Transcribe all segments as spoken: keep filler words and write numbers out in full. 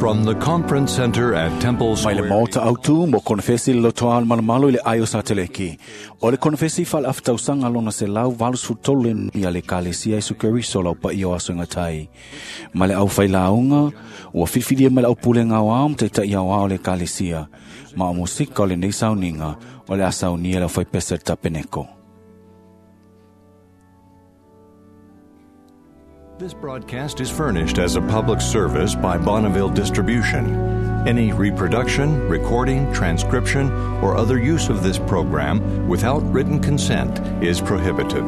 From the Conference Center at Temple Mai le Square. maota autu mo konefesi le lotoa al malomalo i le ai o Sateleki. O le konefesi fale aftausaga lona se lau valu tolu ia le kalesia Iesu Keriso lau pa ia o aso ngatai. Ma le au whailāunga, ua whiwhiria mai le au pule ngau ao mte ia o le kalesia. Ma o musika o le nei sauninga o le asaunia le au whaipesa tapeneko. This broadcast is furnished as a public service by Bonneville Distribution. Any reproduction, recording, transcription, or other use of this program without written consent is prohibited.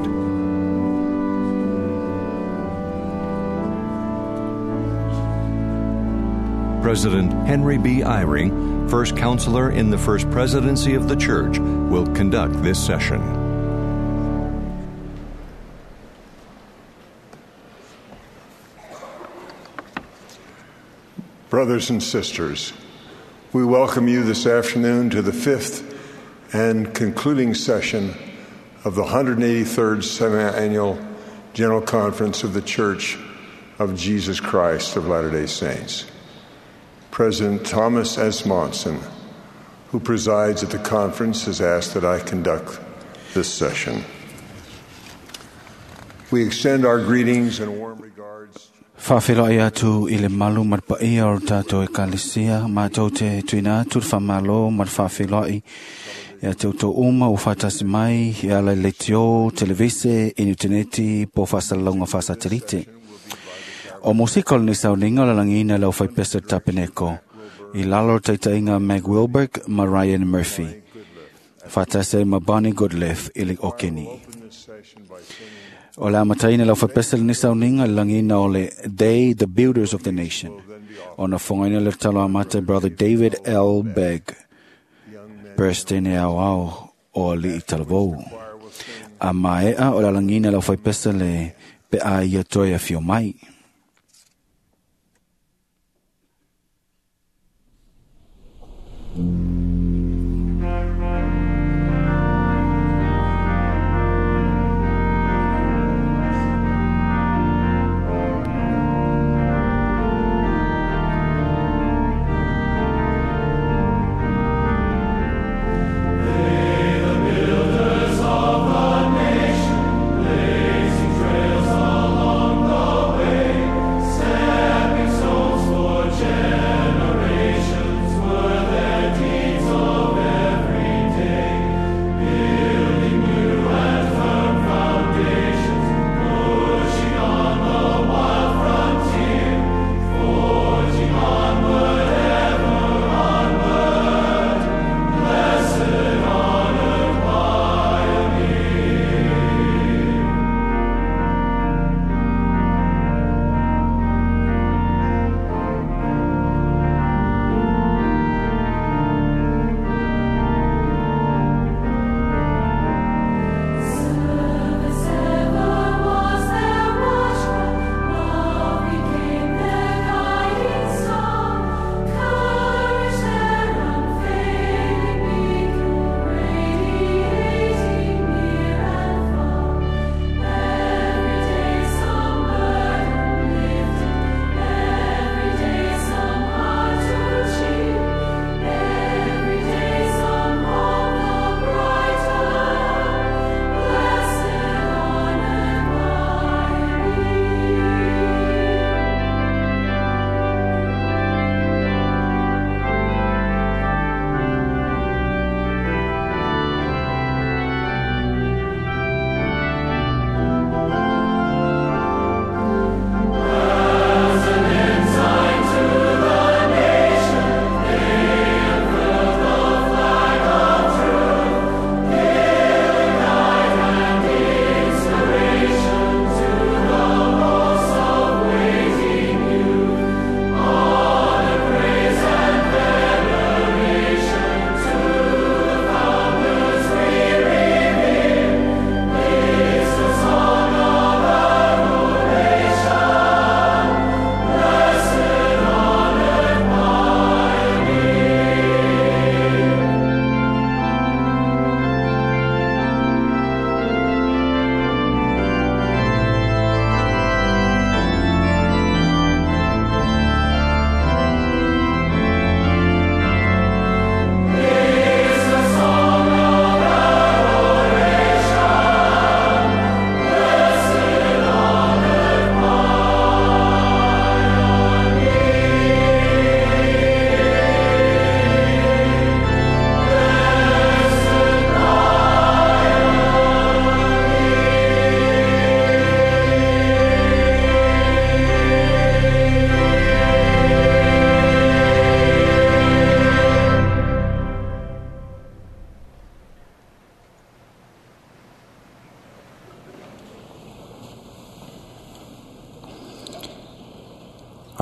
President Henry B. Eyring, First Counselor in the First Presidency of the Church, will conduct this session. Brothers and sisters, we welcome you this afternoon to the fifth and concluding session of the one hundred eighty-third Semi-Annual General Conference of the Church of Jesus Christ of Latter-day Saints. President Thomas S. Monson, who presides at the conference, has asked that I conduct this session. We extend our greetings and warm regards. Whawhelo ai atu i le malu marpaia o tātou e kalesia, mātou te tuina atu le whamalo mar whawhelo ai. Ia te uto uma o whatasi mai, ia lai letio, televise, inuteneti, po whasalonga whasatelite. O musika o le nisauninga o la langina lau whaipesa tapeneko. I lalo taitainga Meg Wilberg ma Ryan Murphy. Whatase ma Bonnie Goodleaf i le okeni. O le amataina lau whapesa le nisauninga le langina o le They, the Builders of the Nation. O na whangaina le talo amata Brother David L. Begg. Presidente au au o li i talavou. A maea o la langina lau whaipesa le pe a ia toi a fio mai. Trails along the way.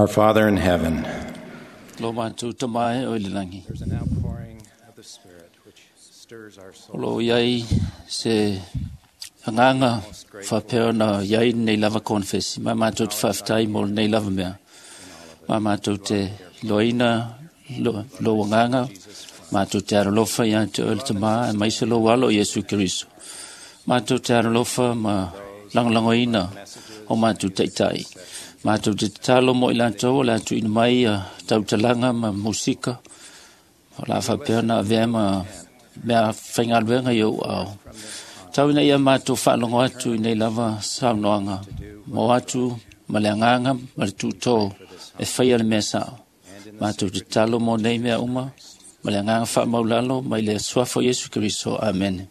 Our Father in heaven, Lo mātou tamae o i le langi. there's an outpouring of the Spirit which stirs our O soul. lo iai se anganga whapea na iai nei lava konfesi. Ma mātou te whawhitai mō nei lava mea. Ma mātou te loina lo, lo anganga. Mātou te aralofa ia te oe le tama e maise lo walo Iesu Keriso. Mātou te aralofa ma langolangoina o mātou taitai. Mātou te tatalo mo i lātou o lātou ina mai a tautalanga ma musika. O la whapea na avea ma mea whaingaluenga i au au. Tau ina ia mātou whaalongo atu i nei lava saunoanga. Mō atu ma le anganga ma le tūtō e whaia le mea sao. Mātou te talo mō nei mea uma ma le anganga whaamaulalo mai le suafo Iesu Keriso. Amen.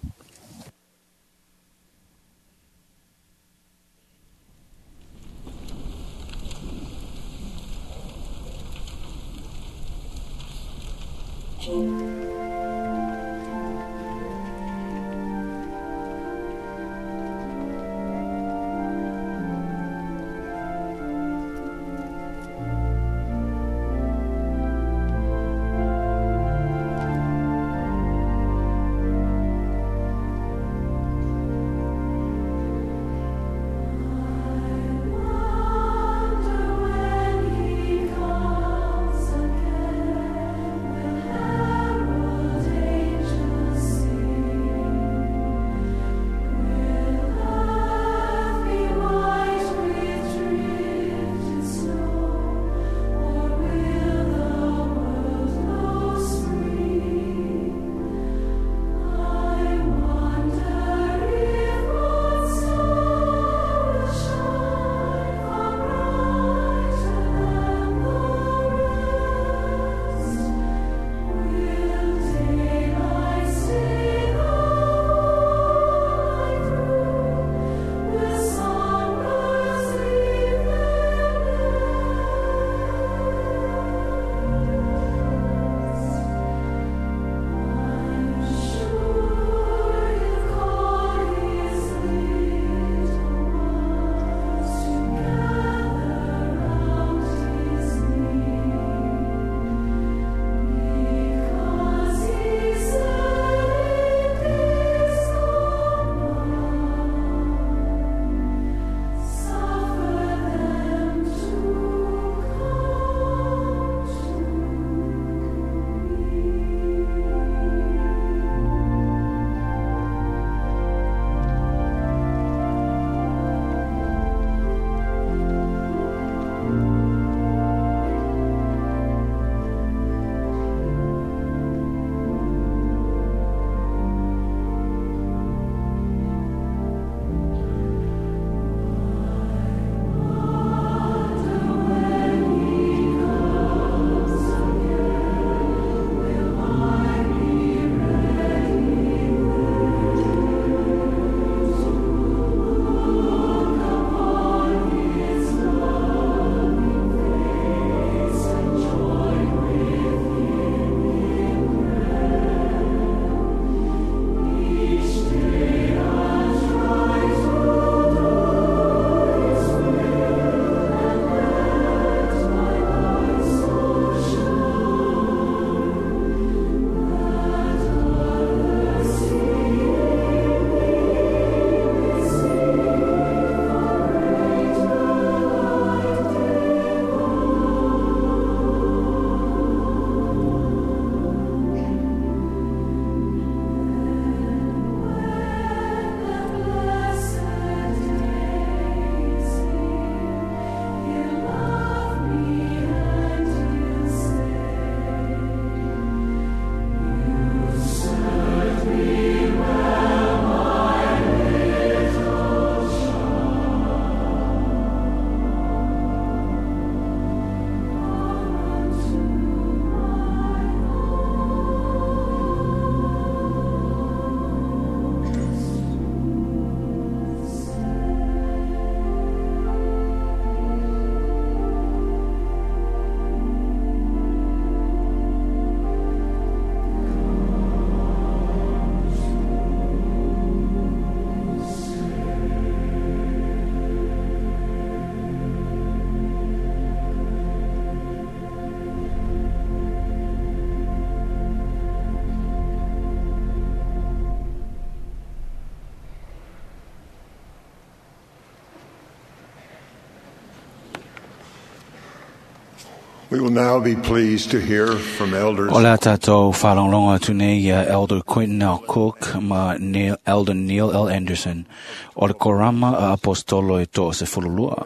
We will now be pleased to hear from elders. O le a tātou whalonglonga atu nei ia Elder Quentin L. Cook ma Neil, Elder Neil L. Anderson o le korama a apostolo e tō se fululua.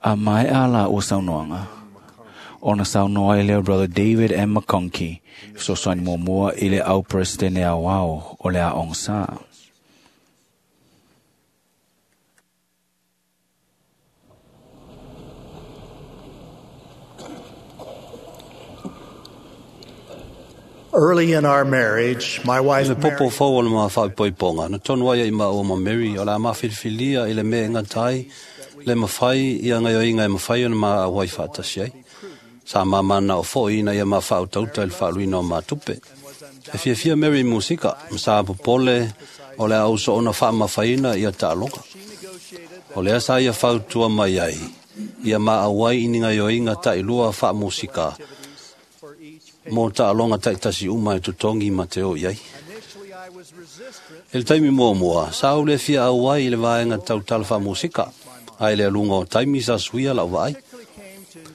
A mai a la o saunoanga. Ona saunoa i leo Brother David M. McConkie, fesoasoani muamua i le au presidente au ao o le a ongsa. Early in our marriage, my wife Le popo Mary fau o le maa whaipoiponga. Na tonu ai i maa ma Mary o la mawhilifilia i le me ngā tai, le mawhai i a ngai o inga e mawhai o na maa wai whaatasi ai. Sa mamana o fo ina ia maa whautauta i le whaaluina o mātupe. E fia fia Mary musika, ma sa popole o le au so ona whaamawhaina i a taaloga. O lea sa ia whautua mai ai, ia maa wai ini ngai o inga tailua whaamusika, mō taaloga taitasi uma e totogi ma te o i ai. E le taimi muamua, sa ou le fia auai i le vaega tautala faamusika, ae le aluga o taimi sa suia lau vaai.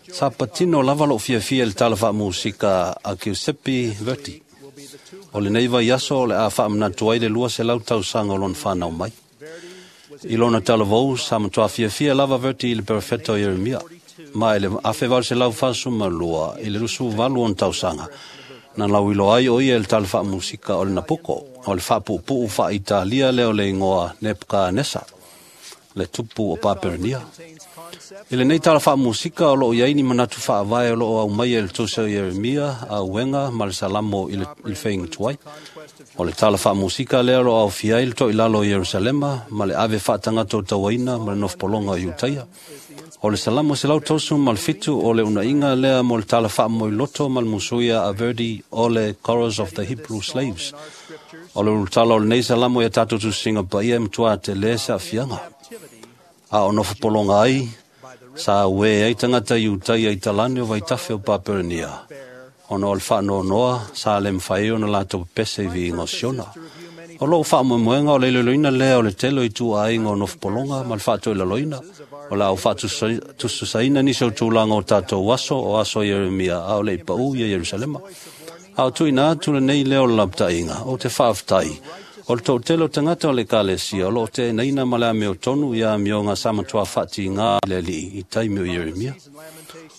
Sa patino lava lou fiafia i le tala faamusika a Giuseppe Verdi. O lenei vaiaso o le a faamanatu ai le lua selau tausaga o lona fanau mai. I lona talavou sa matuā fiafia lava Verdi i le perofeta o Ieremia. Ma i le afe valu selau fasu ma lua i le lusu valu ona tausaga na lauiloa ai o ia i le tala faamusika o le Napuko, o le faapuupuu faaitalia lea o le igoa Nebukanesa, le tupu o Paperania. I lenei tala faamusika o loo i ai ni manatu faavae o loo aumaia i le tusi o Ieremia, Auega ma le Salamo i le, i le feigatuai. O le tala faamusika lea o loo aofia ai le toilalo o Ierusalema ma le ave faatagata o tauaina ma le nofopologa o Iutaia. O le Salamo selau tosu ma le fitu o le unaiga lea mo le tala faamoeloto ma le musuia a Verdi o le Chorus of the Hebrew Slaves. O le ulutala o lenei Salamo ia tātou tusiga paia e matuā telē se aafiaga. A o nofopologa ai, sa uē ai tagata Iutaia i talane o vaitafe o Paperania. Ona o le faanoanoa, sa le mafai ai ona latou pepese i viiga o Siona. O lou faamoemoega o le iloiloina lea o le tele o ituaiga o nofopologa ma le faatoilaloina. O le au faatusaina nisi o tulaga o tatou aso o aso Ieremia a o le i paū ia Ierusalema. A o tuuina atu lenei leo o le lapataiga, o te faafetai. O le toatele o tagata o le ekalesia o loo teenaina ma le amiotonu ia amioga sa matuā faatigā i le alii i taimi o Ieremia.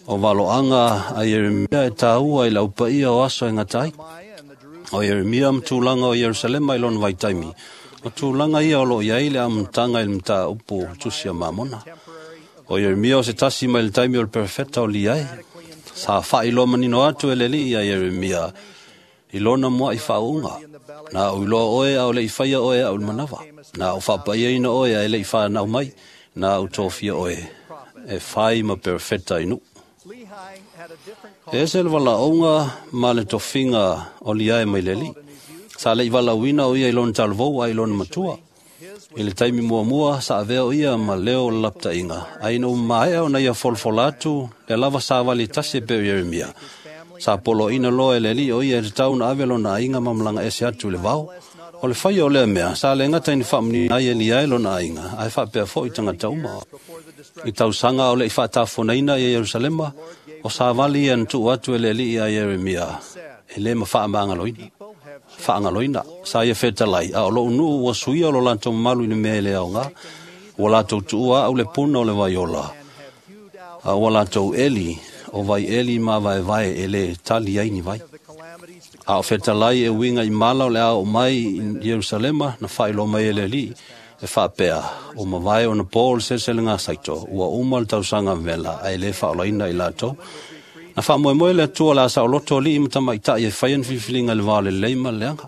O valoaga a Ieremia e tāua i le aupaia o aso e gata ai. O Ieremia ma tulaga o Ierusalema i lona vaitaimi. O tulaga ia o loo i ai le amataga i le mataupu tusi a Mamona. O Ieremia o se tasi mai le taimi o le perofeta o Liae. Sa faailoa manino atu e le alii ia Ieremia i lona mua'i faauuga. Na ou iloa oe a o le i faia oe au le manava. Na ou faapaiaina oe a e le i whanau mai. Na ou tofia oe e whai ma perofeta i nuu. E ese le valaauga ma le tofiga o Liae mai le alii. Sa le i valaauina o ia i lona talavou a i lona matua. I le taimi muamua sa avea o ia ma leo o le lapataiga, ae ina ua maea ona ia folafola atu le lava savali tasi e pei o Ieremia. Sa poloaina loa e le alii o ia e tatau ona ave lona aiga ma malaga ese atu i le vao. O le faia o lea mea, sa le gata ina faamanino ai e Liae lona aiga, ae faapea foi tagata uma. I tausaga o le i faatafonaina ia Ierusalema, o savali ia na tuu atu e le alii a Ieremia, e lē ma faamagaloina. Faagaloina, sa ia fetalai, a o lou nuu ua suia o lo latou mamalu i le mea e le aogā. Ua latou tuua au le puna o le vaiola, a ua latou eli, o vai eli ma vaevae e lē tali ai ni vai. A o fetalai e uiga i mala o le a oo mai i Ierusalema na faailoa mai e le alii, e faapea, o mavae ona pō o le seleselega saito, ua uma le tausaga vela, ae lē faaolaina i latou. Na faamoemoe le Atua o le a saoloto alii ma tamaitai e faia ni filifiliga i le vao lelei ma le leaga.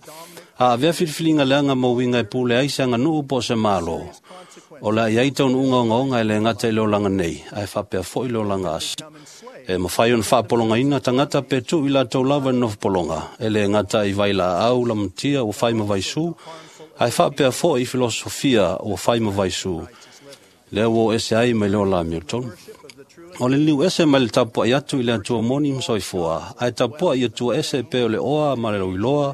A avea filifiliga leaga ma uiga e pule ai se aganuu po o se mālō. O le a i ai taunuuga ogaoga e le gata i le olaga nei, ae faapea foi le olaga asi. E mafai ona faapologaina tagata pe tuu i latou lava i le nofopologa, e le gata i vailaau lamatia ua fai ma vaisū, ae faapea foi i filosofia ua fai ma vaisū, lea ua o ese ai mai le ola amiotonu. O le liu ese mai le tapuai atu i le Atua moni ma soifua, ae tapuai i Atua ese pe o le oa ma le lauiloa,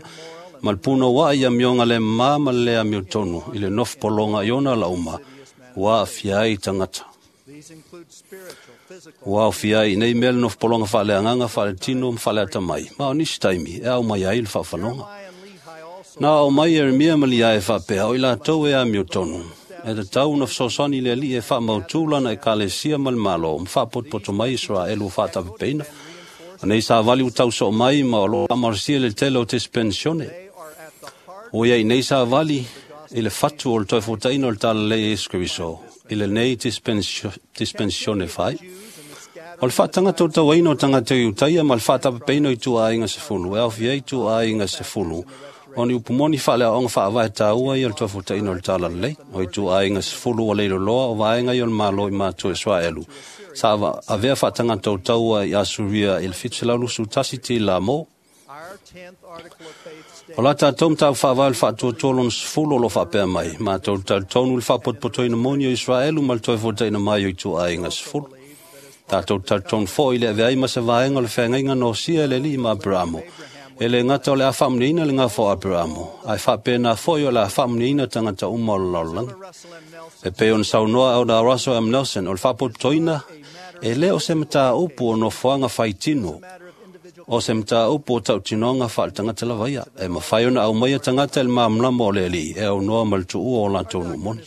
ma le punouai i amioga le mamā ma le le amiotonu i le nofopologa i ona lauma, ua aafia ai tagata. Ua aofia ai i nei mea le nofopologa faaleagaga faaletino ma faaleatamai, ma o nisi taimi e ao mai ai le faafanoga. Na ao mai Ieremia ma Liae faapea o i latou e amiotonu, e tatau na fesoasoani le Alii e faamautū lana ekalesia ma le Malo ma faapotopoto mai Iseraelu ua faatapepeina. O nei savali ua tausoo mai ma o loo faamalosia le tele o tespensione. Ua iai nei savali i le fatu o le toe fuataina o le talalelei e Iesu Keriso i lenei dispensione fai. O le faatagata o tauaina o tagata i Iutaia ma le faatapepeina o ituaiga sefulu e aofia ai ituaiga sefulu o ni upu moni faaleaoaoga faavae taua ia o le toe fuataina o le talalelei. O ituaiga sefulu ua leiloloa o vaega ia o le Malo i matua Israelu sa avea faatagata o taua i Asuria i le fitu selau luasefulu tasi tila mo. O la tatou mataupu faavae o le faatuatua lona sefulu o lo o faapea mai, matou talitonu i le faapotopotoina moni o Israelu ma le toe fuataina mai o ituaiga sefulu. Tatou talitonu foi i le avea ai ma se vaega o le feagaiga nosia e le Alii ma Aperamo. E le gata o le a faamuniaina le gafa o Aperamo, ae faapena foi o le a faamuniaina tagata uma o le lalolagi. E pei ona saunoa Elder Russell M. Nelson, o le faapotopotoina e le o se mataupu o nofoaga faitino, o se mataupu o tautinoga faaletagata lava ia, e mafai ona aumaia tagata i le malamalama o le Alii e aunoa ma le tuua o latou nuu moni.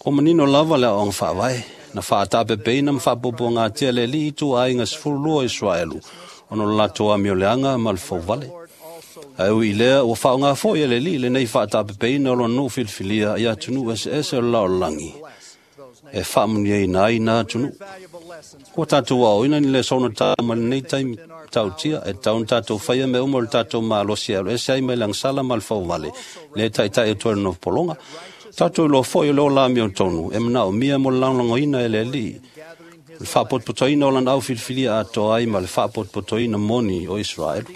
O manino lava le aoaoga faavae, na faatapepeina ma faapuapuagatia le Alii i ituaiga sefulu lua o Israelu, ona o le latou amioleaga ma le fouvale. Ae ui i lea, ua faaaoga foi e le Alii lenei faatapepeina o lona nuu filifilia i atunuu eseese o le lalolagi, e faamuniaina ai na atunuu. Ua tatou aoaoina ni lesona taua ma lenei taimi tautia, e tatau ona tatou faia mea uma o le tatou malosi e alu ese ai mai le agasala ma le fouvale, le taitai atu ai le nofopologa. Tatou iloa foi o le ola amiotonu e manaomia mo le lagolagoina e le Alii, le faapotopotoina o lana au filifilia atoa ai ma le faapotopotoina moni o Israelu.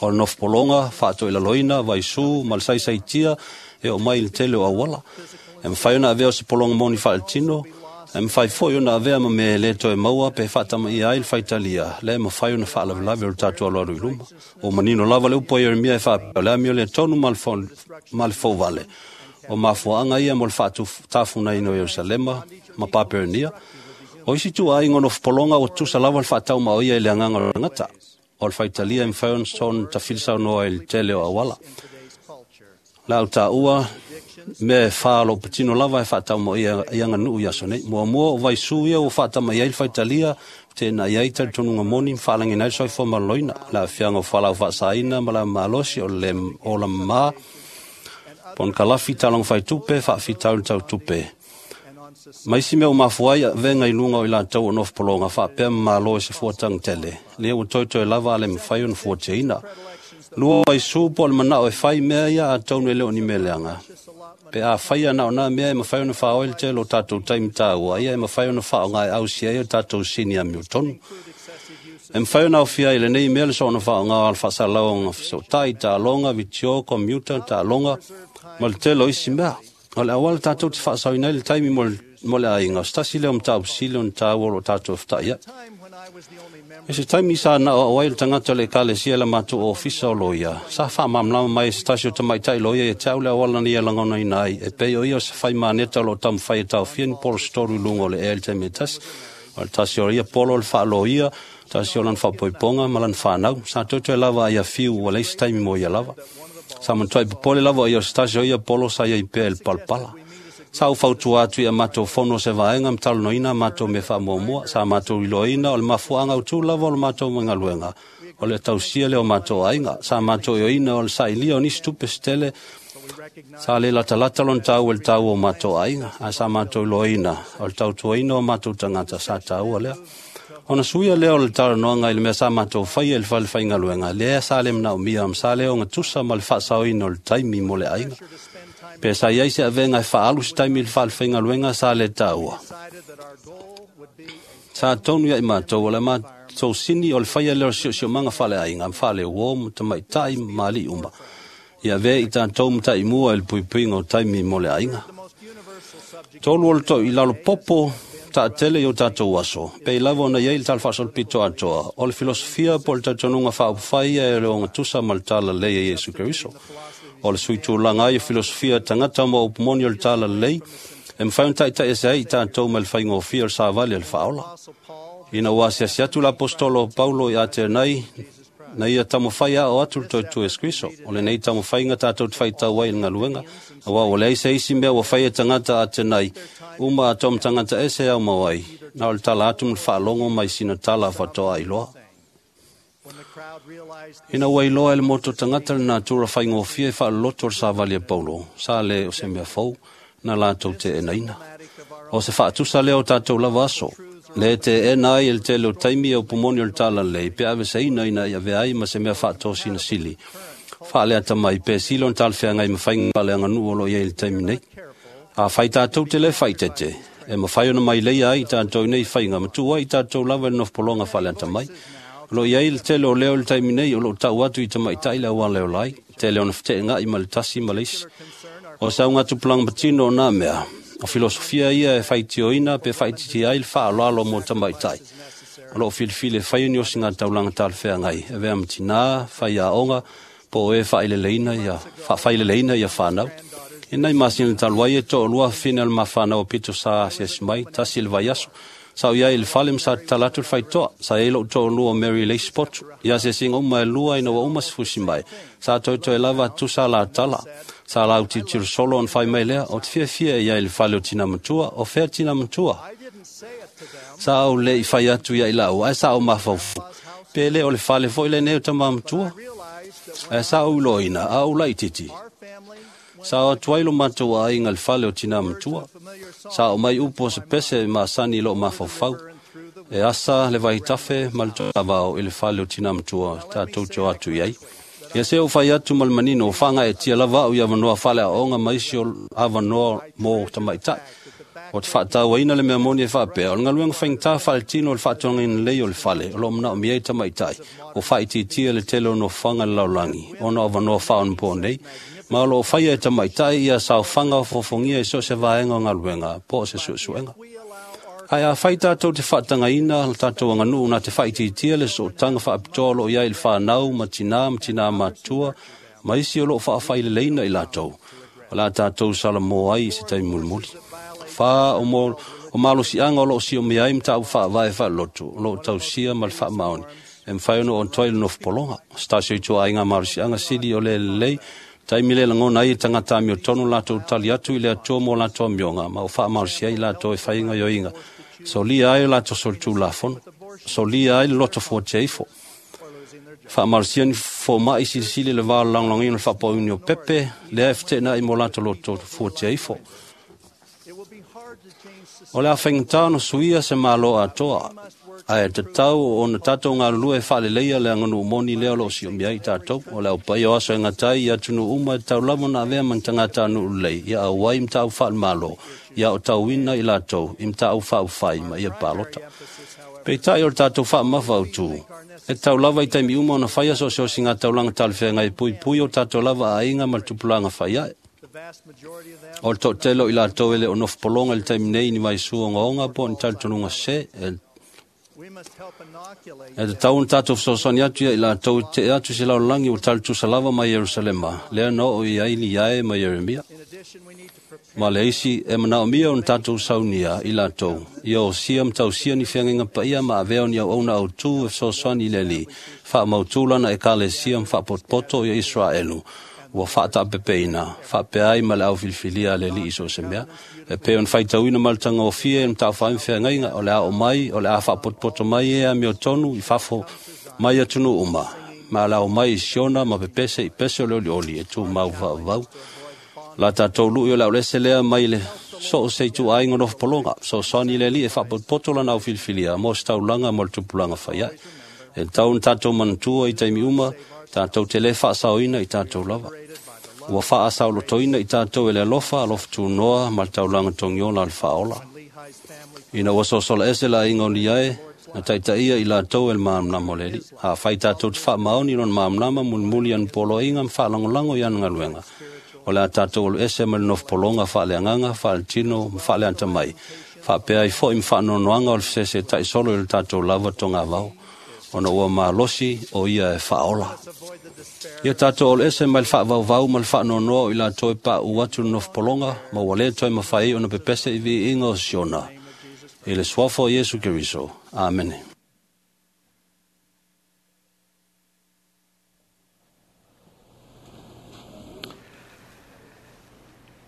O le nofopologa, faatoilaloina, vaisu ma le saisaitia e oo mai i le tele o auala. E mafai ona avea o se pologa moni faaletino, e mafai foi ona avea ma mea e le toe maua pe faatamaia ai le faitalia, le mafai ona faalavelave o le tatou alualu i luma. O manino lava le upu a Ieremia e faapea, o le amio le tonu ma le fouvale, o mafuaaga ia mo le faatafunaina o Ierusalema ma Papelonia. O isi ituaiga o nofopologa ua tusa lava le faataumaoia i le agaga o le tagata. O le faitalia e mafai ona tafilisaunoa i le tele o auala. Le au taua mea e fa o loo patino lava e faataumaoia i aganuu i aso nei. Muamua o vaisu ia ua faatamai ai le faitalia, tēnā ai talitonuga moni ma faalagina ai le soifua maloloina. Le aafiaga o fualaau faasaina ma le malosi o le ola mamā, ponokalafi taloga faitupe, faafitauli tautupe. Ma isi mea ua mafua ai avega i luga o i latou o nofopologa faapea ma malo e se fuataga tele, lea ua toetoe lava a le mafai ona fuatiaina. Lua vaisu po o le manao e fai mea ia atonu e le o ni mea leaga. Pe a faia na o nā mea e mafai ona faaoe le tele o tatou taimi taua, ia e mafai ona faaaoga e ausia ai o tatou sini amiotonu. E mafai ona aofia i lenei mea le soona faaaoga o le faasalauga fesootai, taaloga, vitio, komiuta, taaloga, ma le tele o isi mea. O le auala tatou te faasaoina ai le taimi mo le, mo le aiga, o se tasi lea o mataupu sili ona taua o loo tatou feta'i ai. E se taimi sa na o ai le tagata o le ekalesia le matou ofisa o loia, sa faamalamalama mai e se tasi o tamaitai loia ia te au le auala na ia lagonaina ai, e pei o ia o se faimaneta o loo taumafai e taofia ni polo se tolu i luga o le ea i le taimi e tasi. O le tasi o ia polo o le faaloia, tasi o lana faapoipoga ma lana fanau. Sa toetoe lava ai afiu ua leai se taimi mo ia lava. Sa matuai popole lava o ia o se tasi o ia polo sa iai pea i le palapala. Sa ou fautua atu ia matou fono o se vaega ma talanoaina matou mea faamuamua. Sa matou iloaina o le mafuaaga autū lava o le matou galuega, o le tausia lea o matou aiga. Sa matou ioina o le sailia o nisi tupe se tele, sa le latalata lona taua i le taua o matou aiga, ae sa matou iloaina o le tautuaina o matou tagata sa taua lea. Ona suia lea o le talanoaga i le mea sa matou faia i le fale faigaluega, lea sa le manaomia ma sa le ogatusa ma le faasaoina o le taimi mo le aiga. Pe sa iai se avega e faaalu se taimi i le fale faigaluega sa le taua. Sa tonu ia i matou o le matou sini o le faia lea o le siosiomaga faaleaiga ma faaleuo ma tamaitai ma alii uma. Ia avea i tatou mataimua i le puipuiga o taimi mo le aiga. Tolu o le toi i lalo popo taatele i o tatou aso, pei lava ona iai le tala faasolopito atoa, o le filosofia po o le talitonuga faaupufai ia e le ogatusa ma le talalelei e Iesu Keriso. O le suitulaga ai o filosofia tagata ma upu moni o le talalelei, E mawhai on taitai ese ai i tātou mai le whaingofia o le sāvali o le whaola. Ina ua asiasi atu la apostolo o Paulo i Atenai, na ia tamawhai a o atu le toitu e Kriso. O le nei tamawhainga tātou te whaitau ai le ngaluenga. Awa o le aise isi mea ua whai e tangata Atenai, uma a tom tangata ese au mawai. Na o le tala atu mle whaalongo mai sina tala whatoa iloa. Ina ua iloa ele moto tangata le natura whaingofia e whaaloto le sāvali e Paulo. Sa le o se mea fau, na lātou te enaina. O se whaatusa leo tātou lava aso. Le te ena ai el tele o taimi e upumoni o le tala lei, pe ave se ina ina ia veai ma se mea whaatosi na sili. Whaalea tamai pe silo na talwhea ngai mawhainga pale anganu o lo ia i le taimi nei. A whai tātou te le whaitete, e mawhai ona mai leia ai tātou nei whainga, matua ai tātou lava e nofpolonga whaalea tamai. Lo ia i le tele o leo le taimi nei o lo tau atu i tamai tai le awa leo lai, tele ona whate ngai ma le tasi ma leisi. O sa unga tupulang patino o nā mea, o filosofia ia e whaitioina pe whaititi ai le whaaloalo mō tamaitai. O loo filifili e whai ni o singa taulanga talwhea ngai. E vea matinā, whai a onga, po o e whaileleina ia, whaileleina ia whanau. E nei masina taluai e to lua whina le mawhanau o pito sa asiasi mai, tasi le vaiaso. Sa o ia i le whale msa talatu le whaitoa, sa e lo to lua Mary Leigh Spot. Ia se singa uma e lua ina wa uma sifusi mai. Sa toto e lava tusa la tala. Sa lau titiro solo on whai mai lea, o te fia fia ia i le whale o tina matua, o fea tina matua. Sa au le i whai atu ia i lau, ai sa au mawhaufu. Pe le o le whale fo i le neo tama matua. Ai sa au loina, a au lai titi. Sa o atuai lo matua ai ngal whale o tina matua. Sa o mai upo se pese ma sani lo mawhauwhau. E asa le vai tafe ma le tavao i le whale o tina matua, tātou te o atu iai. Ia se o whai atu ma le manino, o whanga e tia lava au i awanoa whale a onga maisi o awanoa mō tamaitai. O te whaatau aina le mea moni e whaapea, o le ngaluenga whaingtā whale tino o le whaatuanga ina lei o le whale, o lo mna o miei tamaitai, o whaititia le tele o no whanga le laulangi, o no awanoa whaon po nei, ma o lo o whaia e tamaitai ia sao whanga o fofongia i so se vaenga o ngaluenga, po o se suesuenga. Ai a whai tātou te whaatanga ina, tātou anganu nā te whaititia le so tanga whaapitoa lo ia i le whanau, ma tina, ma tina matua, ma isi o lo whaawhai le leina i lātou. O la tātou sala mō ai i se taimi mulimuli. Whā o, mō, o malosi anga o lo si o mea ai mta au whaavae whaalotu, o lo tausia ma le whaamaoni. E mwhai ono on toi le nofpolonga. Stasio i tua ai ngā malosi anga sili o le lei, taimi le langona ai e tangata mi o tonu lātou tali atu i le atua mō lātou amionga, ma o whaamalosi ai lātou e whainga ioinga. So lia ai o lātou sol tū lafono. So lia ai le loto fō te ifo. Whaamalosia ni fō mai silisili le vā langlangi o le whapauni o pepe, lea e whetena i mō lātou loto fō te ifo. O le a whaingatā no suia se mālo atoa. Ai te tau o na tātou ngā lua e whaleleia le anganu umoni lea lo si o mea i tātou. O le au pai o aso e ngatai i atunu uma e tau lamo na avea man tangata anu ulei. Ia au wai mta au whaal malo. Ia o tau wina i lātou. I mta au whaau whai ma ia palota. Peitai o le tātou wha mafa au tū. E tau lava i taimi uma o na whaia so se o si ngā taulanga talwhea ngai pui pui o tātou lava a inga ma le tupulanga whai ai. O le tō telo i lātou ele o nofpolonga le taimi nei ni vai sua ngonga po ni talitonunga se e E te tau na tātou whasosani atu ia i lātou te atu se laulangi o talitusa lava mai Yerusalema, lea no o i aili iae mai Jeremia. Ma le isi e manao mia o na tātou saunia i lātou, ia o sia mtausia ni whiangenga paia ma aveo ni au auna au tū e whasosani le li, wha mautulana e kalesia mwhaapotpoto ia Israelu. Ua whaatapepeina, whaapeai ma le au filifilia le li iso se mea. E pe on whaitauina maltanga o fie e mtawhaim whea ngainga, o le a o mai, o le a whaapotpoto mai e a meo tonu i whafo mai atunu uma. Ma le ao mai i siona ma pepese i pese o le oli oli e tū mau whaavau. La tātou lui o le au lese lea mai le so o se tu ainga no polonga. So sani le li e whaapotpoto lana au filifilia, mo staulanga mo le tupulanga whaiai. E tau na tātou manatua i taimi uma, tātou te le whaasaoina i tātou lava. Ua whaasao lotoina i tātou e le alofa, alofa tūnoa, ma le taulanga tongiola le whaola. Ina ua sosola ese la inga o liae, na taitaia i lātou e le maamnama o le li. A whai tātou te whaamaoni lon maamnama mulimuli anu poloinga ma whaalangolango i anu ngaluenga. O le a tātou olu ese ma le nofpolonga whaaleanganga, whaaletino, ma whaaleanta mai. Whaapea i fo i mwhaanonoanga o le whasese tai solo i le tātou lava tonga vau. Ona ua malosi o ia e whaola. Ia tātou ole ese mai le whaavauvau ma le whaanonoa o i lātou e pā u atu nofopolonga, ma ua le toi mawhai o na pepese i vi inga o Siona. I le suafa o Iesu Keriso. Amene.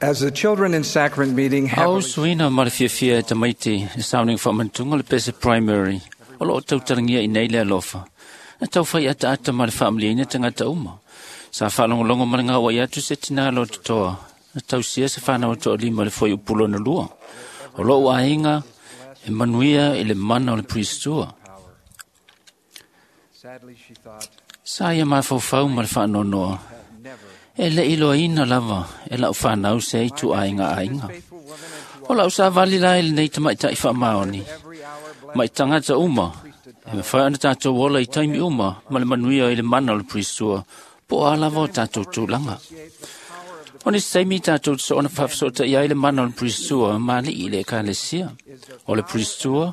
As the children in sacrament meeting Au happily suina ma le fiafia e tamaiti e sauning whaamantunga le pese primary o loo tautarangia i nei le alofa. Na tau whai ata ata ma le whaamliina tangata uma. Sa whaalongolongo ma le ngā wai atu se tina lo totoa. Na tau sia se whanau toa lima le foi upulo na lua. O loo ainga e manuia i le mana o le priestua. sadly she thought Sa ia mafaufau ma le whaanonoa. E le iloa lava e lau whanau se i tu ainga ainga. faithful woman and O lau sa vali lai le nei tamaitai whaamaoni. every hour blessed Mai tangata uma. E mawhai ana tātou ola i taimi uma ma le manuia i le mana o le priestua. Po a lava o tātou tūlanga. O ni seimi tātou so ona whawhasota i ai le mana o le priestua ma li i le ekalesia. O le priestua,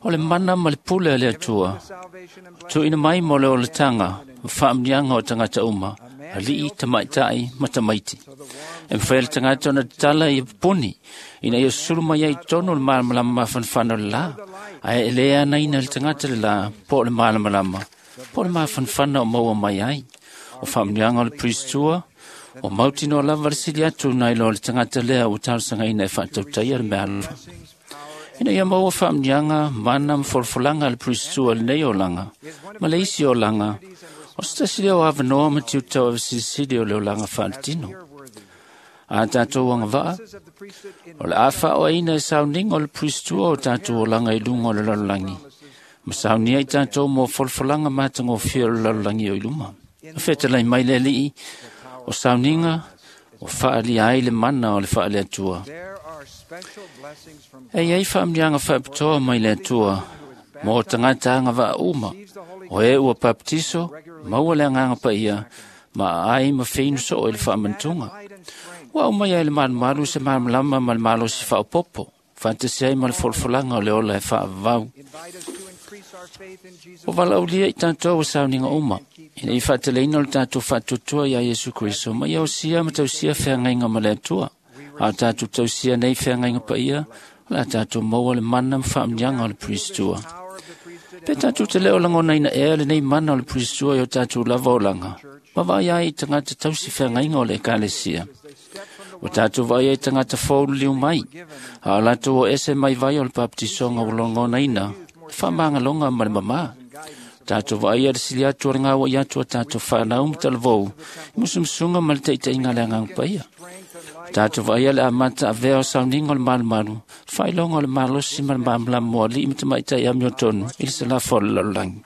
o le mana ma le pule a le atua. salvation and Tuina mai mo le o le tanga, whaamnianga o tangata uma, a lii tamaitai ma tamaiti. E mwhai le tangata ona tala i puni, ina ia sulu mai ai tono le malamalama mafanfana o le la, ae e le ana ina le tangata le la, po le malamalama, po le mafanfana o maua mai ai. O whaamnianga o le priestua, o mautino lava le sili atu nai lo le tangata lea o talosaga ina e whaatautai le mea alofa. Ina ia maua whaamnianga, mana ma folfolanga le priestua le nei olanga, ma le isi olanga, o se tasi lea o avanoa ma tiutau ave silisili o le olanga whaalitino. A tātou anga vaa, of the priesthood in o le awha o aina e sauninga o le priestua o tātou olanga i lunga o le lalolagi. Ma saunia i tātou mō folfolanga mātangofia o le lalolagi o i luma. O whetalai mai le alii, o sauninga, o whaalia ai le mana o le whaale atua. there are special blessings from E iai whaamnianga whaapitoa mai le atua, mō tangata anga vaa uma, o e ua baptiso, maua le anganga pa ia, ma ai ma whinu so o i le whaamantunga. light and strength Ua au mai ai le malumalu se malamalama ma le malosi whaopopo, whantasi ai ma le folfolanga o le ola e whaavau. invite us to increase our faith in Jesus O valaulia i tātou o sauninga uma, ina i whaateleina o le tātou whaatutua ia Iesu Kristo, ma ia osia ma tausia wheangainga ma le atua. A o tātou tausia nei wheangainga pa ia, o le a tātou maua le mana ma whaamnianga o le priestua. power of the priesthood Pe tātou te leo langona ina ea le nei mana o le priestua i o tātou lava o langa. Ma vai ai i tangata tausi wheangainga o le ekalesia. O tātou vai ai tangata fōulu liu mai. A o lātou o ese mai vai o le baptisonga o langona ina, whamangalonga ma le mama. Tātou vai a le sili atu o le ngāwa i atu a tātou whanau ma talavou, i musumusunga ma le teiteinga le angang paia. Tātou vai a le amata avea o sauninga o le malumalu, whailonga o le malosi ma le mamalamu o alii ma tamaitai amio tonu, i le salafo o le lalolagi.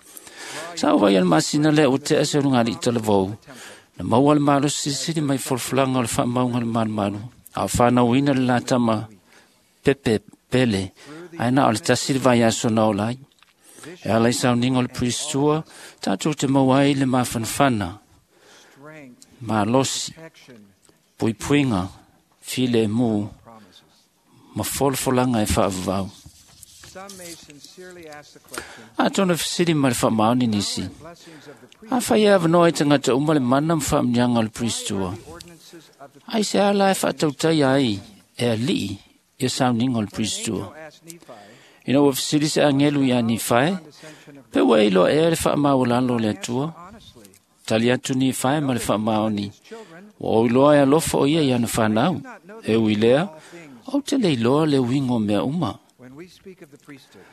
Sa o vai a le masina lea o te ase o le ngali i talavou, na maua le malosi sili mai folfolanga o le whaamaunga le malumalu, a o whanauina le latama pepe pele, ai na o le tasi le vai aso na o lai. E ala i sauninga o le priestua, tātou te maua ai le mafanfana, strength malosi, protection puipuinga, file e mū, promises ma folfolanga e whaavavau. some may sincerely ask the question A tōna whisiri ma le whaamaoni nisi. blessings of the A whai e awanoa i tangata uma le mana ma whaamnianga o le priestua. ordinances of the Ai se ala e whaatautai ai e alii i sauninga o le priestua. asked Nephi Ina ua whisiri se angelu i a Nifae, ascension of pe ua iloa ea le whaamaulalo o le atua. honestly Tali atu Nifae ma le whaamaoni. children Ua oiloa e alofa o ia i ana whanau. E ui lea, au te leiloa le uingo mea uma. when we speak of the priesthood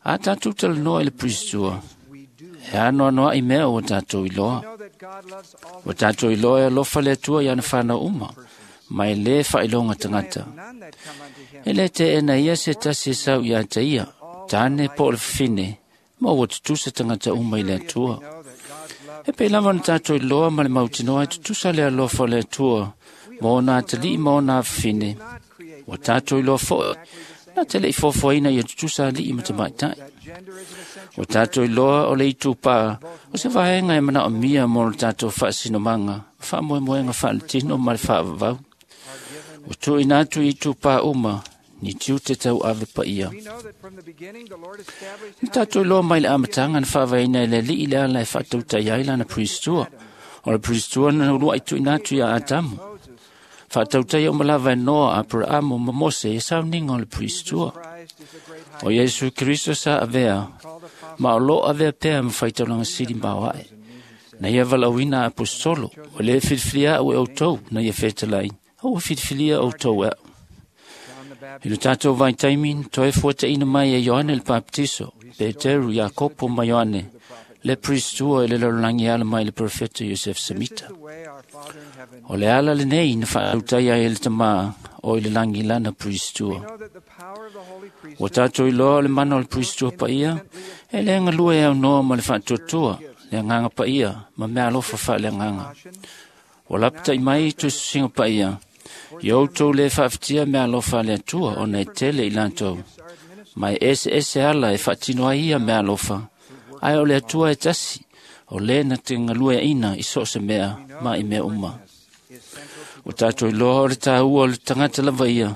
A tātou talanoa i le priestua, we do e ano anoa i mea o tātou iloa. know that God loves all O tātou iloa e alofa le atua i ana whanau uma, mai le whailonga tangata. none that come unto him E le te ena ia se tasi e sau ia te ia, tāne po o le whine, ma ua tutusa tangata uma i le atua. know that God's love E pe lava na tātou iloa ma le mautinoa e tutusa le alofa o le atua, ma o nā talii ma o nā whine. not create O tātou iloa foe, nā te lei fofoina ia tutusa alii ma te maitai. that gender is an essential O tātou iloa o le itupā, o se vaenga e mana o mia mō le tātou whaasinomanga, whaamoemoenga whaaletino ma le whaavavau. O tuina atu i itupā uma, ni tiu te tau ave pa ia. We know that from the beginning the Lord established Ni tātou iloa mai le amatanga na whaavaina e le lii le ala e whaatautai ai lana priestua. O le puristua na uluai tuuina atu ia Atamu. Faatautaia uma lava e Noa, Aperaamo ma Mose i sauniga o le puristua. O Iesu Keriso sa avea, ma o loo avea pea ma faitaulaga sili ma aoae. Na ia valaauina aposetolo, ua lē filifilia a'u e outou na ia fetalai, a ua filifilia outou e a'u. I lo tatou vaitaimi na toe fuataʻina mai e Ioane le Papatiso, Peteru, Iakopo ma Ioane, le puristua i le lalolagi e ala mai le perofeta Iosef Semita. O le ala lenei na faatautai ai e le Tamā o i le lagi lana puristua. Ua tatou iloa o le mana o le puristua paia e le galue e aunoa ma le faatuatua, le agaga paia ma mea alofa faaleagaga. Ua lapataʻi mai tusitusiga paia, ia outou lē faafitia mea alofa a le Atua ona e tele i latou. Ma e eseese ala e faatino ai ia mea alofa, ae o le Atua e tasi, o lē na te galueaʻina i so o se mea ma i mea uma. Ua tatou iloa o le tāua o le tagata lava ia,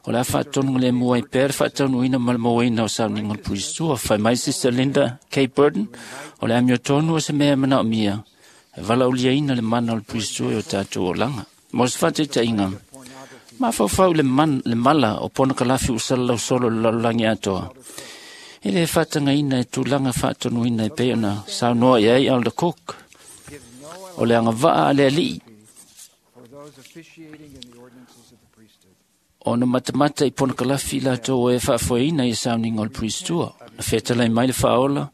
o le a faatonuga lemu ai pea le faataunuuina ma le mauaina o sauniga o le puristua. Fai mai Sister Linda K. Burton, o le amiotonu o se mea e manaomia, e valaauliaina le mana o le puristua i o tatou olaga. Mo se faataitaiga, mafaufau le, man, le mala o ponokalafi ua salalau solo i le lalolagi atoa. E lē faatagaina e tulaga faatonuina e pei ona saunoa i ai Elder Cook. O le agavaa a le alii ona matamata i ponokalafi i latou e faafoeina i sauniga o le puristua. Na fetalai mai le faaola,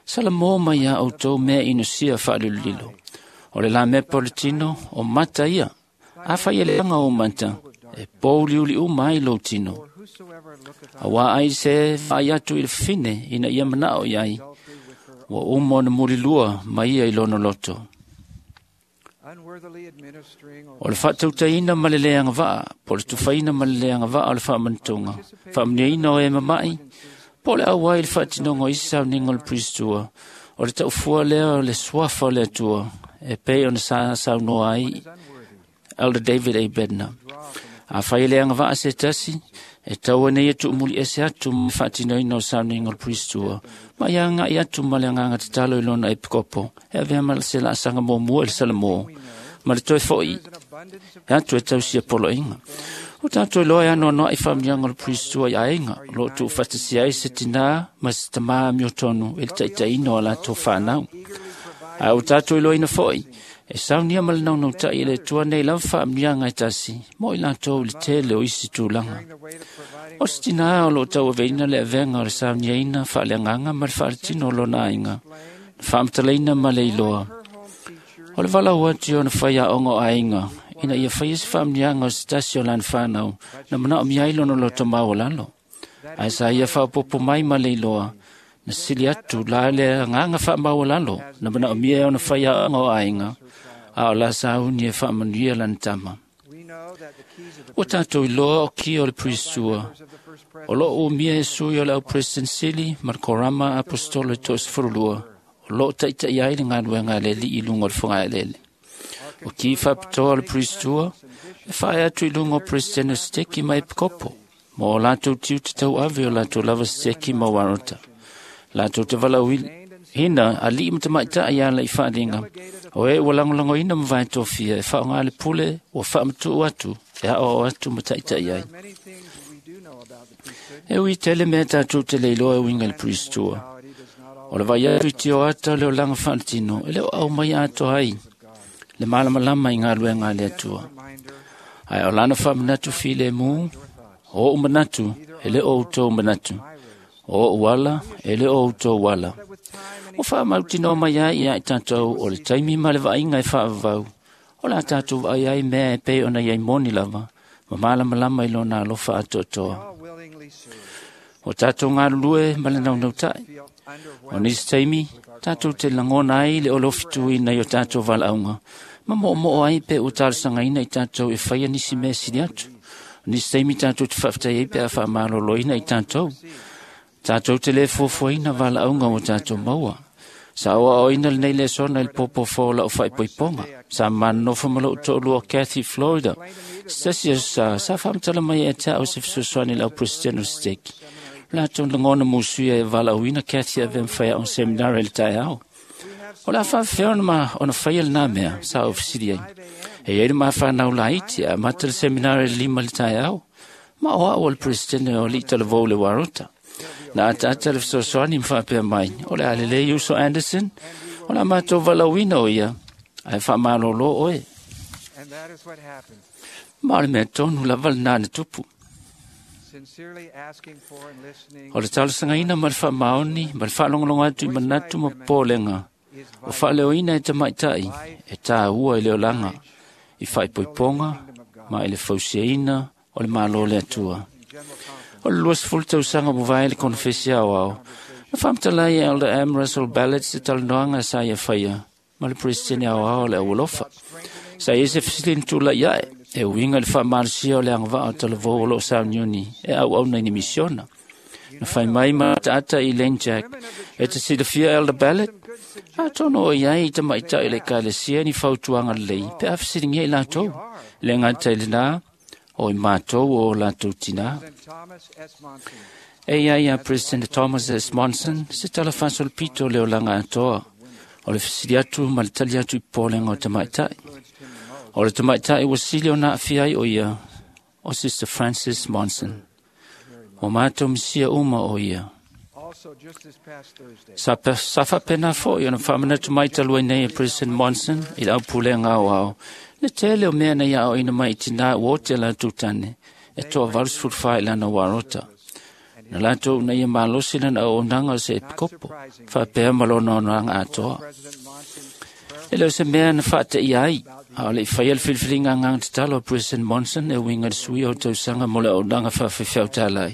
salamō mai iā outou mea inosia faalilolilo. O le lamepa o le tino, o mata ia. Afai e leaga ou mata, e pouliuli uma ai lou tino. Auā ai se vaai atu i le fafine ina ia manao i ai, ua uma ona mulilua ma ia i lona loto. O le faatautaina ma le lē agavaa, po o le tufaina ma le lē agavaa o le faamanatuga, faamanuiaina o e mama'i, po o le auai i le faatinoga o isi sauniga o le puristua, o le taufua lea o le suafa o le Atua, e pei ona sa saunoa ai Elder David A. Bednar. Afai e le agavaa se tasi, e tau nei e tuumuli ese atu ma faatinoina o sauniga o le puristua, ma ia agaʻi atu ma le agaga tatalo i lona epikopo, e avea ma se laasaga muamua i le salamō, ma le toe foʻi atu e tausia poloaiga. O tatou iloa e anoanoaʻi faamanuiaga o le puristua i aiga, o loo tuufaatasia ai se tinā ma se tamā amiotonu i le taitaiina o a latou fanau. Ae ua tatou iloaina foʻi, e saunia ma le naunautaʻi e le Atua nei lava faamanuiaga e tasi, mo i latou i le tele o isi tulaga. O se tinā o loo tauaveina le avega o le sauniaina faaleagaga ma le faaletino o lona aiga, na faamatalaina ma le iloa. O le valaau atu i ona faiaoga o aiga, ina ia faia se faamanuiaga o se tasi o lana fanau, na manaomia ai lona loto maualalo. Ae sa ia faaopoopo mai ma le iloa, na sili atu la le agaga faamaualalo na manaomia e ona faiaoga o aiga, a o la sauni e faamanuia lana tama. Ua tatou iloa o kia o le puristua, o loo umia e sui o le au President Sili ma le Korama Apostolo e toasefululua, o loo taʻitaʻi ai le galuega a le Alii i luga o le fogaeleele. O ki faapitoa o le puristua, e faae atu i luga o President o Seteki ma Epikopo, ma o latou tiute tauave o latou lava seteki ma uarota. Latou te valaauina alii ma tamaitaʻi ala i faaliga, o e ua lagolagoina ma vaetofia e faaaogā le pule ua faamatuu atu e aoao atu ma taʻitaʻi ai. E ui tele mea tatou te le iloa e uiga i le puristua. O le vaai atu i tioata o le olaga faaletino, e le o aumai atoa ai le malamalama i galuega a le Atua. Ae o lana faamanatu filemu, o oʻu manatu e le o outou manatu, o oʻu ala e le o outou ala. Ua faamautinoa mai ai ia i tatou o le taimi ma le vaaiga e faavavau, o le a tatou vaai ai mea e pei ona iai moni lava, ma malamalama i lona alofa atoatoa. O tatou galulue ma le naunautaʻi. O nisi taimi, tatou te lagona ai le olofituina i o tatou valaauga, ma moomoo ai pe ua talosagaina i tatou e faia nisi mea sili atu. O nisi taimi tatou te faafetai ai pe a faamaloloina i tatou. Tatou te lē fuafuaina valaauga ua tatou maua. Sa oaoaina lenei lesona i le popofo o lau faaipoipoga. Sa manonofo ma lou toalua Kathy Florida. Se tasi aso sa, sa faamatala mai e te au se fesoasoani i le au president o Seteki. Latou lagona musuia e valaauina Kathy avea ma faiaoga seminari i le taeao. O le a faafefea ona ma ona faia lenā mea sa ou fesili ai. E iai le mafanau laiti e amata le seminari i le lima i le taeao, ma o a'u o le peresetene o alii talavou i le uarota. Na ataata le fesoasoani ma faapea mai, o le a lelei uso Anderson, o le a matou valaauina o ia, ae faamalōlō oe. And that is what happened. Ma o le mea tonu lava lenā na tupu. Sincerely asking for and listening O le talosagaina ma le faamaoni ma le faalogologo atu i manatu ma popolega is o faaleoina e tamaitai e tāua i le olaga i faaipoipoga ma i le fausiaina o le Malo le Atua. general conference. O le luasefulu tausaga mavae le konofesi aoao, na faamatalaai e Elder M. Russell Ballard se talanoaga sa ia faia ma le peresetene aoao o le aualofa. Sa ia se fesili na tula'i ae e uiga i le faamalosia o le agavaa o talavou o loo sauniuni e auauna i ni misiona. Na fai mai ma ataata i Lane Jack e te silafia Elder Ballard, atonu o iai i tamaitai o le ekalesia ni fautuaga lelei pe a fesiligia i latou. Le gata i lenā o i matou o latou tinā. President Thomas S. Monson E ia ia President Thomas S. Monson se tala faasolopito o le olaga atoa o le fesili atu ma le tali atu i popolega o tamaitai. influenced him the most. O le tamaitai ua sili ona aafia ai o ia o Sister Frances Monson. O matou misia uma o ia. Also, just this past Thursday, Sa, pe, sa faapena fo'i ona faamanatu mai talu ai nei e President Monson i le aupulega aoao, le tele o mea na ia aoaina mai i tinā ua ote latou tane e toa valusefulu fa i lana uarota. Na latou na ia malosi lana auaunaga o se epikopo, faapea ma lona onaga atoa. President Monson's prayer E le o se mea na faateia ai, a o le i faia le filifiliga agaga tatalo a President Monson e uiga i le suia o tausaga mo le auaunaga faafefeautalai.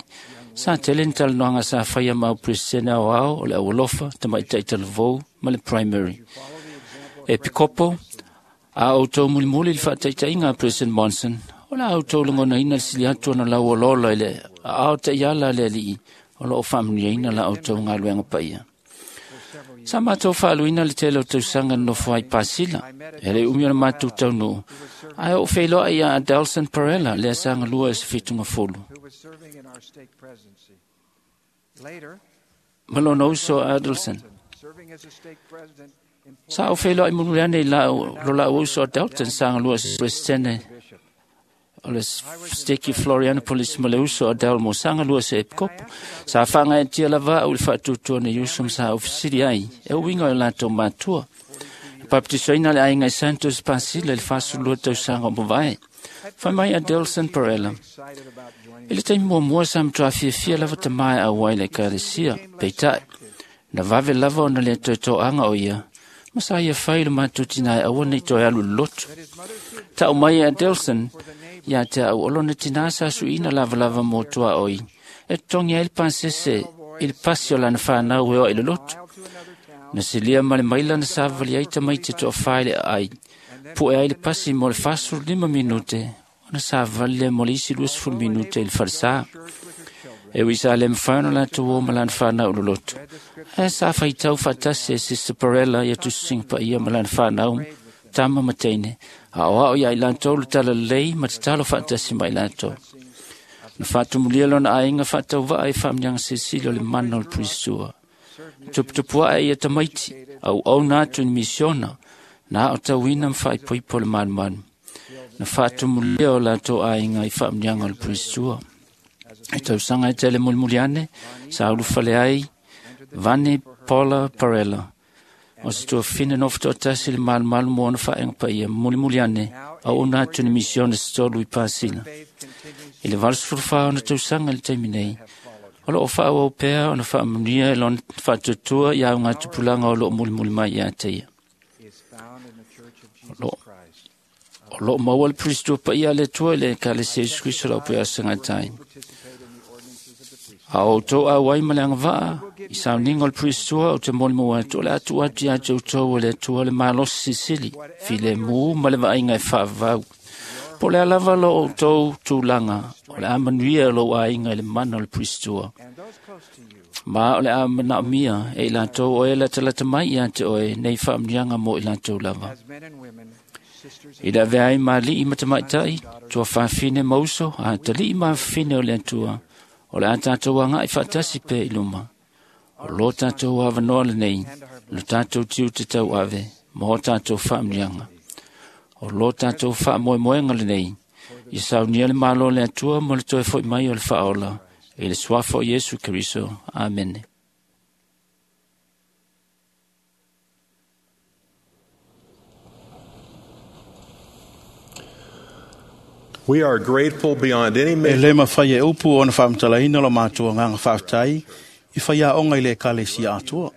Sa tele ni talanoaga sa faia ma au peresetene aoao o le aualofa, tamaitai talavou ma le primary. E pikopo, a outou mulimuli i le faataitaiga a President Monson, o le a outou lagonaina le sili atu ona lauoloolo i le aao taiala a le alii o loo faamanuiaina la outou galuega paia. Sa matou faaluina le tele o tausaga na nofo ai Pasila, e le umi o le matou taunuu, ae ou feiloai ia Adelson Parella lea sa galua i se fitugafulu. who was serving in our stake presidency. Later, Ma lona uso a Adelson. serving as a stake president in Sa ou feiloai mulimuli ane i lau, lo lau uso a Dalton sa galua i se presidente bishop. o le steki Florianopolis ma le uso a Dalmo sa galua se epikopo. Sa faagaeatia lava au i le faatuatua nei uso ma sa ou fesili ai, e uiga o latou matua. Na baptisoina le aiga i Santos Pasila i le fasulua tausaga o mavae. Fai mai a Delson Parella. Excited about joining I le taimi muamua sa matuā fiafia lava tamā e auai le ekalesia, peitai. Na vave lava ona le toetoaga o ia, ma sa ia fai le matou tinā e aua nei toe alu i le lotu. his mother should Ta'u mai e Adelson, for the neighbor ia te au o lona tinā sa suiina lavalava mo tuaoi, e totogi ai le pasese i le pasi o lana fanau e oa i le lotu. mile to another town Na silia ma le maila na savali ai tamaiti toafā i le aai, pu'e ai le pasi mo le fasefulu lima minute, ona savali lea mo le isi luasefulu minute i le falesā. church with her children. E ui sa le mafai ona latou o ma lana fanau i le lotu. Ae sa faitau faatasi e Sister Parella ia tusisiga paia ma lana fanau, tama ma teine, a o ao ia i latou le talalelei ma tatalo faatasi ma i latou. Na faatumulia lona aiga faatauvaa i faamanuiaga silisili o le mana o le Purisua. Tuputupuae ia tamaiti, auauna atu i ni misiona, na aotauina ma faaipoipo le malumalu. Na faatumulia o latou aiga i faamanuiaga o le Purisua. E tausaga e tele mulimuli ane, sa ulufale ai Vani Paula Parella. O se tuafine nofo toatasi le malumalu mo ona faaega paia mulimuli ane, auauna atu i ni misiona se tolu i Pasila. Faith continues I le valusefulu fa ona tausaga i le taimi nei, o loo faaauau pea ona faamanuia e lona faatuatua i augatupulaga o loo mulimuli mai ia te ia. is found in the Church of Jesus Lord. Christ. O loo maua le Puristua paia a le Atua i le Ekalesia Iesu Kriso lau pea asagatai. Participate in the ordinances of the priesthood. A outou auai ma le agavaa, i sauniga o le Puristua o te molimau atu o le atu atu ia te outou e le Atua le malosi silisili, filemu ma le vaaiga e faavavau. Po o le a lava lo outou tulaga, o le a manuia lou aiga i le mana o le Puristua. And those close to you Ma o le a manaomia e i latou o e latalata mai ia te oe nei faamanuiaga mo i latou lava. as men and women, sisters I le avea ai ma alii ma tamaitai, tuafafine ma uso, a talii ma afafine o le Atua, o le a tatou aga'i faatasi pea i luma. O lo tātou avanoa lenei, lo tātou tiute tau ave, ma o tātou whaamnianga. O lo tātou whaamoemoenga lenei, i saunia le malo le atua mo le toe foi mai o le whaola, e le suafa o Iesu Keriso. Amene. We are grateful beyond any E measure le mawhai e upu o na whaamtalaina lo mātua nganga whaaftai, i whai a onga i le ekalesia atua.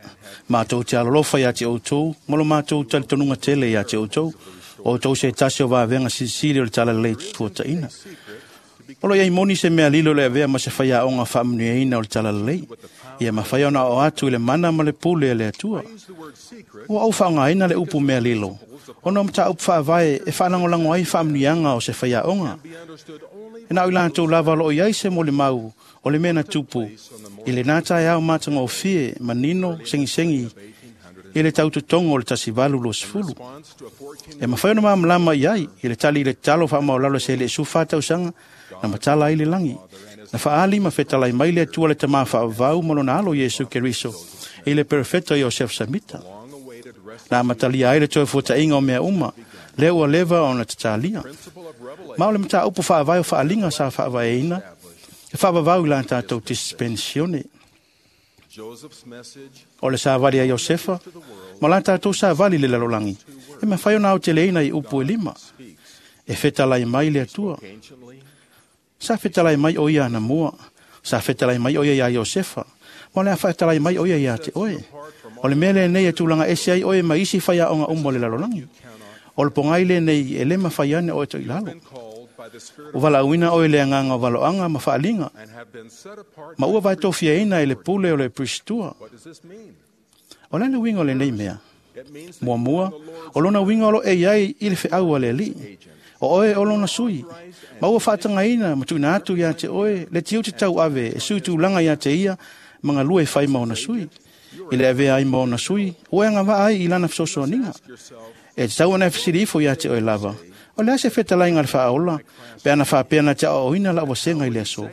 Mātou te alolofa ia te outou, mo lo mātou talitonunga tele ia te outou, o outou se tasi o vavenga silisili o le talalelei tuataina. O lo iai moni se mea lilo le avea ma se whai a onga whaamanuiaina o le talalelei. Ia mawhai ona o atu i le mana ma le pule e le atua. Ua au whaangaina le upu mea lilo. Ona o mata upu whaavae e whaalangolango ai whaamanuianga o se whai a onga. E nau i lātou lava lo iai se mo le mau o le mea na tupu. I le nā tae au mātanga o fie, manino, sengisengi, i le tautotongo o le tasivalu lo sefulu. E mawhai ona maamalama i ai, i le tali i le talo whaamaolalo se le sufa tausanga, na matala ai le langi. Na whaali ma whetalai mai le atua le tamā whaavau ma lona alo Iesu Keriso, i le perfecto Iosef Samita. Na matalia ai le toe fuatainga o mea uma, le ua leva ona tatalia. Ma o le mata upu whaavai o whaalinga sa whaavaeina, e whaavavau i la tātou dispensione. O le sāvali a Iosefa, ma la tātou sāvali le lalolangi, e mawhai ona au te leina i upu e lima. E whetalai mai le atua. Sa whetalai mai o ia ana mua, sa whetalai mai o ia ia Iosefa, ma le a whetalai mai o ia ia te oe. O le mele nei e tūlanga ese ai oe ma isi whai a onga umo le lalolangi. O le pongai le nei e lema whai ane oe to ilalo. O wala uina oe le anganga o waloanga ma whaalinga. Ma ua vai tofia ina e le pule o le pristua. O le winga o le nei mea. Mua mua, o lona winga o lo e iai i le wheau a le li. O oe o lona sui. Ma ua whaatanga ina ma tuina atu ia te oe, le tiu te tau ave, e sui tūlanga ia te ia, manga lua e whai maona sui. I le avea ai maona sui, o e anga ai i lana whasosoaninga. E te tau ana e whasiri ifo ia te oe lava. O lea se whetalai ngā le whaola, pe ana whaapea na te ao ina la wasenga i le aso.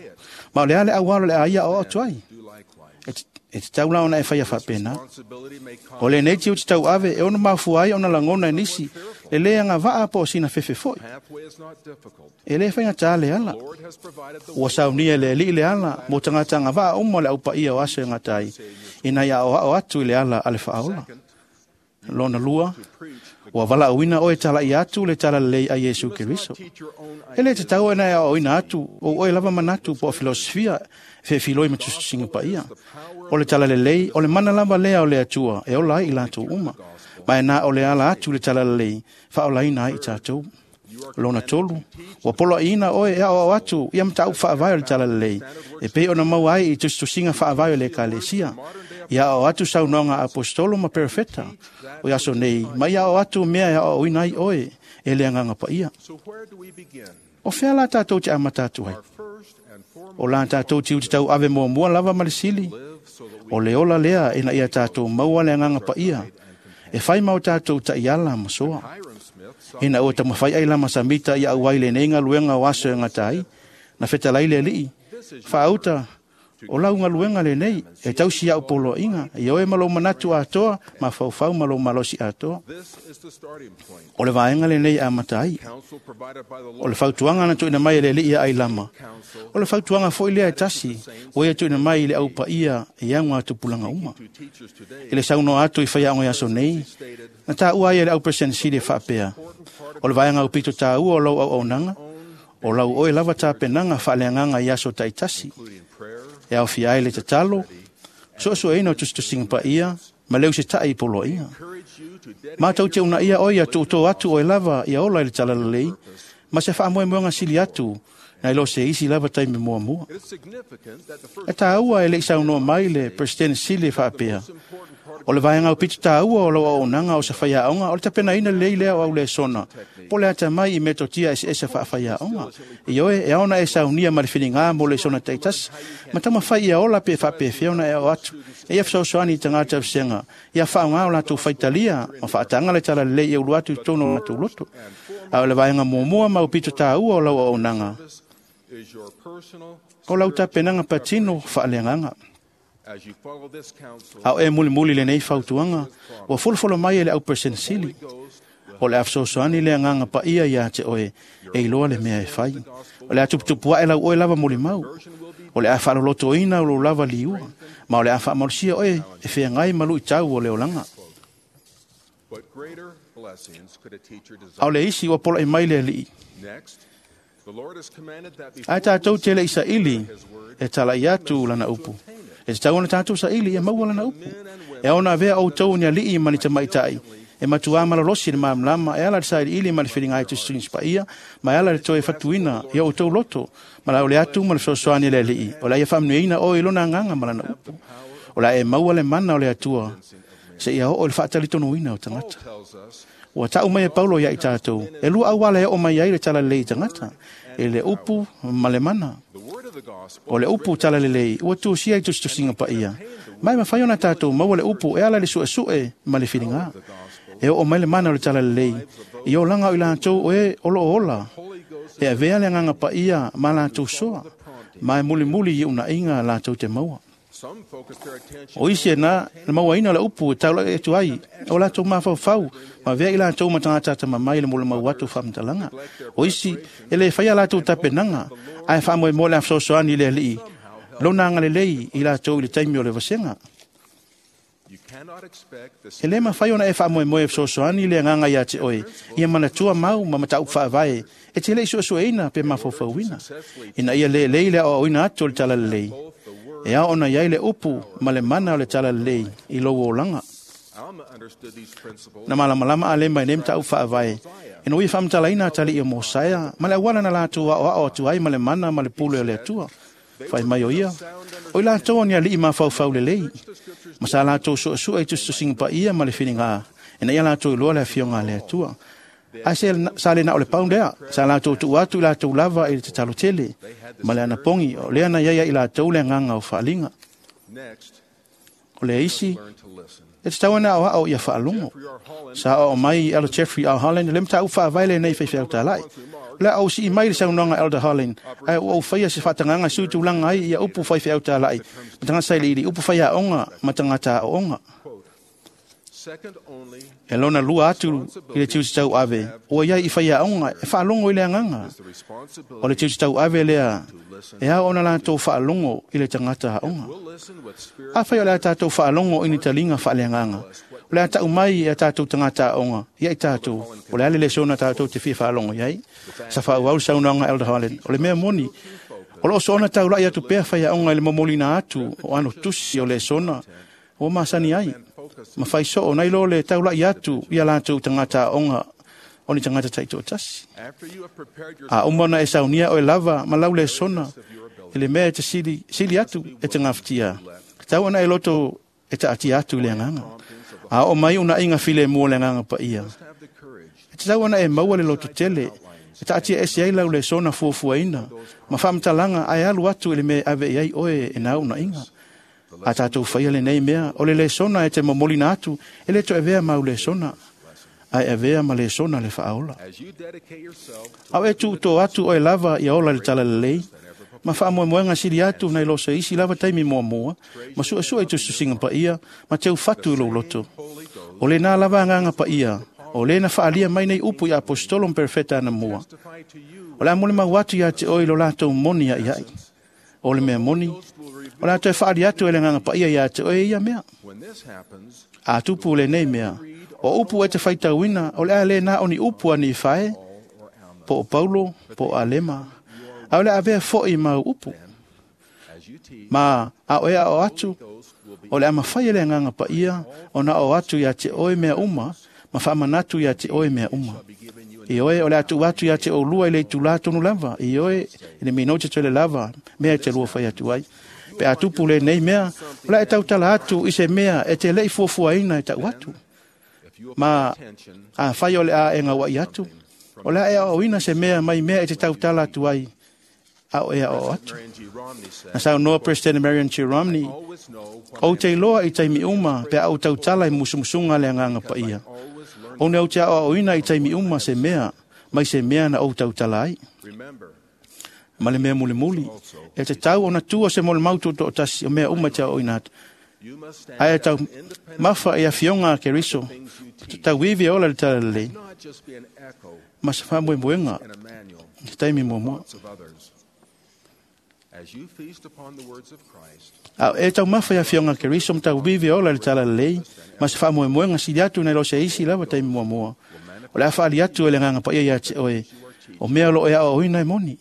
Ma o lea le awalo le aia o atu ai. E te, e te tau la ona e whaia whaapena. O le nei tiu te tau ave, e ono mafua ai ona langona e nisi, le lea ngā waa po o sina fefe foi. E le whainga tā le ala. Ua saunia le li le ala, mo tangata ngā waa umo le aupa ia o aso e ngā tai, ina ia o ao atu i le ala a le whaola. Lona lua, ua wala uina oe tala i atu le tala lei a Iesu Keriso. E le te tau ena e o ina atu, o oe lava manatu po o filosofia, fe filoi ma tususinga pa ia. O le tala lelei, o le mana lava lea o le atua, e ola ai i latou uma. Ma e nā o le ala atu le tala lelei, whaolaina ai i tātou. Lona tolu, ua polo ina oe e ao atu, ia mata au whaavae o le tala lelei, e pei ona mau ai i tususinga whaavae o le ekalesia. Ia o atu saunoanga apostolo ma perfeta. O ia so nei, ma ia o atu mea e o ina ai oe, e le anganga pa ia. O whea la tātou te amata atu ai. O la tātou te utitau ave mua mua lava ma le sili. O le ola lea ina ia tātou maua le anganga pa ia. E whai mau tātou ta iala ma soa. Ina o tamawhai ai lama samita ia auai le nei ngaluenga o aso e ngatai. Na whetalai le lii. Whaauta, o lau ngaluenga le nei, e tausi au polo inga, i oe malo manatu atoa, ma whaufau malo malosi atoa. O le vaenga le nei a matai. O le fautuanga na tuina mai e le lii ai lama. O le fautuanga foi lea e tasi, o ia tuina mai i le aupa ia e anga tupulanga uma. I le sauno atu i whai aonga aso nei, na tā ua ia le au presensili e whaapea. O le vaenga upito tā ua o lau au aunanga, o lau oe lava tā penanga whaaleanganga i aso taitasi. E au fia ai le tatalo, so so e ina o tustusinga pa ia, ma leu se tai polo ia. Mātou te una ia oia tuuto atu oe lava ia ola i le talalelei, ma se whaamoemoenga sili atu, na ilo se isi lava taimi mua mua. E tāua e le isaunoa mai le President Sile whaapea. O le vaenga o pitu tāua o lau aonanga o sa whaiaonga, o le tapena ina lei lea o au le sona. Po le ata mai i metotia ese ese whaawhaiaonga. I oe, e aona e saunia ma le whiringa mo le sona taitas, ma tama whai ia ola pe whaapea whiona e o atu. E ia whasausoani i tangata wsenga. Ia whaonga o lātou whaitalia, ma whaatanga le tala lei e ulu atu i tono o lātou loto. A o le vaenga mua ma o pitu tāua o lau aonanga. O lau tapenanga patino whaaleanganga. A o e mulimuli lenei fautuaga ua folofolo mai e le auperesenesili. O le a fesoasoani le agaga paia iā te oe e iloa le mea e fai. O le a tuputupu ae lau oe lava molimau. O le a faalolotoina o lou lava liua, ma o le a faamalosia oe e feagai ma luitau o le olaga. A o le isi ua pola'i mai le Alii. Ae tatou te le'i saili e tala'i atu lana upu. E tatau ona tatou saili ia maua lana upu. E ao ona avea outou ni alii ma ni tamaitai e matuā malolosi le malamalama e ala i le sailiili ma le filiga i tusitusi paia, ma e ala i le toe fatuina i outou loto ma le aole atu ma le fesoasoani a le Alii. O le a ia faamanuiaina oe i lona agaga ma lana upu. O le a e maua le mana o le Atua seia oo i le faatalitonuina o tagata. Ua ta'u mai e Paulo ia i tatou, e lua auala e oo mai ai le talalelei i tagata, e le upu ma le mana. O le upu talalelei ua tusia i tusitusiga paia, ma e mafai ona tatou maua le upu e ala i le su'esu'e ma le filiga. E oo mai le mana o le talalelei i olaga o i latou o e o loo ola, e avea le agaga paia ma latou soa, ma e mulimuli i unaiga latou te maua. O isi e na le mauaina o le upu e taula'i atu ai o latou mafaufau ma avea i latou ma tagata atamamai i le molimau atu o faamatalaga. O isi e lē faia latou tapenaga, ae faamoemoe le a fesoasoani i le Alii lona agalelei i latou i le taimi o le vasega. E lē mafai ona e faamoemoe e fesoasoani le agaga iā te oe ia manatua mau ma mataupu faavae e te le'i suesueina pe mafaufauina, ina ia lelei le aoaoina atu o le talalelei. E ao ona iai le upu ma le mana o le talalelei i lou olaga. Na malamalama Alema i nei mataupu faavae, ina ua ia faamatalaina atali'i o Mosaea ma le auala na latou aoao atu ai ma le mana ma le pule o le Atua. Fai mai o ia, o i latou o ni alii mafaufau lelei, ma sa latou su'esu'e i tusitusiga paia ma le filiga, ina ia latou iloa le afioga a le Atua. Ae se sa le na o le pau lea, sa latou tuu atu i latou lava i le tatalo tele, ma le anapogi, o lea na iai ai i latou le agaga o faaliga. O le isi, e tatau ona aoao ia faalogo. Sa aoao mai Elder Jeffrey R. Holland le mataupu faavae lenei faifeau tala'i. O le a ou si'i mai le saunoaga Elder Holland, ae ua ou faia se faatagaga e sui tulaga ai ia upu faifeau tala'i ma tagata sailiili, upu faiaoga ma tagata aooga. E lona lua atu i le tiute tauave ua iai i faiaoga e faalogo i le agaga. O le tiute tauave lea e ao ona latou faalogo i le tagata aoga. Afai o le a tatou faalogo i ni taliga faaleagaga, o le a ta'u mai e a tatou tagata aoga ia i tatou, o le a le lesona tatou te fia faalogo i ai. Sa faaauau le saunoaga Elder Holland, o le mea moni, o loo soona taula'i atu pea faiaoga i le momoliina atu o ano tusi o lesona ua masani ai, ma fai soo nai lo le taula'i atu ia latou tagata aoga o ni tagata taitoatasi. A uma ona e saunia oe lava ma lau lesona i le mea e te sili, sili atu e te gafatia, tatau ona e loto e taatia atu i le agaga. A oo mai unaiga filemu o le agaga paia, e tatau ona e maua le loto tele e taatia ese ai lau lesona fuafuaina ma faamatalaga ae alu atu i le mea e ave i ai oe e na unaiga. A tatou faia lenei mea, o le lesona e te momolina atu, e le toe avea mau lesona, ae avea ma lesona le faaola. A o e tuutō atu oe lava ia ola i le talalelei, ma faamoemoega sili atu nai lo se isi lava taimi muamua, ma su'esu'e i tusitusiga paia, ma teufatu i lou loto. O lenā lava agaga paia, o lē na faalia mai nei upu i aposetolo ma perofeta anamua. O le a molimau atu iā te oe i lo latou moni a'ia'i. O le mea moni, o le a toe faali atu e le agaga paia iā te oe ia mea. A tupu lenei mea, o upu e te faitauina, o le a lē na o ni upu a Nifae, po o Paulo, po o Alema, a o le a avea fo'i mau upu. Ma a oe ao atu, o le a mafai e le agaga paia ona oo atu iā te oe mea uma, ma faamanatu iā te oe mea uma. Ioe, o le a tuu atu iā te oulua i le itulā tonu lava, ioe, i le minote tele lava, mea e te lua fai atu ai. Pe a tupu lenei mea, o le a e tautala atu i se mea e te le'i fuafuaina e ta'u atu. Ma afai o le a e gaua'i atu, o le a e aoaoina se mea mai mea e te tautala atu ai, a o e aoao atu. Na saunoa President Marion G. Romney, ou te iloa i taimi uma pe a ou tautala i musumusuga a le agaga paia. Ona ou te aoaoina i taimi uma se mea, mai se mea na ou tautala ai. Ma le mea mulimuli, e te tau ona tua se molimau tutoatasi o mea uma e te aoaoina atu. Ae tau mafa i afioga a Keriso, tauivi e ola i le talalelei, ma se faamoemoega i se taimi muamua. A o e taumafa i afioga a Keriso ma tauivi e ola i le talalelei, ma se faamoemoega sili atu nai lo se isi lava taimi muamua. O le a faali atu e le Agaga Paia ia te oe, o mea o lo o e aoaoina e moni.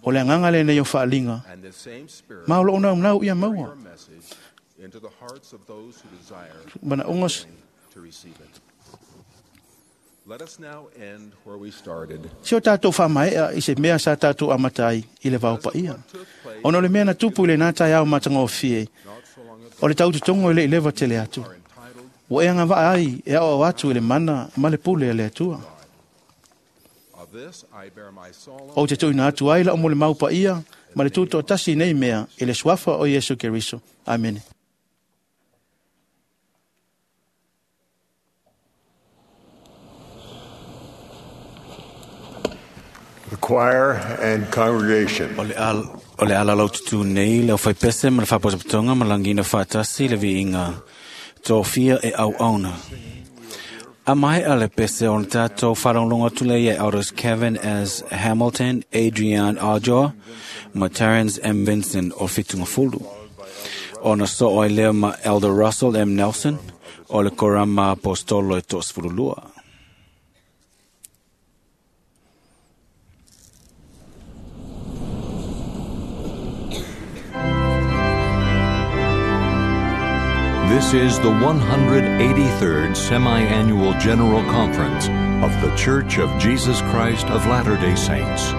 O le agaga lenei o faaliga, ma o loo naunau ia maua. Manaoga se o tatou faamaea i se mea sa tatou amata ai i le vaopaia. Ona o le mea na tupu i lena taeao matagofie, o le tautotogo e le i leva tele atu. Ua e agavaa ai e aoao atu i le mana ma le pule a le Atua. Ou te tuuina atu ai lau molimau paia ma le tutoatasi nei mea i le suafa o Iesu Keriso. Amene. The choir and congregation. O le al o le ala laututu nei le aufaipese ma le faapotopotoga ma lagiina faatasi le viiga tofia e auauna. A maea le pese o na tātou whalonglonga atu le ia Elders Kevin S. Hamilton, Adrian Arjoa, ma Terence M. Vincent o Fitungafulu. Ona so oi lea ma Elder Russell M. Nelson o le Korama Apostolo e toasefululua. This is the one hundred eighty-third Semi-Annual General Conference of The Church of Jesus Christ of Latter-day Saints.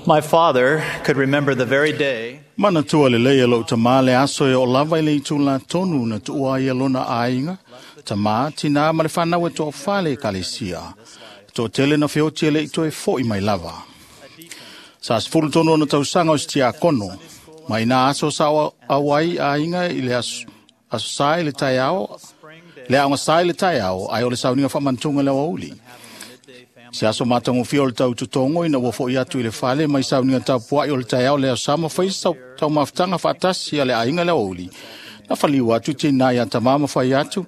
My father could remember the very day Manatua le lei e lou tamā le aso e o lava i le itu la tonu na tuua ai e lona aiga, tamā, tina ma le whanau e toa whale e kalesia. Toʻatele na feoti e leʻi toe foʻi mai lava. Sa sefulu tonu ona tausaga o se tiakono, ma ina aso sa auai aiga i le aso, aso sa i le taeao, le aoga sa i le taeao, ae o le sauniga faamanatuga le aoauli. Se aso matagofie o le tautotogo ina ua foʻi atu i le fale mai sauniga tapuaʻi o le taeao le aso sa ma fai taumafataga faatasi a le aiga le aoauli. Na faliu atu tinā iā tamā ma fai atu,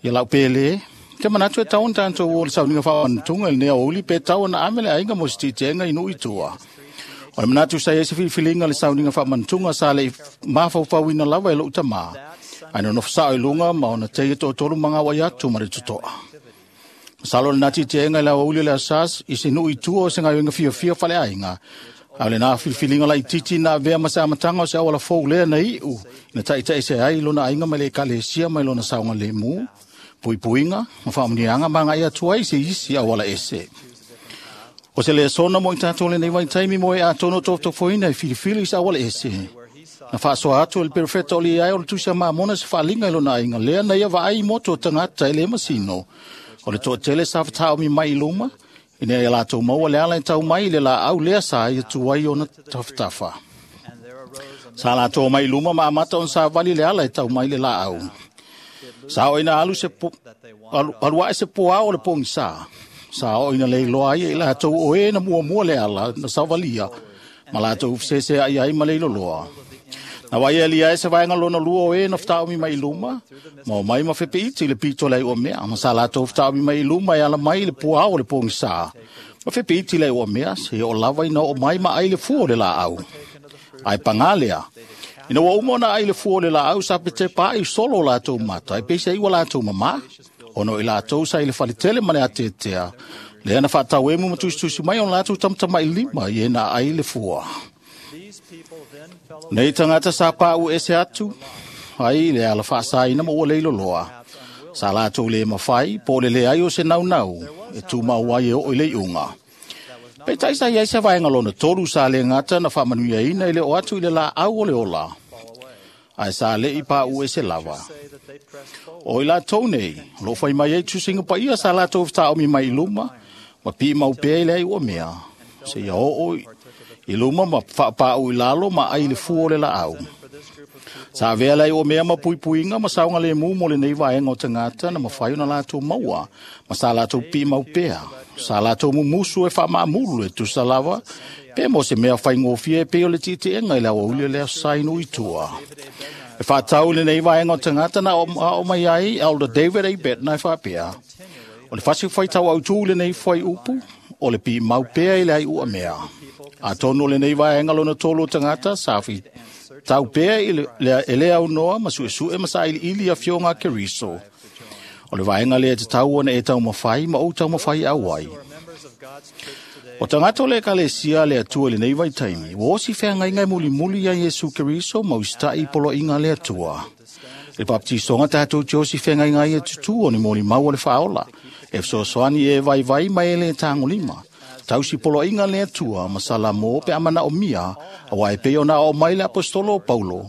ia lau pēlē, te manatu e tau ona tatou o le sauniga faamanatuga i lenei aoauli pe tau ona ame le aiga mo se tiitiega i nuu i tua. O le manatu sa i ai se filifiliga le sauniga faamanatuga sa leʻi mafaufauina lava e loʻu tamā. Ae nonofo saʻo i luga ma ona teia toʻatolu magauai atu ma le totoa. Masalo lenā tiitiega i le aoauli o le aso i se nuu i tua o se galuega fiafia faleaiga. A o lenā filifiliga laititi na avea ma se amataga o se auala fou lea na iʻu ina taʻitaʻi ai lona aiga mai le ekalesia mai lona saogalemu, puipuiga ma faamanuiaga ma agaʻi atu ai se isi auala ese. O se lesona mo i tatou lenei vaitaimi mo e atonu o tofotofoina e filifili i se auala ese. Na faasoa atu e le perofeta o liai o le tusi a Mamona se faaliga i lona aiga lea na ia vaai i motu o tagata e lē masino. O le toʻatele sa fataomi mai i luma, ina ia latou maua le ala e tau mai i le laau lea sa ia tu ai ona tafatafa. Sa latou mai i luma ma amata ona savali le ala e tau mai le laau. Sa oo ina alu se po, alu, alu ae se poao o le pogisā. Sa oo ina leiloa ai e i latou o e na muamua le ala na savalia, ma latou feseseaʻi ai ma le iloloa. Na vaai alia e se vaega lona lua o e na fataomi mai i luma, ma o mai ma fepeiti i le pito le aiua mea, ma sa latou fataomi mai i luma e ala mai i le puao o le pogisā. Ma fepeiti le aiua mea, se o lava ina oo mai ma ai le fua o le laau. Ae pagā lea, ina ua uma ona ai le fua o le laau sa petepa ai solo o latou mata, e peisa ua latou mamā, ona o i latou sa i le faletele ma le ateatea, lea na faatauemu ma tusitusi mai ona latou tamatamaʻi lima i e na ai le fua. Nei tagata sa paʻu ese atu ai le ala faasaina ma ua leiloloa. Sa latou lē mafai po o le leai o se naunau e tumau ai e oo i le iuga. Peitai sa iai se vaega lona tolu sa le gata na faamanuiaina i le o atu i le laau o le ola, ae sa leʻi paʻu ese lava. O i latou nei, o loo fai mai ai tusiga paia sa latou fetaomi mai i luma, ma piimau pea i le ai ua mea, seia oo i luma ma faapaʻu i lalo ma ai le fua o le laau. Sa avea le ai ua mea ma puipuiga ma saogalemu mo lenei vaega o tagata na mafai ona latou maua, ma sa latou piimau pea. Sa latou mumusu e faamaamulu e tusa lava, pe mo se mea faigofie e pei o le tiitiega i le aoauli o le aso sa i nuu i tua. E faatau i lenei vaega o tagata na aoao mai ai Elder David A. Bednar e faapea. O le fasi faitau autū i lenei fuaiupu, o le piimau pea i le aiua mea. Atonu o lenei vaega lona tolu o tagata sa tau pea i le, le, e le aunoa ma suesue ma sailiili afioga a Keriso. O le vaega lea te tau ona e taumafai ma ou taumafai au ai. O tagata o le ekalesia le Atua i lenei vaitaimi, ua osi feagaiga e mulimuli ia Iesu Keriso ma usitaʻi i poloaiga a le Atua. I le papatisoga tatou te osi feagaiga ai e tutū o ni molimau o le faaola, e fesoasoani e vaivai ma e lē tagolima. Tausi poloaiga le Atua ma Salamo pe a manaomia, auā e pei ona aoao mai le aposetolo o Paulo,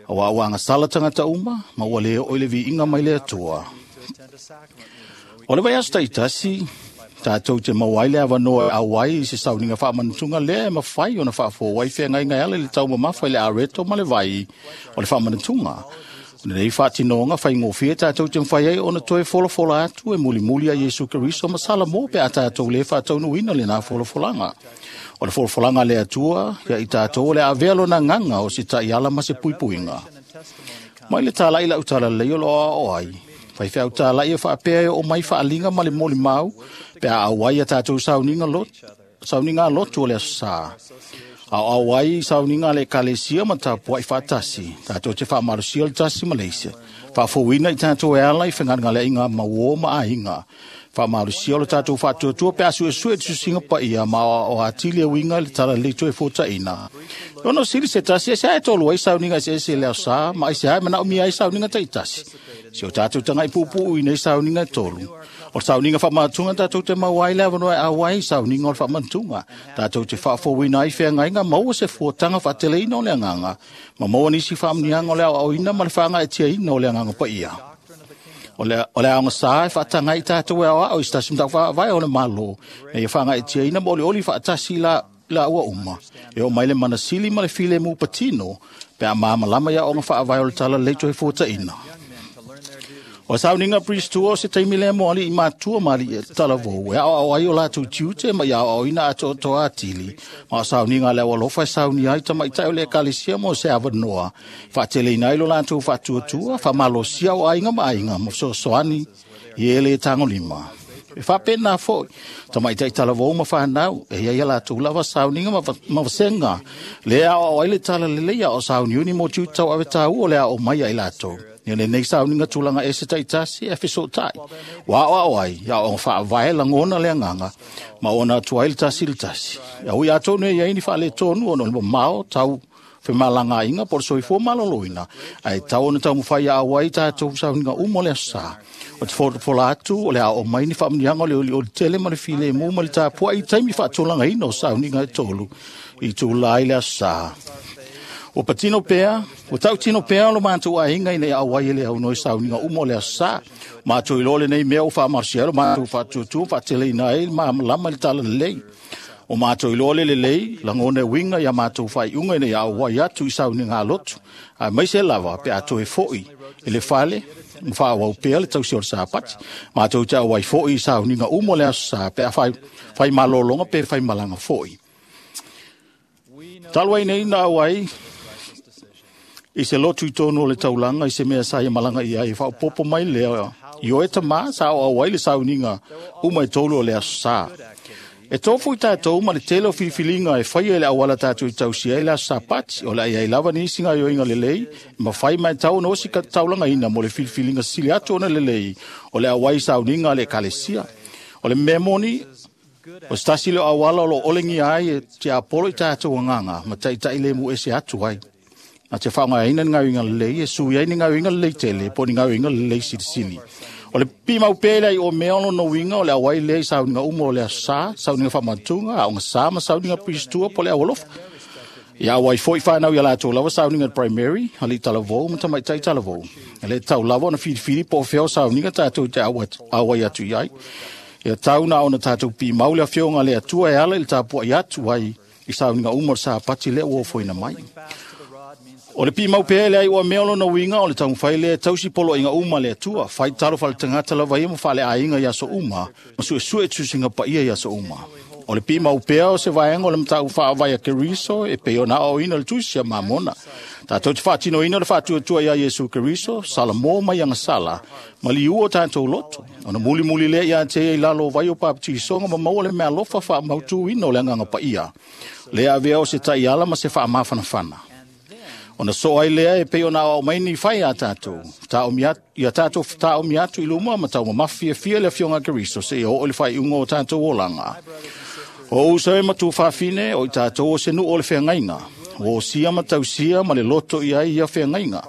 auā ua agasala tagata uma, ma ua lē oo i le viiga mai le Atua. O le vaiaso taʻitasi, tatou te maua ai le avanoa e au ai i se sauniga faamanatuga lea e mafai ona faafou ai feagaiga e ala i le taumamafa i le areto ma le vai o le faamanatuga. O lenei faatinoga faigofie tatou te mafai ai ona toe folafola atu e mulimuli a Iesu Keriso ma Salamo pe a tatou lē faataunuuina lenā folafolaga. O le folafolaga a le Atua ia i tatou o le avea lona agaga o se taʻiala ma se puipuiga. Mai le talaʻi lau talalelei o loo aoao ai. Faifeau talaʻi e faapea e oo mai faaliga ma le molimau pe a auai a tatou sauniga lot, sauniga lotu o le aso sa. Aoao ai i sauniga a le ekalesia ma tapuaʻi faatasi, tatou te faamalosia le tasi ma le isi. Faafouina i tatou e ala i fegalegaleaiga mauō ma aiga. Faamalosia o le tatou faatuatua pe a suesue tusiga paia ma aoao atili e uiga i le talalelei toe fotaʻina. E ono sili se tasi e se ae tolu ai sauniga eseese i le aso sa, ma aisea e manaomia ai sauniga taʻitasi. Se o tatou tagaʻi puupuu i nei sauniga e tolu. O le sauniga faamatuga tatou te maua ai le avanoa e au ai i sauniga o le faamanatuga. Tatou te faafouina ai feagaiga maua se fuataga faateleina o le agaga, ma maua nisi faamanuiaga o le aoaoina ma le faagaetiaina o le agaga paia. O le o le aoga sa e faataga ai tatou e aoao i se tasi mataupu faavae o le Malo, ina ia faagaeetia ma olioli faatasi la laua uma. E oo mai le manasili ma le filemu patino pe a malamalama i aoga faavae o le talalelei toe fuataina. O sauniga Priest o se taimi lea mo ali'i matua ma ali'i talavou e aoao ai o latou tiute ma ia aoaoina atoatoa atili. Ma o sauniga a le aualofa e saunia ai tamaitai o le ekalesia mo se avanoa faateleina ai lo latou faatuatua, faamalosia o aiga ma aiga ma fesoasoani i e le tagolima. E faapena foi tamaitai talavou ma fanau e iai a latou lava sauniga ma, ma vasega le aoao ai le talalelei a o sauniuni mo tiute tauave taua o le aao mai ai latou. Ia lenei sauniga tulaga ese taitasi e fesootai. Ua aoao ai, ia aoaoga faavae lagona le agaga, ma ona atu ai le tasi le tasi. Ia ui atonu e iai ni faaletonu ona o le mamao tau femalagaaiga po o le soifua maloloina, ae tau ona taumafai aao ai tatou sauniga uma o le aso sa. O te folafola atu o le aoo mai ni faamuniaga o le olioli tele ma le filemu ma le tapuai i taimi faatulagaina o sauniga e tolu i tula ai le aso sa. Ua patino pea, ua tautino pea lo matou aiga ina ia auai e le aunoa i sauniga uma o le aso sa. Matou iloa lenei mea ua faamalosia ai lo matou faatuatua faateleina ai le malamalama i le talalelei. O matou iloa le lelei, lagona e uiga ia matou faaiuga ina ia auai atu i sauniga a lotu. Aemaise lava pe a toe foi i le fale ma faaauau pea le tausi o le Sapati. Matou te auai foi i sauniga uma o le aso sa pe a fai, fai malologa pe fai malaga foi. Talu ai nei na auai i se lotu i tonu o le taulaga i se mea sa ia malaga i ai e faaopoopo mai lea i oe tamā sa aoao ai le sauniga uma e tolu o le aso sa. E tofu i tatou ma le tele o filifiliga e faia i le auala tatou i tausia ai le aso Sapati, o le a iai lava nisi gaoioiga lelei e mafai ma e tau ona osi taulagaina mo le filifiliga sili atu ona lelei o le auai i sauniga a le ekalesia. O le mea moni, o se tasi lea o auala o lo o olegia ai e tiapolo i tatou agaga ma taitai lemu ese atu ai. Na te faaaogaina ni gaoioiga lelei e sui ai ni gaoioiga lelei tele po o ni gaoioiga lelei silisili. O le pimau pea le ai o mea o lona uiga o le auai lea i sauniga uma o le aso sa, sauniga faamatuga, aoga sa ma sauniga Priest-tour po o le aualofa. Ia auai foi fanau ia latou lava sauniga primary, alii talavou ma tamaitai talavou. E le tatau lava ona filifili po o fea o sauniga tatou te auai atu i ai. Ia tau na ona tatou pimau le afioga a le Atua e ala i le tapuai atu ai i sauniga uma o le Sapati lea ua ofoina mai. O le pimau pea le ai ua mea o lona uiga o le taumafai lea e tausi poloaiga uma a le Atua, fai talo faaletagata lava ia ma faaleaiga i aso uma, ma suesue tusiga paia i aso uma. O le pimau pea o se vaega o le mataupu faavae a Keriso e pei ona aoaoina le tusi a Mamona. Tatou te faatinoina le faatuatua ia Iesu Keriso, Salamo mai agasala, ma liu o tatou loto. Ona mulimuli lea ia te ia i lalo o vai o papatisoga ma maua le mealofa faamautuina o le agaga paia. Lea avea o se taiala ma se faamafanafana. Ona so ai lea e pei ona aoao mai ni fai a tatou. Ia tatou fetaomi atu i luma ma taumamafa fiafia le afioga a Keriso seia oo i le faaiuga o tatou olaga. O uso e ma tuafafine o i tatou o se nuu o le feagaiga. Ua osia ma tausia ma le loto i ai ia feagaiga.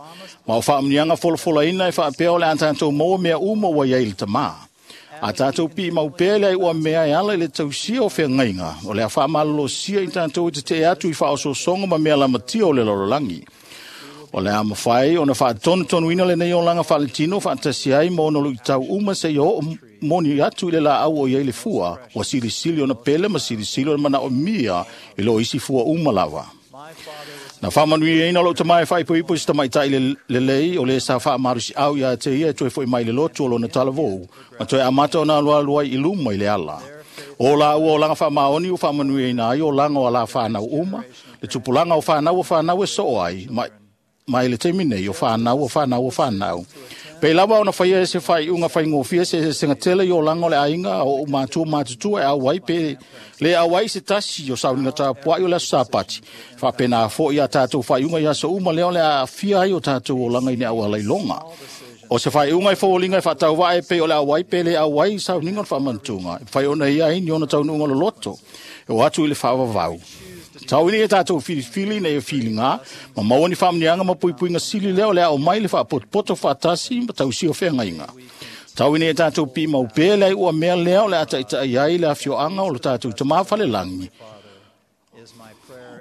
Ma o faamuniaga folafolaina e faapea o le a tatou maua mea uma ua i ai le tamā. A tatou pimau pea le ai ua mea e ala i le tausia o feagaiga, o le a faamalolosia i tatou e tetee atu i faaosoosoga ma mea lamatia o le lalolagi. O le a mafai ona faatonutonuina lenei olaga faaletino faatasi ai ma ona luitau uma seia oo moni atu i le laau o i ai le fua, ua silisili ona pele ma silisili ona manaomia i lo isi fua uma lava. Na faamanuiaina lou tamā e faaipoipo i se tamaitai lelei o le sa faamalosiau ia te ia e toe foi mai le lotu o lona talavou, ma toe amata ona alualu ai i luma i le ala. O laua olaga faamaoni ua faamanuiaina ai olaga o ala fanau uma, le tupulaga o fanau o fanau e soo ai, ma mai le taimi nei o fanau o fanau o fanau. Pei lava ona faia e se faaiuga faigofie se eseesega tele i olaga o le aiga o ou matua matutua e auai pe le auai se tasi o sauniga tapuai o le aso Sapati. Faapena foi ia tatou faaiuga i aso uma lea o le a aafia ai o tatou olaga i ni auala iloga. O se faaiuga e foliga e faatauvaa e pei o le auai pe le auai i sauniga o le faamanatuga. E mafai ona ia ai ni ona taunuuga loloto e o atu i le faavavau. Tau ina ia tatou filifili ina ia filiga, ma maua ni faamuniaga ma puipuiga sili lea o le ao mai le faapotopoto faatasi ma tausia o feagaiga. Tau ina ia tatou pimau pea le ai ua mea lea o le a taitai ai le afioaga o lo tatou tamā falelagi.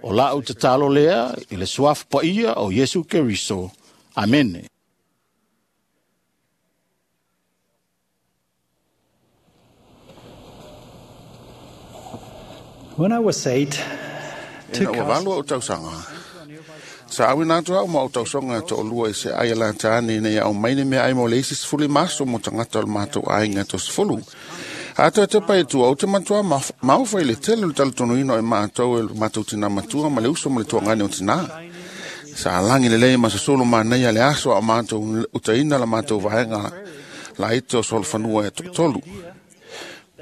O lau tatalo lea i le suafa paia o Iesu Keriso. Amene. When I was eight, E na ua valu au tausaga. Sa awina atu au ma o tausoga to'olua i se ai a latane ina ia aumaine mea ai mo le isi sefulu maso mo tagata o le matou aiga tosefulu. A toe tepa i tua, ou te matua maofa i le tele o le talitonuina o e matou e le matou tinā matua ma le uso ma le tuagane o tinā. Sa lagi lelei ma sosolo manaia le aso a o matou utaina la matou vaega laiti o solofanua e to'atolu.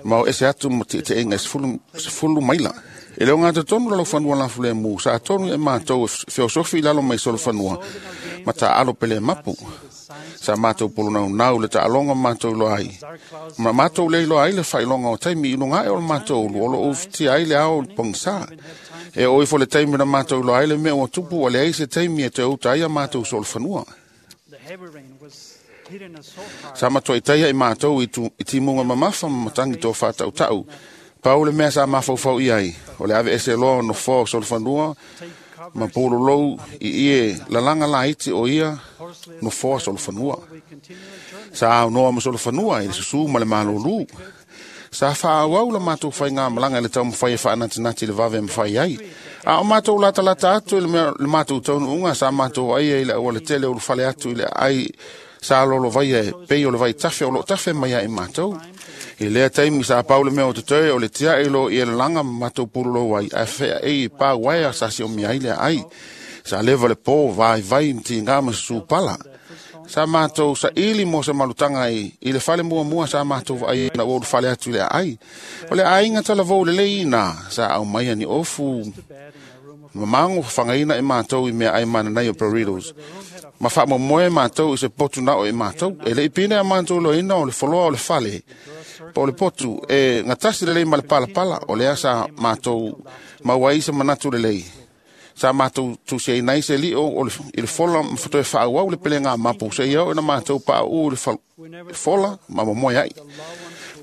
Ma o ese atu ma ti'iti'iga e sefulu, sefulu maila. E le o gatatonu lalaufanua lafulemu, sa tonu e matou e feosofi i lalo mai solofanua, ma ta'alo pele mapu. Sa matou polonaunau le ta'aloga matou iloa ai. Ma matou le iloa ai le faailoga o taimi i luga ae o le matou ulu, o loo ufitia ai le ao o le pogisā. E oo ifo le taimi na matou iloa ai le mea ua tupu, ua leai se taimi e toe uta ai a matou solofanua. Sa matuaitaia i matou i, tu, i timuga mamafa ma matagi toa faatautau. Pau le mea sa mafaufau i ai, o le ave ese loa o nofoa o solofanua, ma pulolou i ie lalaga laiti o ia nofoa solofanua. Sa aunoa ma solofanua i le susū ma le malolū. Sa faaauau la matou faigamalaga i le taumafai e faanatinati le vave e mafai ai. A o matou latalata atu i le, mea, le matou taunuuga, sa matou aia i le aualatele o ulufale atu i le aai sa lolovaia e pei o le vaitafe o loo tafe mai ai matou. I lea taimi sa pau le mea o totoe o le tia'i lo i e lalaga ma matou pulolou ai, ae feaei i pā uaea sa siomia ai le aai. Sa leva le pō vaivai ma tigā ma susū pala. Sa matou saili mo se malutaga i, i le fale muamua sa matou vaai na ua ulufale atu i le aai. O le aiga talavou lelei ina sa aumaia ni ofu mamago fafagaina e matou i meaai mananai o burritos. Ma faamoemoe matou i se potu nao e matou. E le'i pine a matou loina o le foloa o le fale po o le potu e gatasi lelei ma le palapala, o lea sa matou maua ai se manatu lelei. Sa matou tusiaina ai se li'o o le, i le fola ma toe faaauau le pelega mapu seia oo ina matou paau'u i le fal, fola ma momoe ai.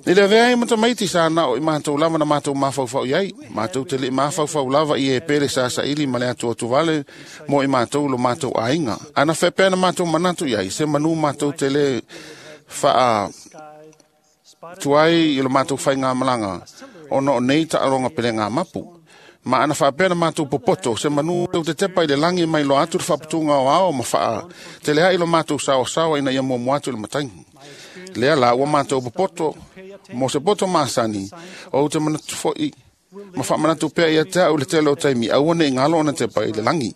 I le avea ai ma tamaiti sa nao i matou lava na matou mafaufau i ai. Matou te li'i mafaufau lava i e pele sa saili ma le atu atu vale mo i matou lo matou aiga. Ana faapea na matou manatu i ai, se manu matou te le faa tuai i lo matou faigamalaga ona o nei taaloga pelega mapu. Ma ana faapea na matou popoto, se manu te tepa i le lagi mai loa atu le faaputuga o ao ma faa telea'i lo matou saoasaoa ina ia muamua atu i le matagi. Lea la ua matou popoto mo se poto masani, ou te manatu fo'i ma faamanatu pea ia te au le tele o taimi, aua ne'i galo ona tepa i le lagi.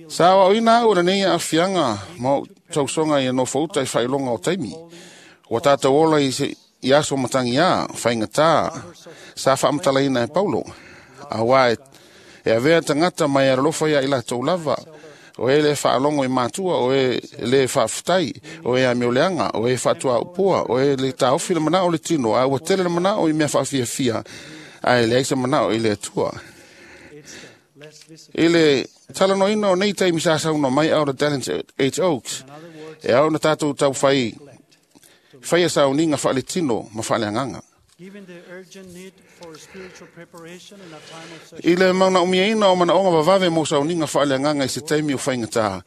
Sa aoaoina au lenei aafiaga ma ou tausoga ia nofouta i faailoga o taimi. Ua tatou ola i, se, i aso matagiā, faigatā, sa faamatalaina e Paulo. Auā e, e avea tagata mai alolofa ia i latou lava, o e le faalogo i matua, o e le faafetai, o e amioleaga, o e faatuaupua, o e le taofi le manao o le tino, a ua tele le manao i mea faafiafia, ae leai se manao i le Atua. I le talanoaina o nei taimi sa saunoa mai Elder Dallin H. Oaks, e ao na tatou taufai faia sauniga faaletino ma faaleagaga. I le maunaumiaina o manaoga vavave mo sauniga faaleagaga i se taimi o faigatā,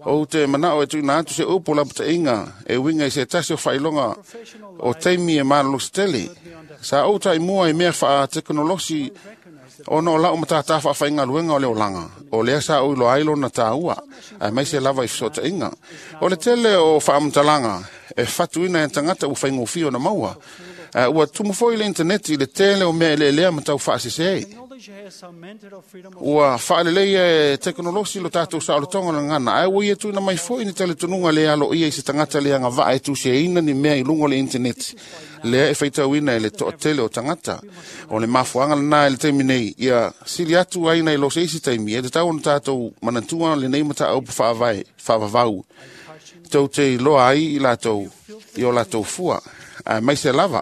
ou te manao e tuuina atu se upu lapataiga e uiga i se tasi o faailoga o taimi e malolosi tele. Sa ou taimua i mea faatekonolosi ona o lau matatā faafaigaluega o le olaga, o lea sa ou iloa ai lona tāua, aemaise lava i fesootaiga. O le tele o faamatalaga e fatuina e tagata ua faigofie ona maua. A ua tumu foi le interneti i le tele o mea eleelea ma tau faasese. Ua faaleleia e tekonolosi lo tatou saolotoga o le gagana, ae ua ia tuuina mai foi ni talitonuga le aloaia i se tagata le agavaa e tusiaina ni mea i luga o le interneti, lea e faitauina e le toatele o tagata. O le mafuaaga lenā i le taimi nei, ia sili atu ai nai lo se isi taimi, e tatau ona tatou manatua lenei mataupu faavae, faavavau, tou te iloa ai i latou i o latou fua. Aemaise lava,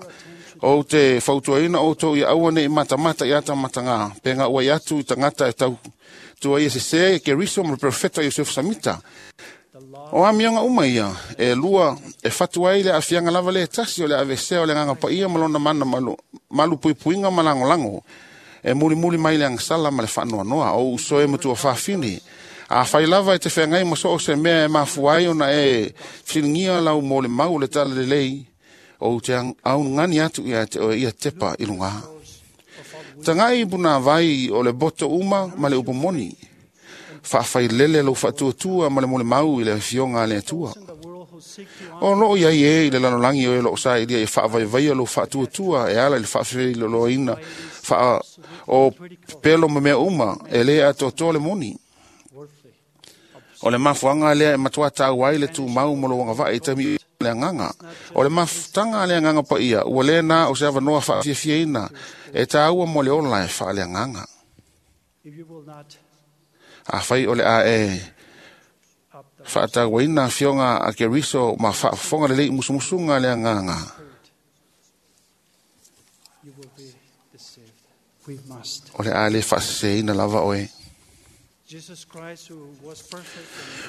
ou te fautuaina outou ia aua ne'i matamata i atamatagā, pe gauai atu i tagata e tau tua ia sesē Keriso ma le perofeta Iosefu Samita. O amioga uma ia, e lua e fatu ai le aafiaga lava le tasi o le avesea o le agaga paia ma lona mana malu, malu puipuiga ma lagolago, e mulimuli mai le agasala ma le faanoanoa, o uso e matua fafine. A fai lava e te feagai ma so o se mea e mafua ai ona e fesiligia lau mo le mau o le talalelei, ou te aunugani atu ia te oe ia tepa i luga. Tagai i punāvai o le boto uma ma le upu moni. Faafailele lou faatuatua ma le molimau i le afioga a le Atua. O loo iai e i le lalolagi o e loo sailia ia faavaivaia lou faatuatua e ala i le faafeiloloina faa o pelo ma mea uma e lē atoatoa le moni. O le mafuaga lea e matuā taua ai le tumau ma lou agavaa i taimi le agaga. O le mafutaga a le agaga paia ua lē na o se avanoa faafiafiaina e tāua mo le ola e faaleagaga. Afai o le a e faatauaina afioga a Keriso ma faafofoga lelei i musumusuga a le agaga, o le a lē faaseseina lava oe.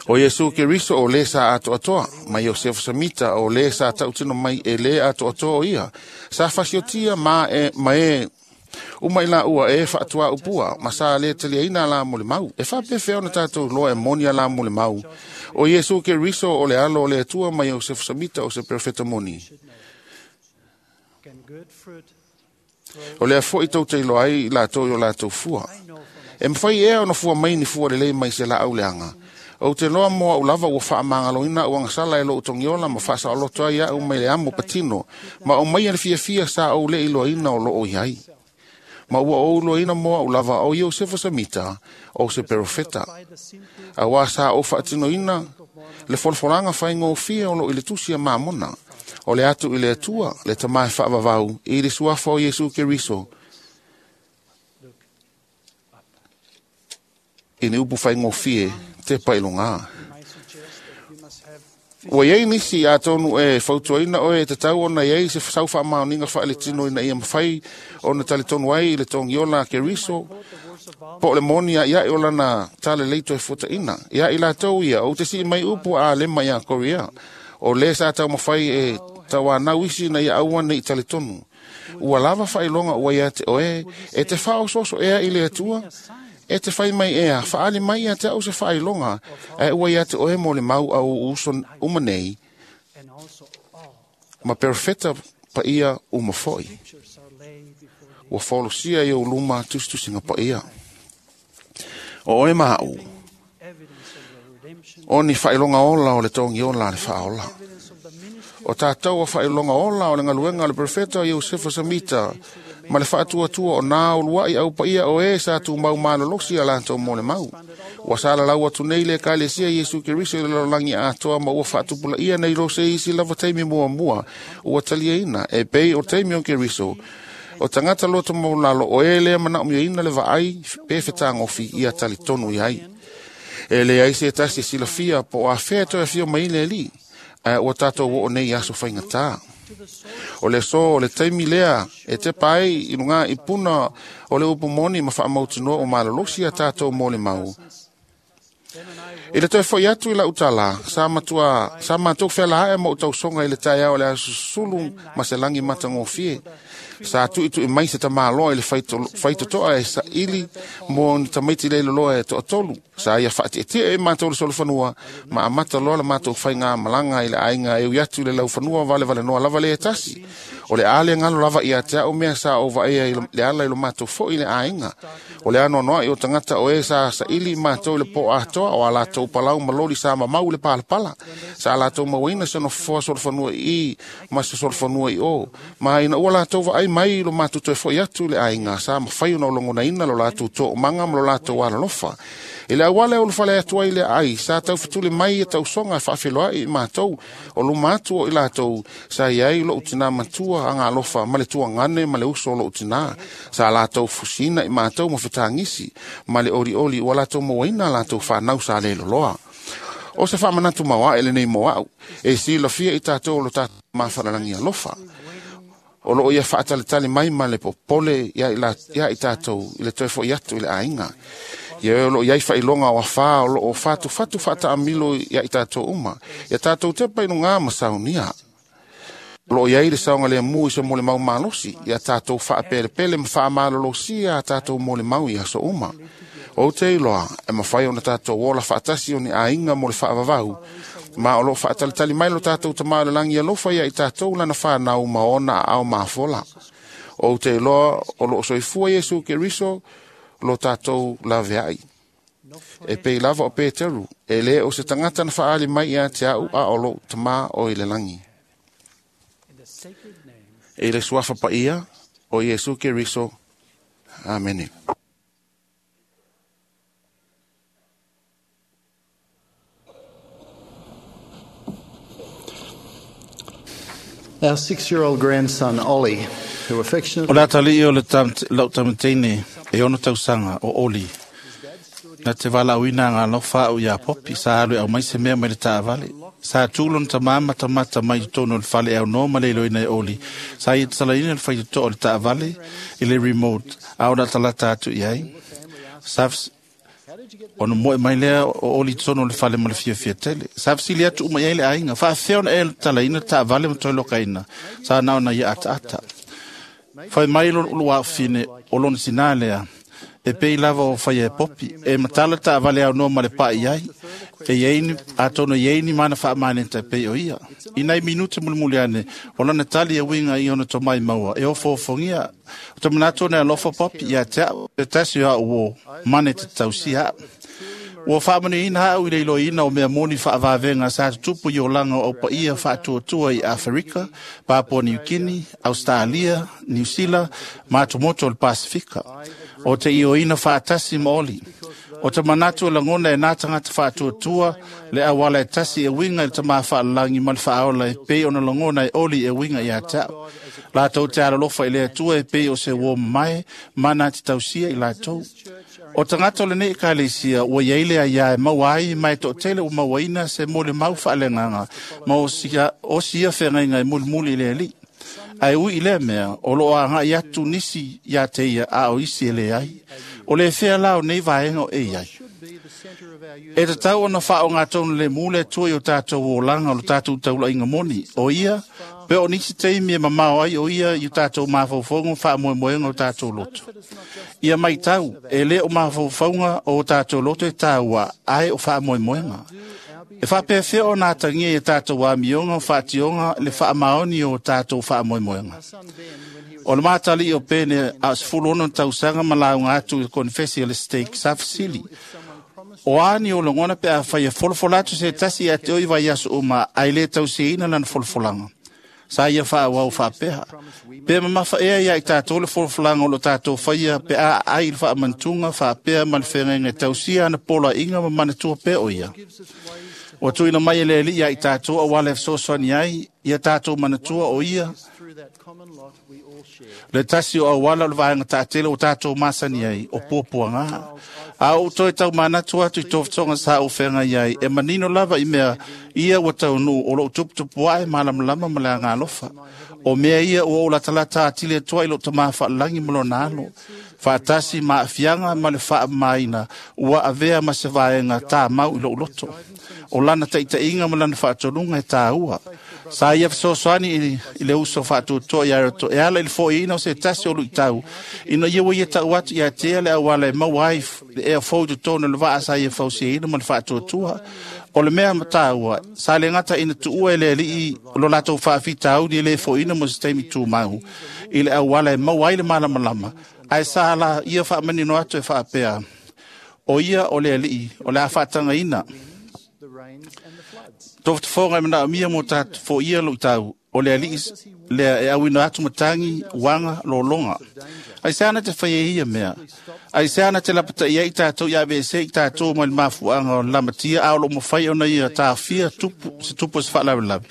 O Iesu Keriso o lē sa atoatoa, ma Iosefa Samita o lē sa tautino mai e lē atoatoa o ia, sa fasiotia ma e, ma e uma i laua e faatuaupua ma sa lē taliaina la mo le mau. E faapefea ona tatou loa e moni a la mo le mau. O Iesu Keriso o le alo o le Atua ma Iosefa Samita o se perofeta moni. O lea fo'i tou te iloa ai i latou i o latou fua. E mafai ea ona fua mai ni fua lelei mai se laau leaga. Ou te loa mo au lava ua faamagaloina au agasala e lou togiola ma faasaoloto ai au mai le amo patino, ma o mai le fiafia sa ou le iloaina o loo iai. Ma ua ou iloaina mo au lava o Iosefa Samita o se perofeta. Auā sa ou faatinoina le folafolaga faigofie o loo i le tusi a Mamona, o le atu i le Atua, le Tamā e faavavau, i le suafa o Iesu Keriso, i ni upu faigofie te pailogā. Ua iai nisi atonu e fautuaina oe e tatau ona iai se sau faamaoniga faaletino ina ia mafai ona talitonu ai i le togiola a Keriso po o le moni a'ia'i o lana talalelei toe fuataʻina. Ia i latou ia ou te sii mai upu a Alema iā Korea, o lē sa taumafai e tauanau isi ina ia aua neʻi talitonu. Ua lava faailoga ua ia te oe e te faaosooso ea i le Atua, e te fai mai ea, faali mai ia te au se faailoga, ae ua ia te oe mo le mau au uso uma nei, ma perofeta paia uma fo'i. Ua folosia i ou luma tusitusiga paia. O oe ma a'u, o ni faailoga ola o le togiola a le faaola. O tatou a faailoga ola o le galuega a le perofeta o Iosefa Samita, ma le faatuatua o nā ulua'i au paia o e sa tumau malolosi a latou mo le mau. Ua salalau atu nei le Ekalesia Iesu Keriso i le lalolagi atoa ma ua faatupulaia nei lo se isi lava taimi muamua ua taliaina e pei o taimi o Keriso. O tagata loto maulalo o e lea manaomiaina le vaai pe fetagofi ia talitonu iai. E leai se tasi e silafia po o afea toe afio mai le alii, ae ua tatou oo nei i aso faigatā. O le aso o le taimi lea e tepa ai i lugā i puna o le upu moni ma faamautinoa o malolosi a tatou mo le mau. I le toe fo'i atu i lau tala, sa matua, sa matou fealaae ma ou tausoga i le taeao o le aso sulu ma se lagi matagofie. Sa tu'itu'i mai se tamāloa i le faitotoa e saili mo ni tamaiti leiloloa e toatolu. Sa ia faatietie i matou le solofanua ma amata loa la matou faigamalaga i le aiga e ui atu i le laufanua valevalenoa lava le e tasi. O le a le galo lava ia te a'u mea sa ou vaaia i le ala i lo matou fo'i i le aiga. O le anoanoa'i o tagata o e sa saili i matou i le po atoa o a latou palau ma loli sa mamau i le palapala. Sa latou mauaina se nofoa solofanua i i ma se solofanua i o. Ma ina ua latou vaai mai i lo matou toe fo'i atu i le aiga, sa mafai ona logonaina lo latou toomaga ma lo latou alalofa. I le auala e ulufale atu ai le aai, sa taufetuli mai e tausoga e faafeloa'i i matou, o luma atu o i latou, sa iai lo'u tinā matua agalofa ma le tuagane ma le uso o lo'u tinā. Sa latou fusina i matou ma fetagisi, ma le olioli ua latou mauaina latou fanau sa leloloa. O se faamanatu mauaʻe lenei mo a'u, e silafia i tatou o lo tatou mafalalagi alofa. O loo ia faatalitali mai ma le popole ia i tatou i le toe fo'i atu i le aiga. Ia e o loo iai faailoga o afā o loo fatufatu faataamilo ia i tatou uma. Ia tatou tepa i lugā ma saunia. O loo iai le saogalemu i se molimau malosi, ia tatou faapelepele ma faamalolosia a tatou molimau i aso uma. Ou te iloa e mafai ona tatou ola faatasi o ni aiga mo le faavavau, ma o loo faatalitali mai lo tatou Tamā o le lagi alofa ia i tatou lana fanau ma ona aao mafola. Ou te iloa o loo soifua Iesu Keriso lo tatou laveai. E pei lava o Peteru, e le o se tagata na faali mai ia te au a o lou tamā o i le lagi. E le suafa paia o Iesu Keriso. Amene. Our six-year-old grandson, Ollie, who affectionately... O le atalii o le lau tamateine e ono tausaga o Oli. Na te valauina ngā lofa au ia popi, sa alu au mai se mea mai le taavale. Sa tūlo na tamama tamata mai tonu o le fale au no ma le iloina e Oli. Sa ia talaina le whaitoto o le taavale i le remote, a o na talata atu i ai. Sa ona moe mai lea o Oli tonu o le fale ma le fiafia tele. Sa fisili atu uma i ai le aiga. Faafea ona e talaina taavale ma toi lokaina. Sa nao na ia ata ata. Whai mai lo ulu whine o lona sinā lea. E pei lava o whai e popi. E matala ta vale au noa ma le pai ai. E ieini, a tono ieini mana whaamane te pei o ia. I nei minute mulimuli ane, o lana tali e winga i ona tomai maua. E o fōfongia, o te manato ne alofa popi ia te au, te tasi o au o mane te tausi hao. Ua whaamanu ina au i le ina o mea moni whaavavenga sa tutupu i o langa o paia whaatuatua i Afrika, Papua New Guinea, Australia, New Zealand, Matomoto o le Pasifika. O te ioina whaatasi maoli. O te manatu o langona e nā tangata whaatuatua le awala e tasi e winga i te maa whaalalangi ma le whaaola e pei ona langona e oli e winga i a tau. Lātou te alalofa i le atua e pei o se wō mai, mana te tausia i lātou. O tangata o le nei ekalesia, ua iai lea ia e maua ai mai to tele o mauaina se mole mau whaalenganga, ma o sia, o sia whengainga e mulimuli i le ali. Ai ui i lea mea, o loo anga i atu nisi ia te ia a o isi e le ai. O le whea lao nei vaenga o e ai. E te tau ona whao ngā tonu le mule tua i o tātou o langa o le tātou taula inga moni. O ia, pe o nisi teimi e mamao ai o ia i o tātou mawhaufonga wha moemoenga o tātou loto. Ia mai tau, e le o mawhaufonga o tātou loto e tāua ai o wha moemoenga. E whapewhea o nā tangia i tātou wāmionga, whātionga, le whaamaoni o tātou whaamoemoenga. O le mātali o pene a sefulu ono tausaga ma launga atu i konfesi le stake sa fisili. O ani o longona pe a whai e folofola atu se tasi a te oi vai aso uma ai le tausiina lana folofolanga. Sa ia wha wau whapeha. Pe mamafa ea ia i tātou le folofolanga o lo tātou whaia pe a ai le whaamantunga whapea ma le whengainga tausia ana pola inga ma manatua pe o ia. O tuina mai e le li ia i tātou a wale fesoasoani ai, ia tātou manatua o ia. Le tasi o awala o le vaenga tātele o tātou masani ai, o puapuanga. A o toi tau manatua atu i tōwhitonga sa o whenga iai, e manino lava i mea ia ua taunu o lou tuputupu ai malamalama ma le agalofa. O mea ia ua o latalata atile atoa i lou tamā faalalangi ma lona alo. Faatasi ma aafiaga ma le faamamaina ua avea ma se vaega tāmau i lou loto. O lana taitaiga ma lana faatoluga e tāua. Sa ia fesoasoani i le uso faatuatua ia roto e ala i le foiina o se tasi o luitau. Ina ia ua ia tau atu ia tea le auala e maua ai le ea fou i totonu o le vaa sa ia fausiaina ma le faatuatua. O le mea matāua, sa le gata ina tuua e le alii lo latou faafitauli e le foiina mo se taimi tumau. I le auala e maua ai le malamalama. Ae sa la ia faamanino atu e faapea. O ia o le alii, o le a faatagaina. Tofutafoga e manaomia mo tātou foia luitau, o le alii lea e auina atu matangi, uaga, lologa. Ai se ana te whai e ia mea. Ai se ana te lapata ia i tātou i A B C i tātou mai le mafuanga o lamatia a o lo mawhai ona ia tāwhia tupu, se tupu se whaalawelawe.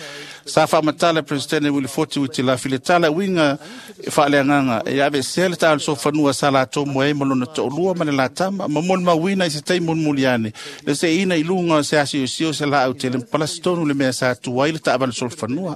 Sa whaamatala Presidente Willie Foti ui te la file tala winga e whaaleanganga e A B C le tālu sofanua sa la tomo e malona to'olua ma le latama ma moni mawina i se tai mulimuliane le se ina i lunga se asi o sio se la au tele mpalasi tonu le mea sa tuai le taavale solofanua.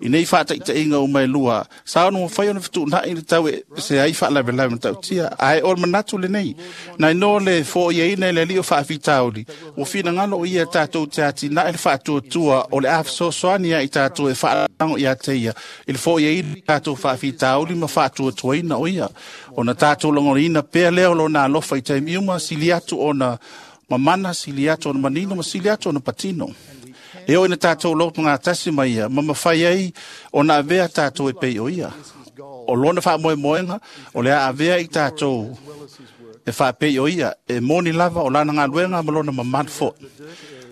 I nei whaataitaiga o mai lua sa ono mawhai ona fituunai le tau e se ai whaalawelawe matautia ae o le manatu lenei. Nai no le fōiaina i le alii o faafitauli ua finagalo o ia tātou te atinae le faatuatua o le afesoasoani ia i tātou e faalago ia te ia i le fōiaina tātou faafitauli ma faatuatuaina o ia. Ona tātou logoliina pea lea o lona alofa i taimi uma sili atu ona mamana, sili atu ona manino ma sili atu ona patino. E o ina tātou loto ngā tasi mai ia, ma mawhai ai ona avea tātou e pei o ia. O lona faamoemoega o le a avea i tatou e faapei o ia, e moni lava o lana galuega ma lona mamalu fo'i.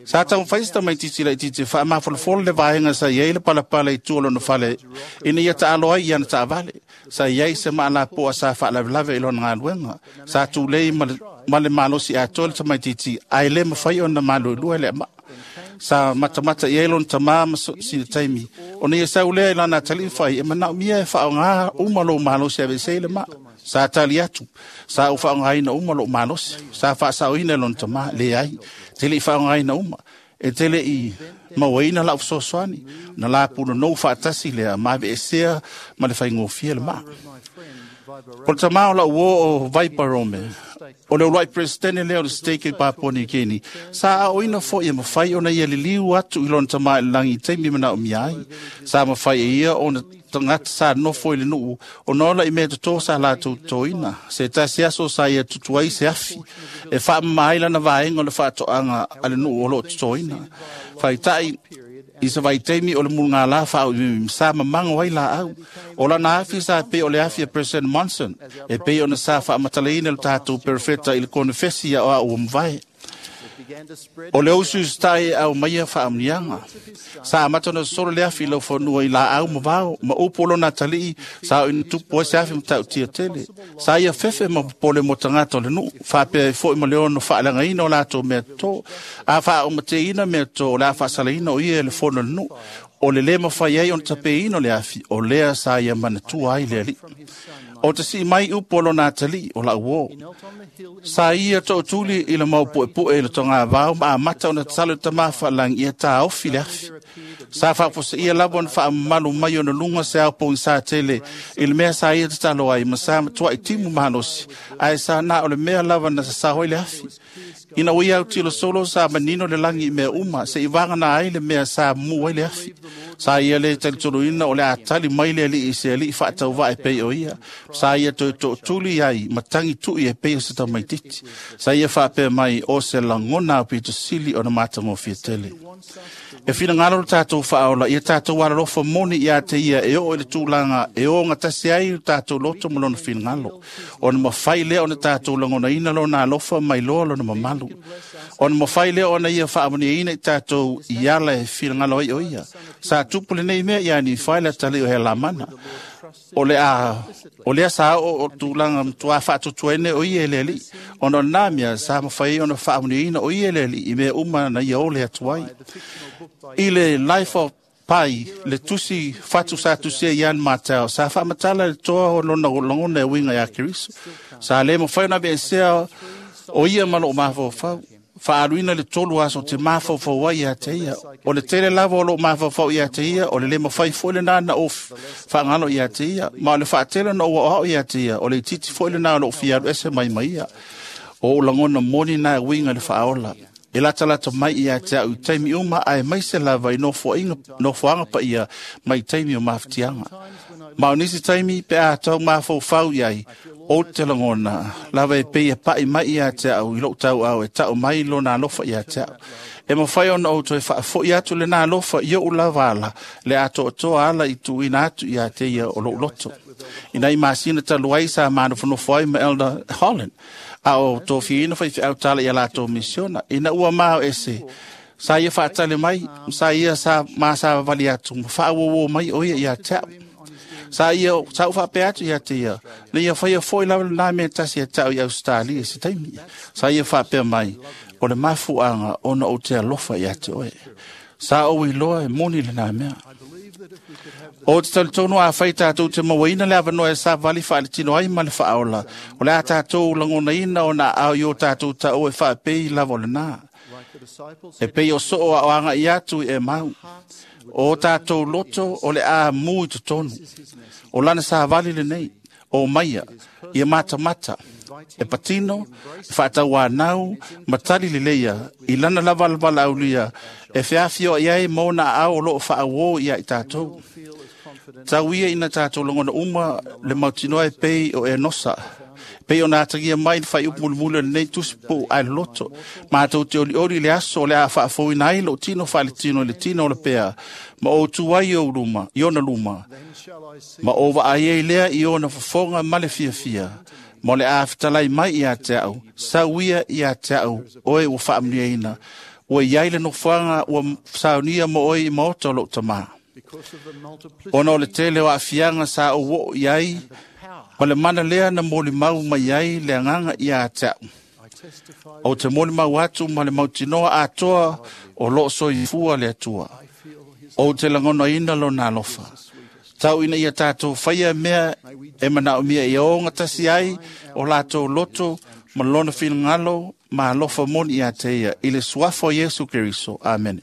Sa taumafai se tamaitiiti laitiiti e faamafolafolo le vaega sa i ai le palapala i tua o lona fale ina ia taalo ai i ana taavale. Sa i ai se maalapoa sa faalavelave i lona galuega. Sa tulei ma le, ma le malosi atoa le tamaitiiti ae le mafai ona maluelue le amaa. Sa matamata i ai lona tamā ma sina taimi. Ona ia sau lea i lana atalii fai e manaomia e faaaoga uma lou malosi e aveese ai le maa. Sa tali atu, sa ou faaaogaina uma lou malosi. Sa faasaoina e lona tamā, leai, te le i faaaogaina uma. E te le i mauaina lau fesoasoani. Na lapunonou faatasi lea ma aveesea ma le faigofie le maa. O le tamā o lau uo o Vaiparome, o le uluai presidente lea o le stake i Papua New Guinea, sa aoina foi e mafai ona ia liliu atu i lona tamā i le lagi i taimi manaomia ai. Sa mafai e ia ona tagata sa nofo i le nuu ona ola i mea totō sa latou totoina. Se tasi aso sa ia tutu ai se afi e faamama ai lana vaega o le faatoaga a le nuu o loo totoina. Faita'i i se vaitaimi o le mulugālā faaauimimi sa mamago ai laau. O lana afi sa pei o le afi a President Monson, e pei ona sa faamatalaina le tatou perofeta i le konefesi ia o au ua mavae. O le usu usita'i e aumaia faamuniaga. Sa amata ona sosolo le afi i laufanua i laau ma vao, ma upu o lona atalii sa oina tupu ai se afi matautia tele. Sa ia fefe ma popole mo tagata o le nuu, faapea ai fo'i ma le ono faaleagaina o latou mea totō. A faaaumateina mea totō o le a faasalaina o ia e le fono o le nuu. O le lē mafai ai ona tapeina o le afi, o lea sa ia manatua ai le alii. O te sii mai upu o lona atalii o lau uō. Sa ia tootuli i le maupuepue i le togavao ma amata ona tatalo i le tamā faalagi ia taofi le afi. Sa faafoseia lava ona faamamalu mai ona luga se ao pogisā tele i le mea sa ia tatalo ai ma sa matuai timu malosi, ae sa na o le mea lava na sasao ai le afi. Ina ua ia autilo solo sa manino le lagi i mea uma se'i vagana ai le mea sa mumu ai le afi. Sa ia le talitoluina o le a tali mai le alii i se alii faatauvaa e pei o ia. Sa ia toe tootuli ai ma tagi tu'i e pei o se tamaitiiti. Sa ia faapea mai o se lagona aupito sili ona matagofie tele. E finagalo le tatou faaola ia tatou alalofa moni ia te ia e oo i le tulaga e ogatasi ai le tatou loto ma lona finagalo. Ona mafai lea ona tatou lagonaina lona alofa mai loa lona mamalu. Ona mafai lea ona ia faamanuiaina i tatou i ala e finagalo ai o ia. Sa tupu lenei mea ia Nifai le atalii o Helamana. O le a o lea sa oo o tulaga matuā faatuatuaina o ia e le alii. Ona o lena mea sa mafai ai ona faamanuiaina o ia e le alii i mea uma na ia ole atu ai. I le Life of Pai, le tusi fatu sa tusia i Ian Martel, sa faamatala le toa o lona lagona e uiga iā Keriso. Sa le mafai ona aveesea o ia ma loo mafaufau. Faaluina le tolu aso te mafaufau ai ia te ia. O le tele lava o loo mafaufau ia te ia, o le le mafai foi lena na ou faagalo ia te ia. Ma o le faatele na ou aoao ia te ia, o le itiiti foi lena o loo fia alu ese mai ma ia. O ou lagona moni na e uiga i le faaola. E latalata mai ia te au i taimi uma ae maise lava i nofoaiga, nofoaga paia mai taimi o mafatiaga. Ma o nisi taimi pe a tau mafaufau i ai, o te lagona lava e pei e pa'i mai ia te au i lou tauau e ta'u mai lona alofa ia te au. E mafai ona ou toe faafo'i atu lena alofa i o'u lava ala, le atoatoa ala i tuuina atu ia te ia o lou loto. Ina i masina talu ai sa manofonofo ai ma Elder Holland, a o tofiaina faifeau tala ia latou misiona. Ina ua mao ese, sa ia faatali mai, sa ia sa masavavali atu, ma faauauō mai o ia ia te au. Sa ia, sa ou faapea atu ia te ia, na ia faia fo'i lava lenā mea tasi ia te au i Ausetalia i se taimi. Sa ia faapea mai, o le mafuaaga ona ou te alofa ia te oe. Sa ou iloa e moni lenā mea. O te talitonu a fai tatou te mauaina le avanoa e savali faaletino ai ma le faaola, o le a tatou lagonaina ona aao i o tatou taua e faapei lava o lenā. E pei o soo a o aga'i atu i Emau. O tatou loto o le a mu i totonu. O lana savali lenei, o maia, ia matamata, e patino, e faatauanau, ma tali leleia, i lana lava valaaulia, e feafioai ai ma ona aao o loo faauō ia i tatou. Tau ia ina tatou lagona uma le mautinoa e pei o Enosa, Pei o nā tagia mai le whai upu mulimuli o lenei tusi po ai loto. Mātou te oli oli le aso o le a whaafouina ai lo tino whaale tino le tino o le pea. Ma o tuai o luma, i ona luma. Ma o wa ai lea i ona fofonga ma le fiafia. Ma le a fetalai mai ia te au, sauia ia te au, oe ua whaamniaina. Ua iai le nofoanga ua saunia mo oe i maota o lou tamā. Ona o le tele o aafiaga sa ou oo i ai, ma le mana lea na molimau mai ai le agaga ia te au. Ou te molimau atu ma le mautinoa atoa o loo soifua le Atua. Ou te lagonaina lona alofa. Tau ina ia tātou whaia mea e manaomia ia o gatasi ai o latou loto ma lona finagalo ma alofa moni ia te ia i le suafa o Iesu Keriso. Amene.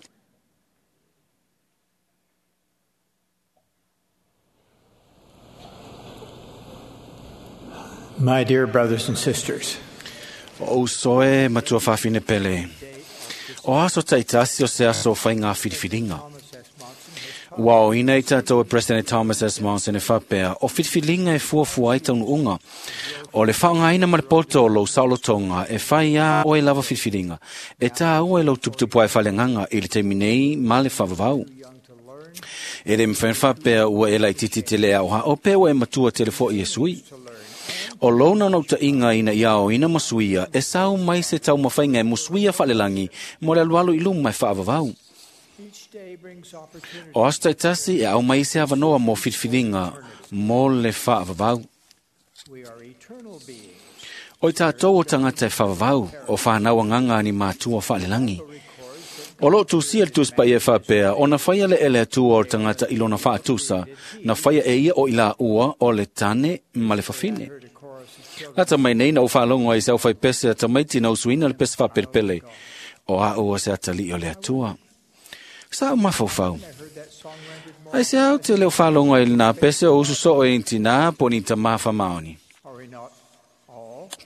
My dear brothers and sisters, O usoe matua whawhine pele. O aso taitasi o se aso whai ngā whiriwhiringa. Ua o ina i tātou e President Thomas S. Monson e whapea, o whiriwhiringa e fuafua ai taunu unga. O le whaangaina ma le poto o lou saolotonga e whai a oe lava whiriwhiringa. E tā ua e lou tuputupu ai whalenganga i le teimi nei ma le whavavau. E le mwhen whapea ua e lai titi te lea oha o pea ua e matua te le fo i e sui. O lona no ta inga ina ia o ina masuia, e sau mai se tau mawhainga e musuia whalelangi, mo le alualu i luma e whaavavau. O aso taitasi e au mai se avanoa mo whiriwhiringa, mo le whaavavau. O i tātou o tangata e whaavavau, o whanau anganga ni mātua whalelangi. O loo tusia le tusipai e whapea, o na whaia le ele atua o tangata i lona whaatusa, na whaia e ia o ila ua o le tane ma le whawhine. Lata mai nei na o whaalongo ai se au whai pese a tamaiti na usuina le pese whaperepele. O a ua se atali o le atua. Sa o mafaufau. Ai se au te leo whaalongo ai nā pese o usu soo e inti nā po ni ta mawha maoni.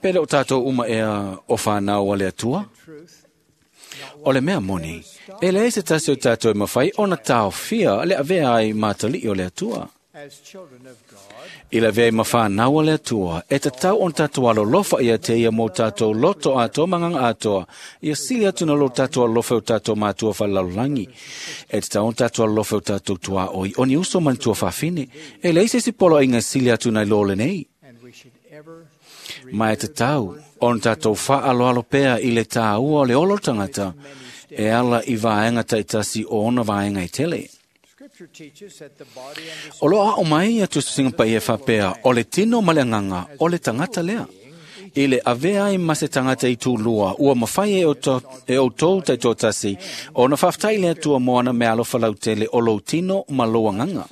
Pele o tātou uma ea o whanau a le atua. O le mea moni, e le se tasi o tātou e mawhai o na tāofia le avea ai mātali o le atua. I le avea i mawhanau le atua, e tatau on tātou alolofa ia te ia mō tātou loto atoa manganga atoa, ia sili atu na lo tātou alofa o tātou mātua whalalolangi. E tatau on tātou alofa o tātou tua oi, o ni uso man tua whawhine, e le se si polo inga sili atu nei lole nei. Ma e tatau, on tātou whaaloalo pea i le tāua o le olo tangata, e ala i vaenga taitasi o ona vaenga i tele. O loa o mai a tususinga pai e whapea, o le tino ma le nganga, o le tangata lea. I le avea i mase tangata i tūlua, ua mawhai e o, to, e o tō taitōtasi, o na whaftai lea tua moana me alofa lautele o lou tino ma lou anganga.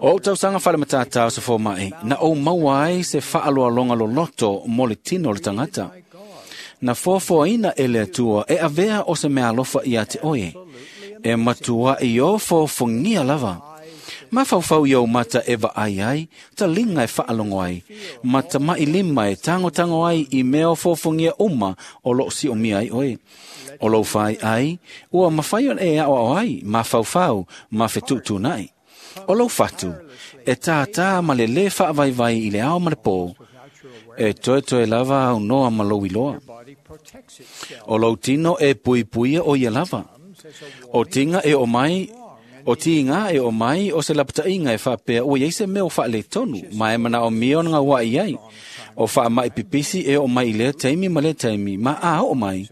O tausanga whale matatau sa fōmai, na o maua ai se whaaloalonga loloto mo le tino le tangata. Na fōfōina e le atua e avea o se mea alofa ia te oe. E matua i o fōfongia lava. Ma whauwhau i au mata e vaai ai, ta linga e whaalongo ai, ma ta mai lima e tango tango ai i mea o fōfongia uma o loo si o mia ai oe. O lou whai ai, ua mawhai on e ao ao ai, ma whauwhau, ma whetutu nai. O lou whatu, e tātā ma le le whaavaivai i le ao ma le pō, e toe toe lava au noa ma lou iloa. O lou tino e pui puia o ia lava. O tinga e o mai, o tinga e o mai o se lapatainga e whapea o iei se mea o whaale tonu, ma e mana o mia o ngā wā i ai. O wha mai pipisi e o mai i lea teimi ma lea teimi, ma a o mai.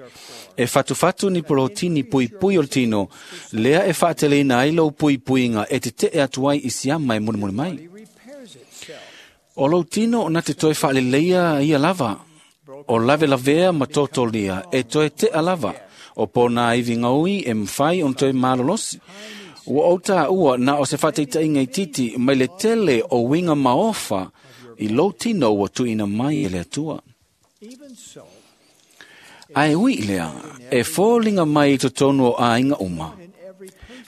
E whatu whatu ni porotini pui pui o tino, lea e whaateleina ai lou pui puinga e te te e atu ai i siama e mulimuli mai. O lou tino na te toe whaaleleia ia lava, o lave lavea ma totolia e toe te a lava, o pōna iwi ngaui e mwhai on toe malolosi. Ua o tā ua na o se whateitainga i titi mai le tele o winga maofa i lou tino ua tuina mai e le atua. Ai ui lea, e fōlinga mai i totonu o āinga uma.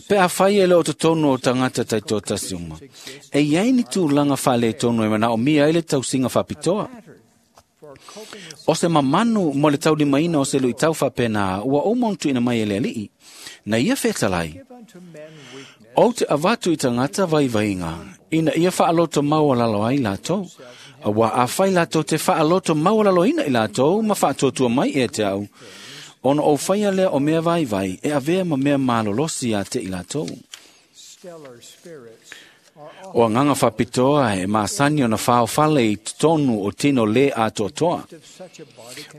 Pe a whai e le o totonu o tangata taitōtasi uma. E iai ni tūlanga whale tonu e mana o mia ele tausinga whapitoa. O se mamanu mo le taulimaina o se lui tau whapena ua o montu ina mai ele alii. Na ia whetalai. O te avatu i tangata vaivainga, ina ia whaaloto maua lalo ai lātou. Aua a fai latou te faaloto maualaloina i latou ma faatuatua mai e te au, ona ou faia lea o mea vaivai e avea ma mea malolosi ia te i latou. O agaga faapitoa e masani ona faofale i totonu o tino le atoatoa.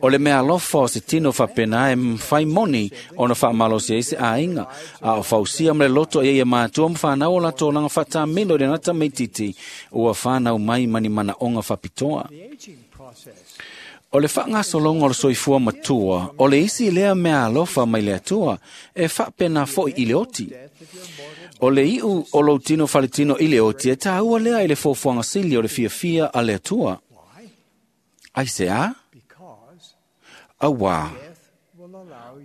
O le mea alofa o se tino faapena e mafai moni ona faamalosi ai se aiga, a o fausia ma le loto e ia matua ma whanau o latou olaga faatamilo i le gata meititi ua whanau mai ma ni manaoga faapitoa. O le fagasologa o le soifua matua, o le isi lea mea alofa mai le Atua, e faapena foi i le oti. O le iu o lou tino faletino i le oti e tāua lea i le fuafuaga sili o le fiafia a le Atua. Ai se a? Auā,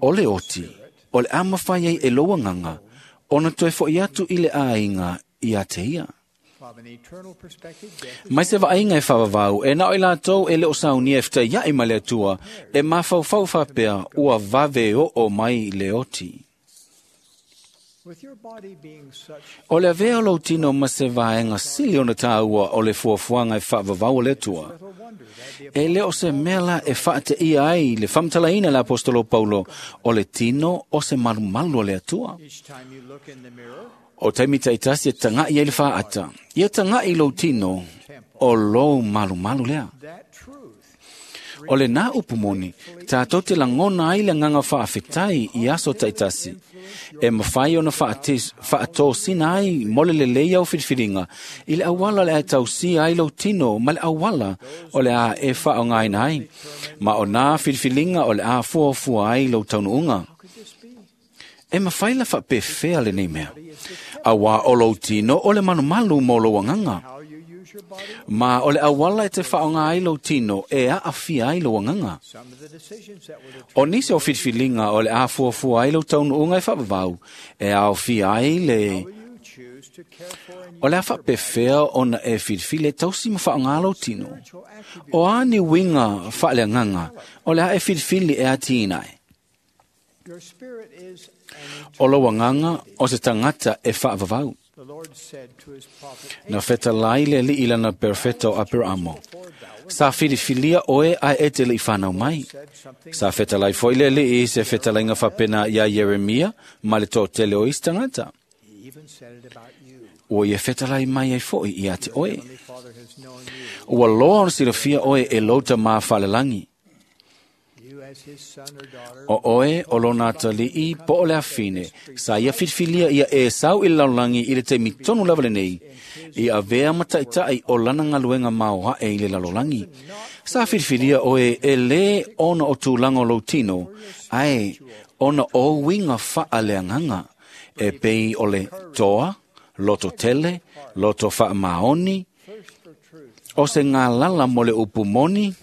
o le oti, o le a mafai ai e lou agaga, ona toe foi atu i le aiga ia te ia. Mai se vaaiga e faavavau, e na o i latou e le o saunia e fetaiai ma le Atua, e mafaufau faapea ua vave oo mai le oti. O le avea o lou tino ma se vaega sili ona tāua o le fuafuaga e faavavau o le Atua. E le o se mea la e faateia ai le faamatalaina e le Apostolo Paulo o le tino o se malumalu o le Atua. O taimi taitasi e taga'i ai le faata, ia taga'i lou tino o lou malumalu lea. O le nā upu moni, tātou te lagona ai le agaga faafetai i aso taitasi, e mafai ona faatosina ai mo le lelei au filifiliga i le auala o le a e tausia ai lou tino ma le auala o le a e faaaogaina ai, ma o nā filifiliga o le a fuafua ai lou taunuuga. E mafai la faapefea lenei mea, auā o lou tino o le malumalu mo lou agaga. Ma o le auala e te faaaoga ai lou tino e aafia ai lou agaga. O nisi o filifiliga o le a fuafua ai lou taunuuga e faavavau, e aofia ai le o le a faapefea ona e filifili e tausi ma faaaoga lou tino. O a ni uiga faaleagaga o le a e filifili e atiina ai. O lou agaga o se tagata e faavavau. Na fetalai le alii lana perofeta o Aperamo. Sa filifilia oe ae e te lei whanau mai. Sa fetalai foi le alii i se fetalaiga faapena ia Ieremia ma le toatele o isi tagata. Ua ia fetalai mai ai foi ia te oe. Ua loa ona silafia oe e lou tamā faalelagi. O oe o lona atalii po o le afine, sa ia filifilia ia e sau i le lalolagi i le taimi tonu lava lenei, i avea ma taitai o lana galuega maoae i le lalolagi. Sa filifilia oe e lē ona o tulaga o lou tino, ae ona o uiga faaleagaga, e pei o le toa, loto tele, loto faamaoni, o se galala mo le upu moni,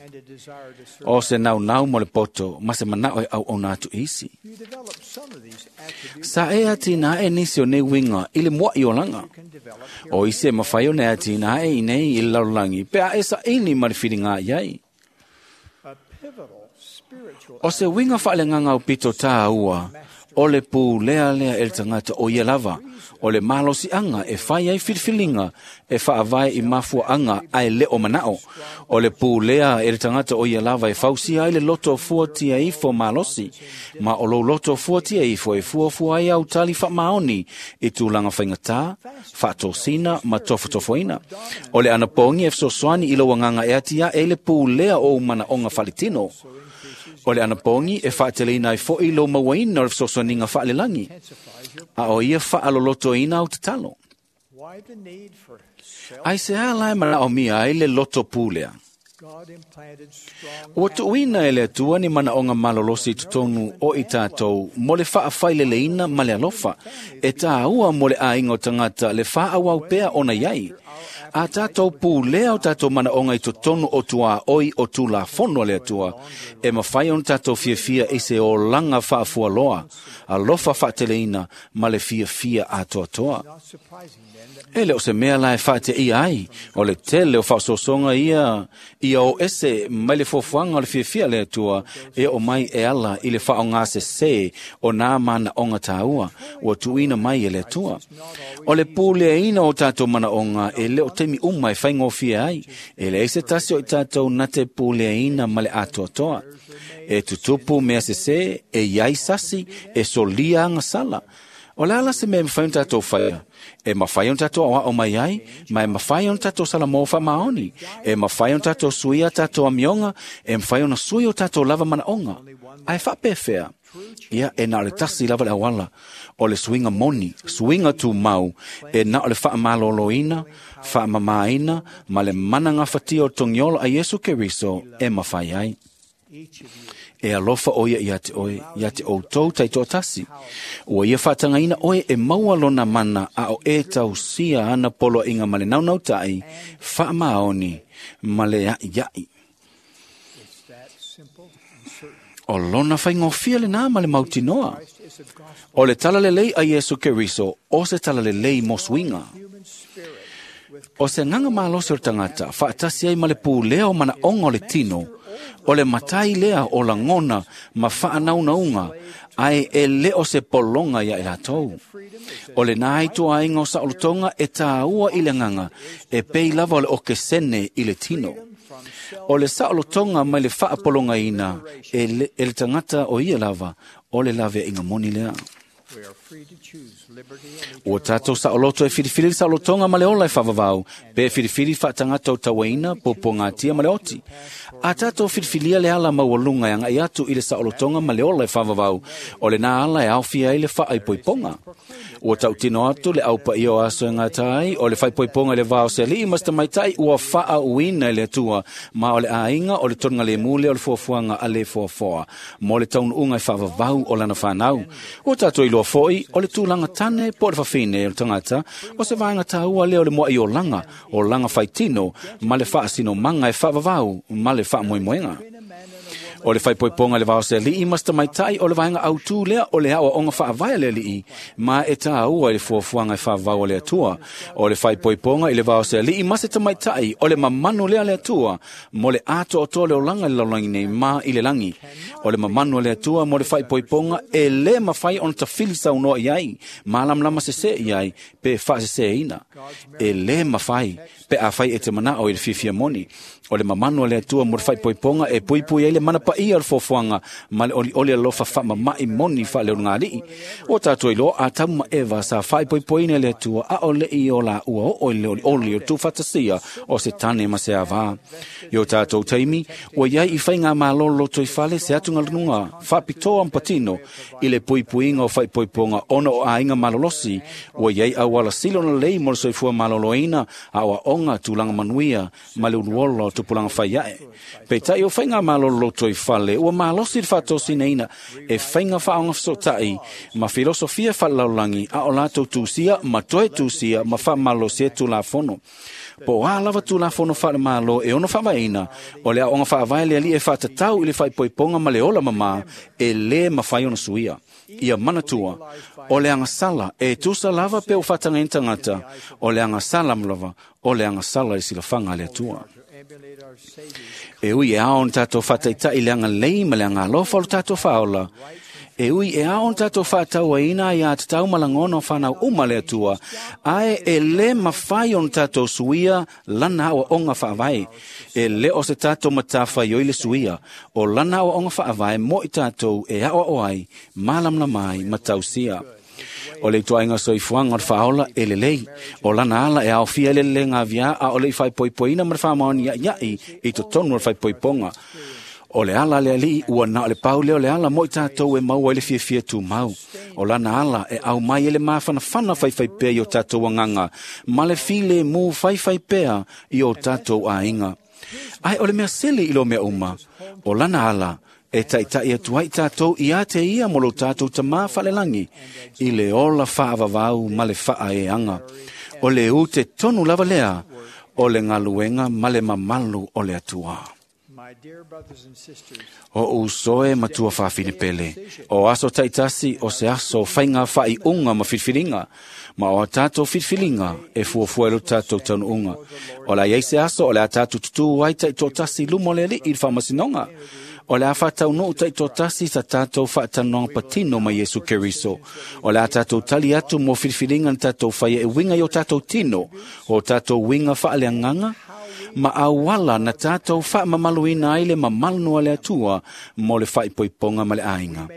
o se naunau mo le poto, ma se manao e auauna atu i isi. Sa e atinae nisi o nei uiga i le mua'i olaga. O isi e mafai ona e atinae i nei i le lalolagi, pe a e saili ma le filiga i ai. O se uiga faaleagaga aupito tāua, o le pulea lea e le tagata o ia lava, o le malosiaga e fai ai filifiliga e faavae i mafuaaga ae le o manao. O le pulea e le tagata o ia lava e fausia ai le loto fuatia ifo malosi, ma o lou loto fuatia ifo e fuafua ai au tali faamaoni i tulaga faigata, faatosina ma tofotofoina. O le anapogi e fesoasoani i lou agaga e atiae i le pulea o ou manaoga faletino. O le anapogi e faateleina ai foi lou mauaina o le fesoasoaniga faalelagi, a o ia faalolotoina au tatalo. Ai se a la e manaomia ai le loto pulea. Ua tuuina e le Atua ni manaoga malolosi i totonu o i tātou mo le faafaileleina ma le alofa, e tāua mo le aiga o tagata le faaauau pea ona i ai. A tātou pulea o tātou manaoga i totonu o tuaoi o Tulafono a le Atua, e mafai ona tātou fiafia i se olaga faafualoa, alofa faateleina ma le fiafia atoatoa. E le o se mea la e faateia ai, o le tele o faasoasoga ia ia o ese mai le fuafuaga o le fiafia a le Atua e oo mai e ala i le faaaogasesē o nā manaoga tāua ua tuuina mai e le Atua. O le puleaina o tātou manaoga e le o taimi uma e faigofie ai, e leai se tasi o i tatou na te puleaina ma le atoatoa. E tutupu mea sesē, e iai sasi, e solia agasala. O le ala se mea e mafai ona tatou faia? E mafai ona tatou aoao mai ai, ma e mafai ona tatou salamo faamaoni. E mafai ona tatou suia tatou amioga, e mafai ona sui o tatou lava manaoga. Ae faapefea? Ia, e na o le tasi lava le auala, o le suiga moni, suiga tumau, e na o le faamaloloina, faamamaina, ma le mana gafatia o le togiola a Iesu Keriso e mafai ai. E alofa o ia ia te oe, ia te outou taitoatasi. Ua ia faatagaina oe e maua lona mana a o e tausia ana poloaiga ma le naunautai, faamaoni ma le a'ia'i. O lona faigofie lenā ma le mautinoa. O le talalelei a Iesu Keriso, o se talalelei mo suiga. O se agaga malosi o le tagata, faatasi ai ma le pulea o manaoga o le tino, o le matai lea o lagona ma faanaunauga, ae e le o se pologa ia i latou. O lenā ai tuaiga o saolotoga e tāua i le agaga, e pei lava o le okesene i le tino. O le saolotoga mai le faapologaina e le, e le tagata o ia lava, o le laveaiga moni lea. Ua tatou saoloto e filifili le saolotoga ma le ola e faavavau, pe filifili faatagata o tauaina, puapuagatia ma le oti. A tatou filifilia le ala maualuga e agai atu i le saolotoga ma le ola e faavavau, o lenā ala e aofia ai le faaipoipoga. Ua tautino atu le aupaia o aso e gata ai, o le faaipoipoga i le va o se alii ma se tamaitai ua faaauina e le Atua, ma o le aiga o le tonigalemu lea o le fuafuaga a le foafoa, mo le taunuuga e faavavau o lana fanau. Ua tatou iloa foi, o le tulaga tane po o le fafine o le tagata, o se vaega taua lea o le moa'iolaga, o laga faitino, ma le faasinomaga e faavavau ma le faamoemoega. O le faaipoipoga i le va o se alii ma se tamaitai o le vaega autū lea o le aoaoga faavae a le alii, ma e tāua i le fuafuaga e faavavau a le Atua. O le faaipoipoga i le va o se alii ma se tamaitai o le mamanu lea a le Atua mo le atoatoa o le olaga i le lalolagi nei ma i le lagi. O le mamanu a le Atua mo le faaipoipoga e lē mafai ona tafili saunoa i ai, malamalama sesē i ai, pe faasesēina. E lē mafai pe afai e te manao i le fiafia moni. O le mamanu a le Atua mo le faaipoipoga e puipui ai le mana paia o le fuafuaga ma le olioli alofa faamama'i moni faaleologali'i. Ua tatou iloa Atamu ma Eva sa faaipoipoina e le Atua a o le'i o laua oo i le olioli o le tuufaatasia o se tane ma se avā. I o tatou taimi, ua iai i faigamalo lotoifale se atugaluga faapitoa ma patino i le puipuiga o faaipoipoga ona o aiga malolosi, ua iai auala sili ona lelei mo le soifua maloloina, aoaoga, tulaga manuia ma le uluola o tupulaga fai ae. Peitai o faigamalo lotoifale ua malosi le faatosinaina e faiga faaogafesootai ma filosofia faalelalolagi a o latou tusia ma toe tusia ma faamalosia tulafono. Po o a lava tulafono faalemalo e ono faavaeina, o le aoga faavae le alii e faatatau i le faaipoipoga ma le ola mamā e lē mafai ona suia. Ia manatua, o le agasala e tusa lava pe ua faatagaina tagata, o le agasala lava, o le agasala i le silafaga a le Atua. E ui e ao ona tatou faataitai i le agalelei ma le agalofa o le tatou faaola, e ui e ao ona tatou faatauaina ai atatau ma lagona o fanau uma le Atua, ae e lē mafai ona tatou suia lana aoaoga faavae. E lē o se tatou matafaioi le suia, o lana aoaoga faavae mo i tatou e aoao ai, malamalama ai ma tausia. O le ituaiga soifuaga o le faaola e lelei, o lana ala e aofia ai le lelega aviā a o le'i faaipoipoina ma le faamaoni ia'ia'i i totonu o le faaipoipoga. O le ala a le alii ua na o le pau lea o le ala mo i tatou e maua ai le fiafia tumau. O lana ala e aumai ai le mafanafana faifaipea i o tatou agaga, ma le filemu faifaipea i o tatou aiga. Ae o le mea sili i lo mea uma, o lana ala e taita'i atu ai tatou ia te ia mo lo tatou tamā faalelagi i le ola faavavau ma le faaeaga. O le ute tonu lava lea o le galuega ma le mamalu o le Atua. O usoe matua whawhine pele, o aso taitasi o se aso whainga whai unga ma whiwhiringa, ma o a tātou whiwhiringa e fuafuelo tātou taunu unga. O la iei se aso o le a tātou tutu ai tai tōtasi lumo le li i whamasinonga. O le a whātau no tai tōtasi sa tātou whātanoanga patino ma Yesu Keriso. O le a tātou tali atu mō whiwhiringa na tātou whaia e winga i o tātou tino, o tātou winga whaaleanganga, ma awala na tātou whaamamaluina ai le mamalnoa le atua mo le whaipoiponga ma le ainga.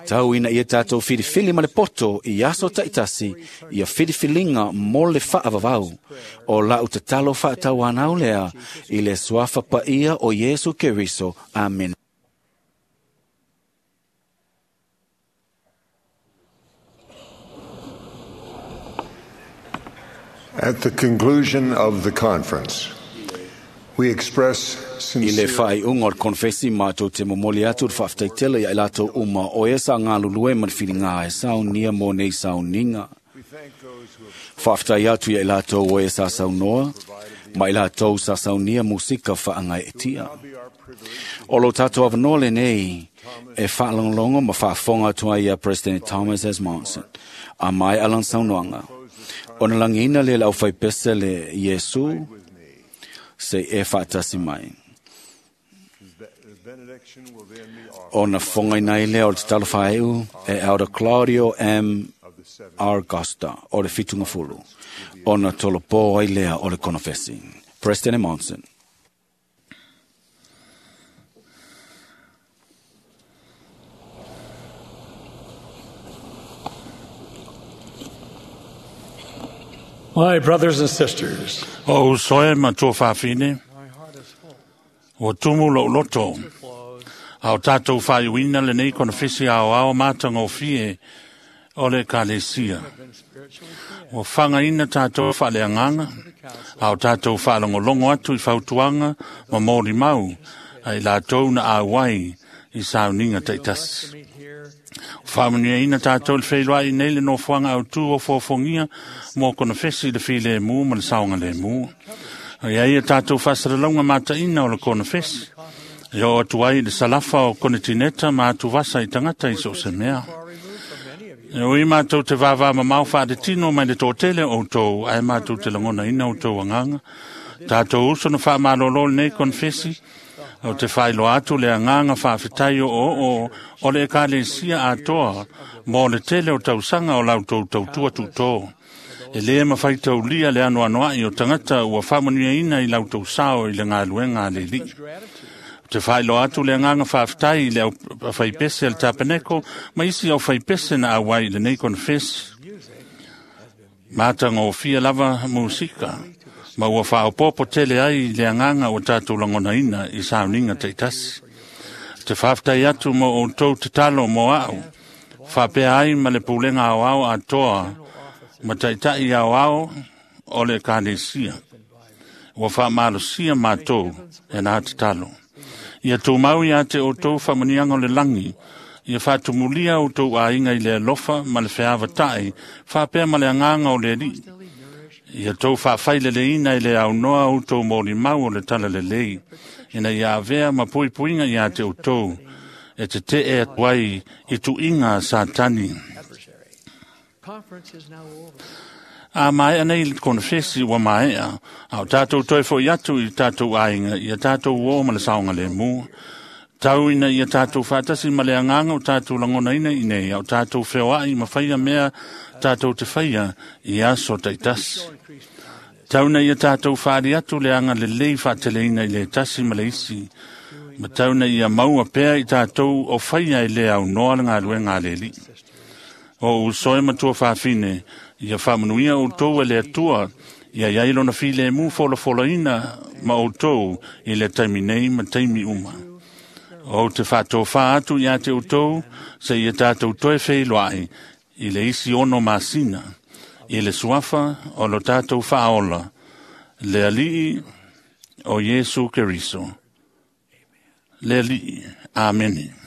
Tau ina ia tātou whiriwhili ma le poto i aso taitasi ia whiriwhilinga mo le whaavavau. O lau tatalo whaatau anau lea i le suafa paia o Yesu Keriso. Amen. At the conclusion of the conference, we express I le sincere whai unga o le konfesi mātou te momoli atu le whaaftaitele ia i lātou uma o e sa ngā lulue ma le whiringa e saunia mō nei sauninga. Whaaftai atu ia i lātou o e sa saunoa, ma i lātou sa saunia musika whaangai e tia. O lo tātou awanoa le nei e whaalongolongo ma whaafonga atua ia President Thomas S. Monson, a mai alan saunoanga. Ona langina le lau whaipese le Yesu, se e whaatasi mai. The benediction will then be offered Ona whongai nei lea o te talo whaeu e Elder Claudio M. R. Costa o le Fitunga Fulu. Ona tolo pō ai lea o le konofesi. President Monson. My brothers and sisters, O usoe matua whawhine, o tumu lo loto, au tātou whaiwina le nei konofesi ao ao mātanga o fie o le kalesia. O whangaina tātou whaleanganga, au tātou whalongolongo atu i whautuanga ma mōri mau, ai lātou na āwai i sauninga taitasi. Whamunia tātou le whailua i nei le nofoanga au tū o fōfongia mō konofesi le while mū ma le saonga le mū. Ia ia tātou whasaralaunga mātaina o le konofesi. Ia o atu ai le salafa o konetineta ma atu vasa i tangata i so se mea. E ui mātou te vāvā mamau whaare tino mai le tōtele o tō, ai mātou te langona ina o tō anganga. Tātou uso na whaamalolo le nei konfesi, o te whailoa atu le anganga whaawhitai o o o o le ekalesia atoa mō le tele o tausanga o lau tau tautua tūtō. E le mawhai taulia le ano anoai o tangata ua whaamanuia ina i lau tau sao i le ngā luenga a le li. Te whailoa atu le anganga whaaftai i le au whaipese al tapeneko, ma isi au whaipese na awai le nei konfesi. Mātanga o fia lava musika, ma ua whaopopo tele ai le anganga o tātou langona ina i sauninga teitasi. Te whaaftai atu mo o tau te talo mo au, whapea ai ma le pulenga au au atoa, ma taitai au au o le kānesia. Ua whaamalosia mātou e nā te talo. Ia tō mau ia te o tō whamunianga o le langi, ia whātumulia o tō āinga i le alofa ma le wheawa tae, whāpea ma le anganga o le ri. Ia tō whawhaile le ina i le au noa o tō mōri mau o le tala le lei, ina ia avea ma puipuinga ia te o tō, e te te e atuai i tuinga a Satani. conference is now over. A mai anei le konfesi ua maea, au tātou toi fo i atu i tātou ainga, ia tātou o ma le saonga le mū. Tau ina ia tātou whaatasi ma le anganga o tātou langona ina i nei, au tātou wheoai ma whaia mea tātou te whaia i aso taitasi. Tau ina ia tātou whaari atu le anga le lei whaatele ina i le tasi ma le isi. Ma tau ina ia maua pea i tātou o whaia i le au noa le ngā luenga le li. O usoe matua whawhine, ia whaamanuia o tō e le atua, ia iai lona file e mū folofola ina ma o tō i le taimi nei ma taimi uma. O te whātō whā atu ia te o tō, se ia tātou toe wheiloai, i le isi ono masina, i le suafa o lo tātou whaola, le alii o Yesu Keriso. Le alii. Amene.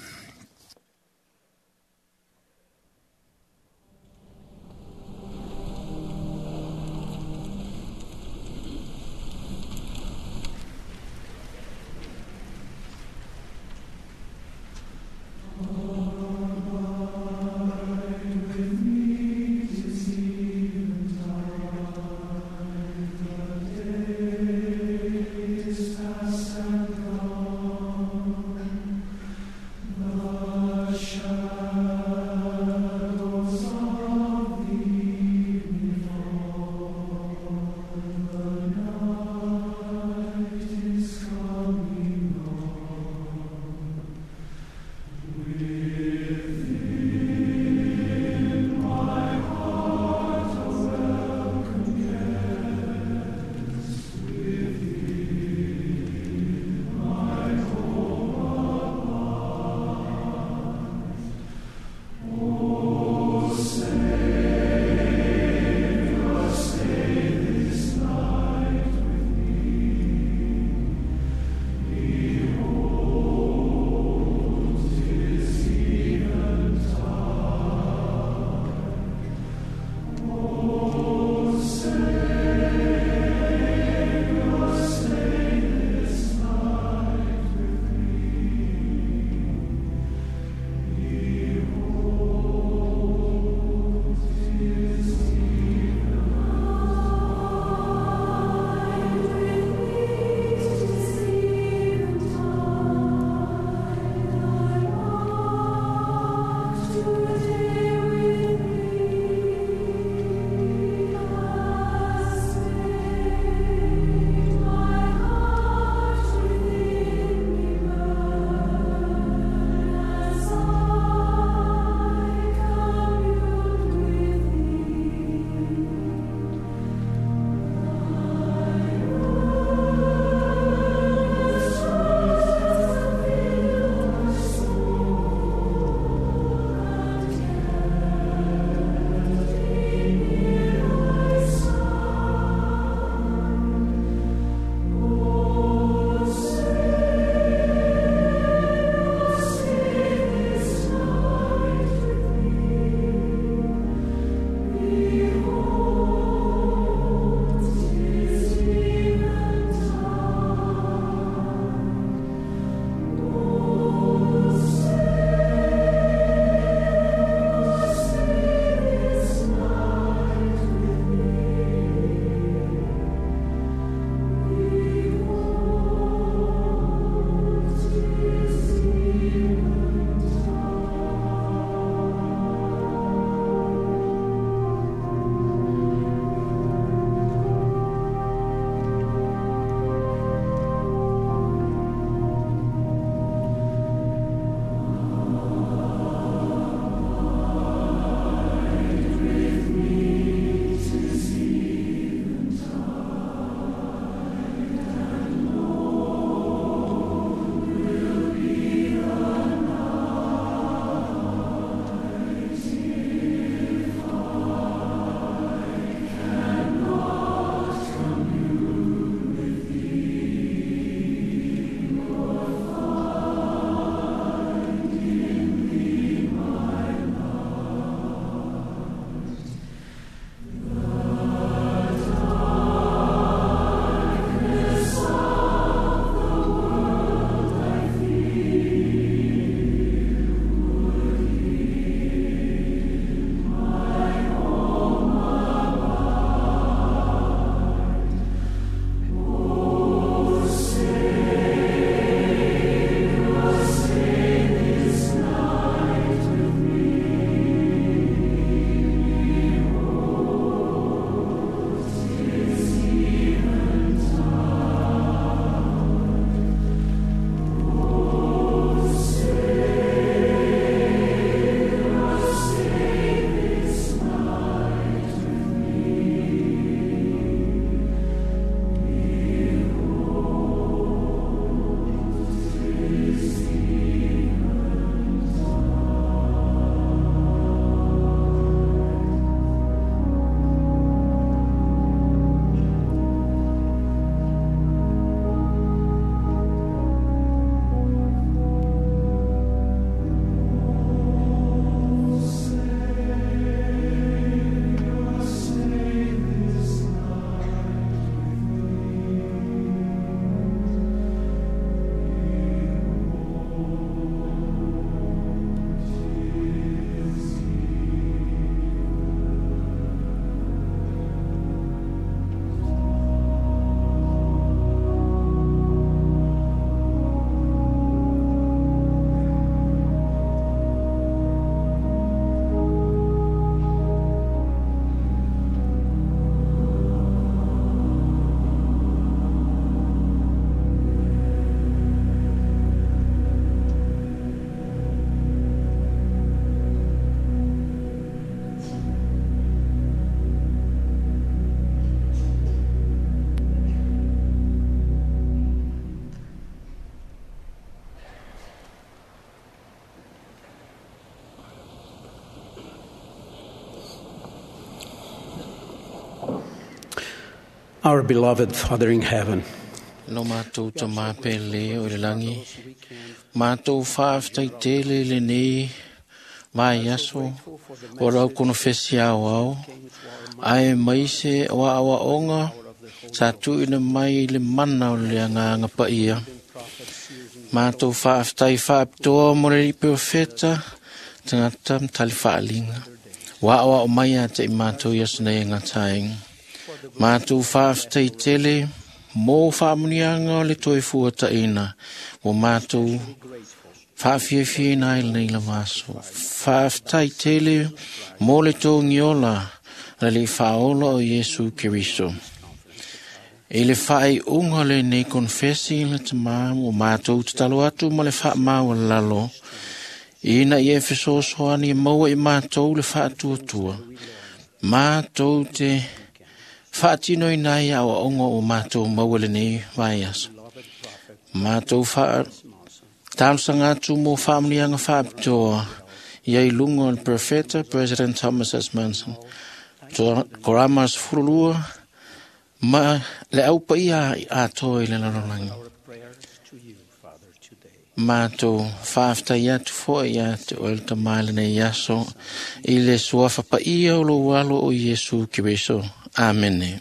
Our beloved Father in heaven, Lo mātou ta māpele o le langi. Mātou whaaftai tele le nei vai aso o rau kono fesi au au. Ae mai se o awa onga sa tuina mai le mana o le anga anga paia. Mātou whaaftai whaaptoa mo le lipe o feta tangata mtali whaalinga. Wa awa o mai a te i mātou i aso nei ngā taing. Mātou whaaftai tele mō whaamunianga o le toi fua taina o mātou whaafiafia ai nei la vaso. Whaaftai tele mō le tō ngiola la le whaola o Yesu Keriso. E le whae unga le nei konfesi le tamā o mātou te talo atu ma le whaamau lalo. Ina i e fesoasoani e maua i mātou le whaatuatua. Mātou te whaatino i nai au ongo o mātou maua le nei vai aso. Mātou wha tausanga atu mō whaamunianga whaapitoa i ai lunga o le Profeta President Thomas S. Monson. Koramas furulua ma le au paia a toi le lalolangi. Mātou whaaftai atu foe ia te oel tamale nei aso i le suafa paia o lo walo o Yesu Keriso. Amene.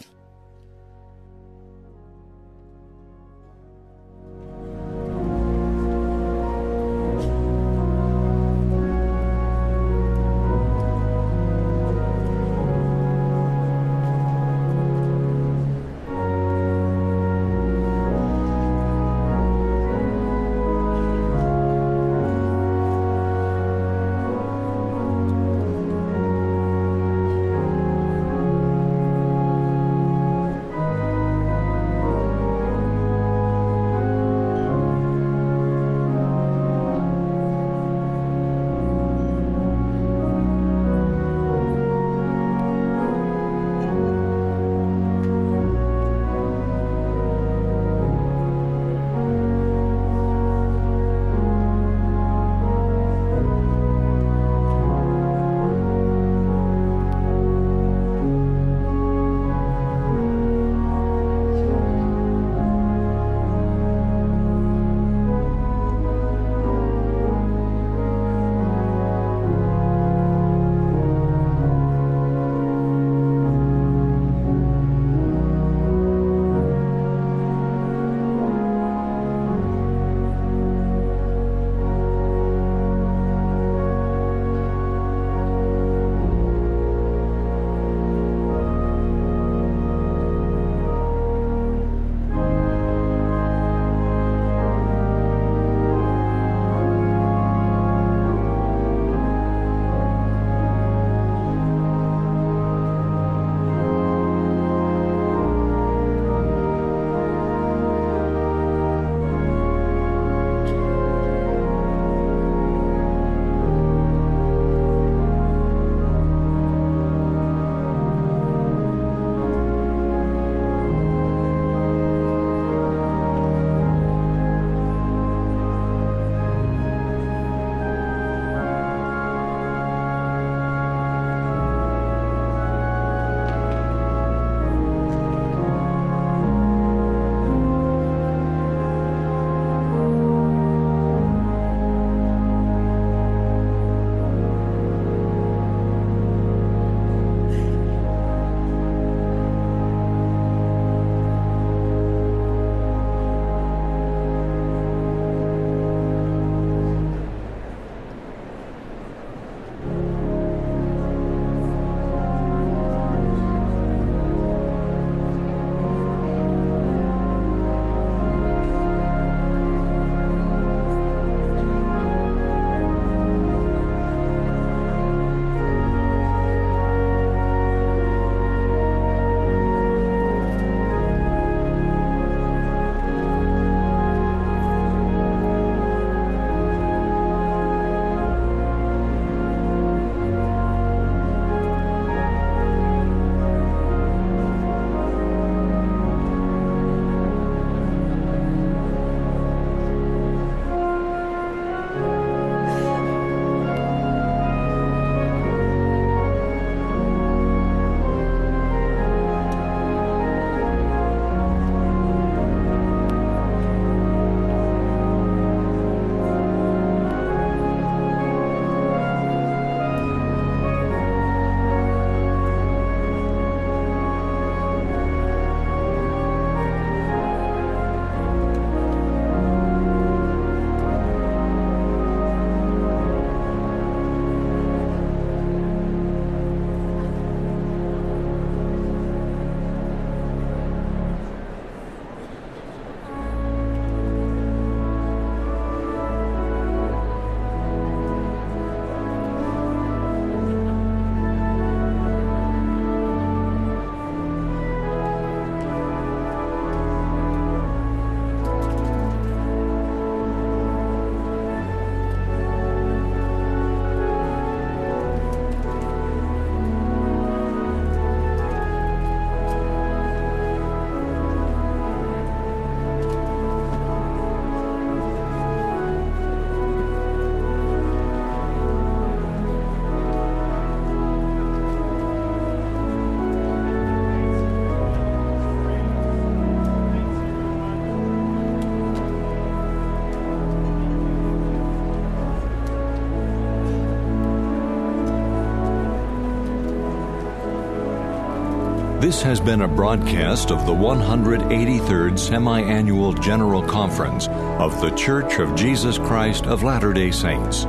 This has been a broadcast of the one hundred eighty-third Semi-Annual General Conference of The Church of Jesus Christ of Latter-day Saints.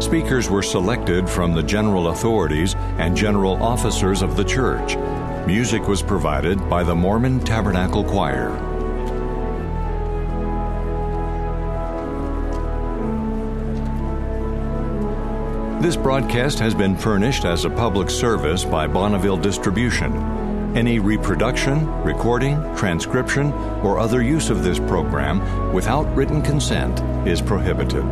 Speakers were selected from the general authorities and general officers of the church. Music was provided by the Mormon Tabernacle Choir. This broadcast has been furnished as a public service by Bonneville Distribution. Any reproduction, recording, transcription, or other use of this program without written consent is prohibited.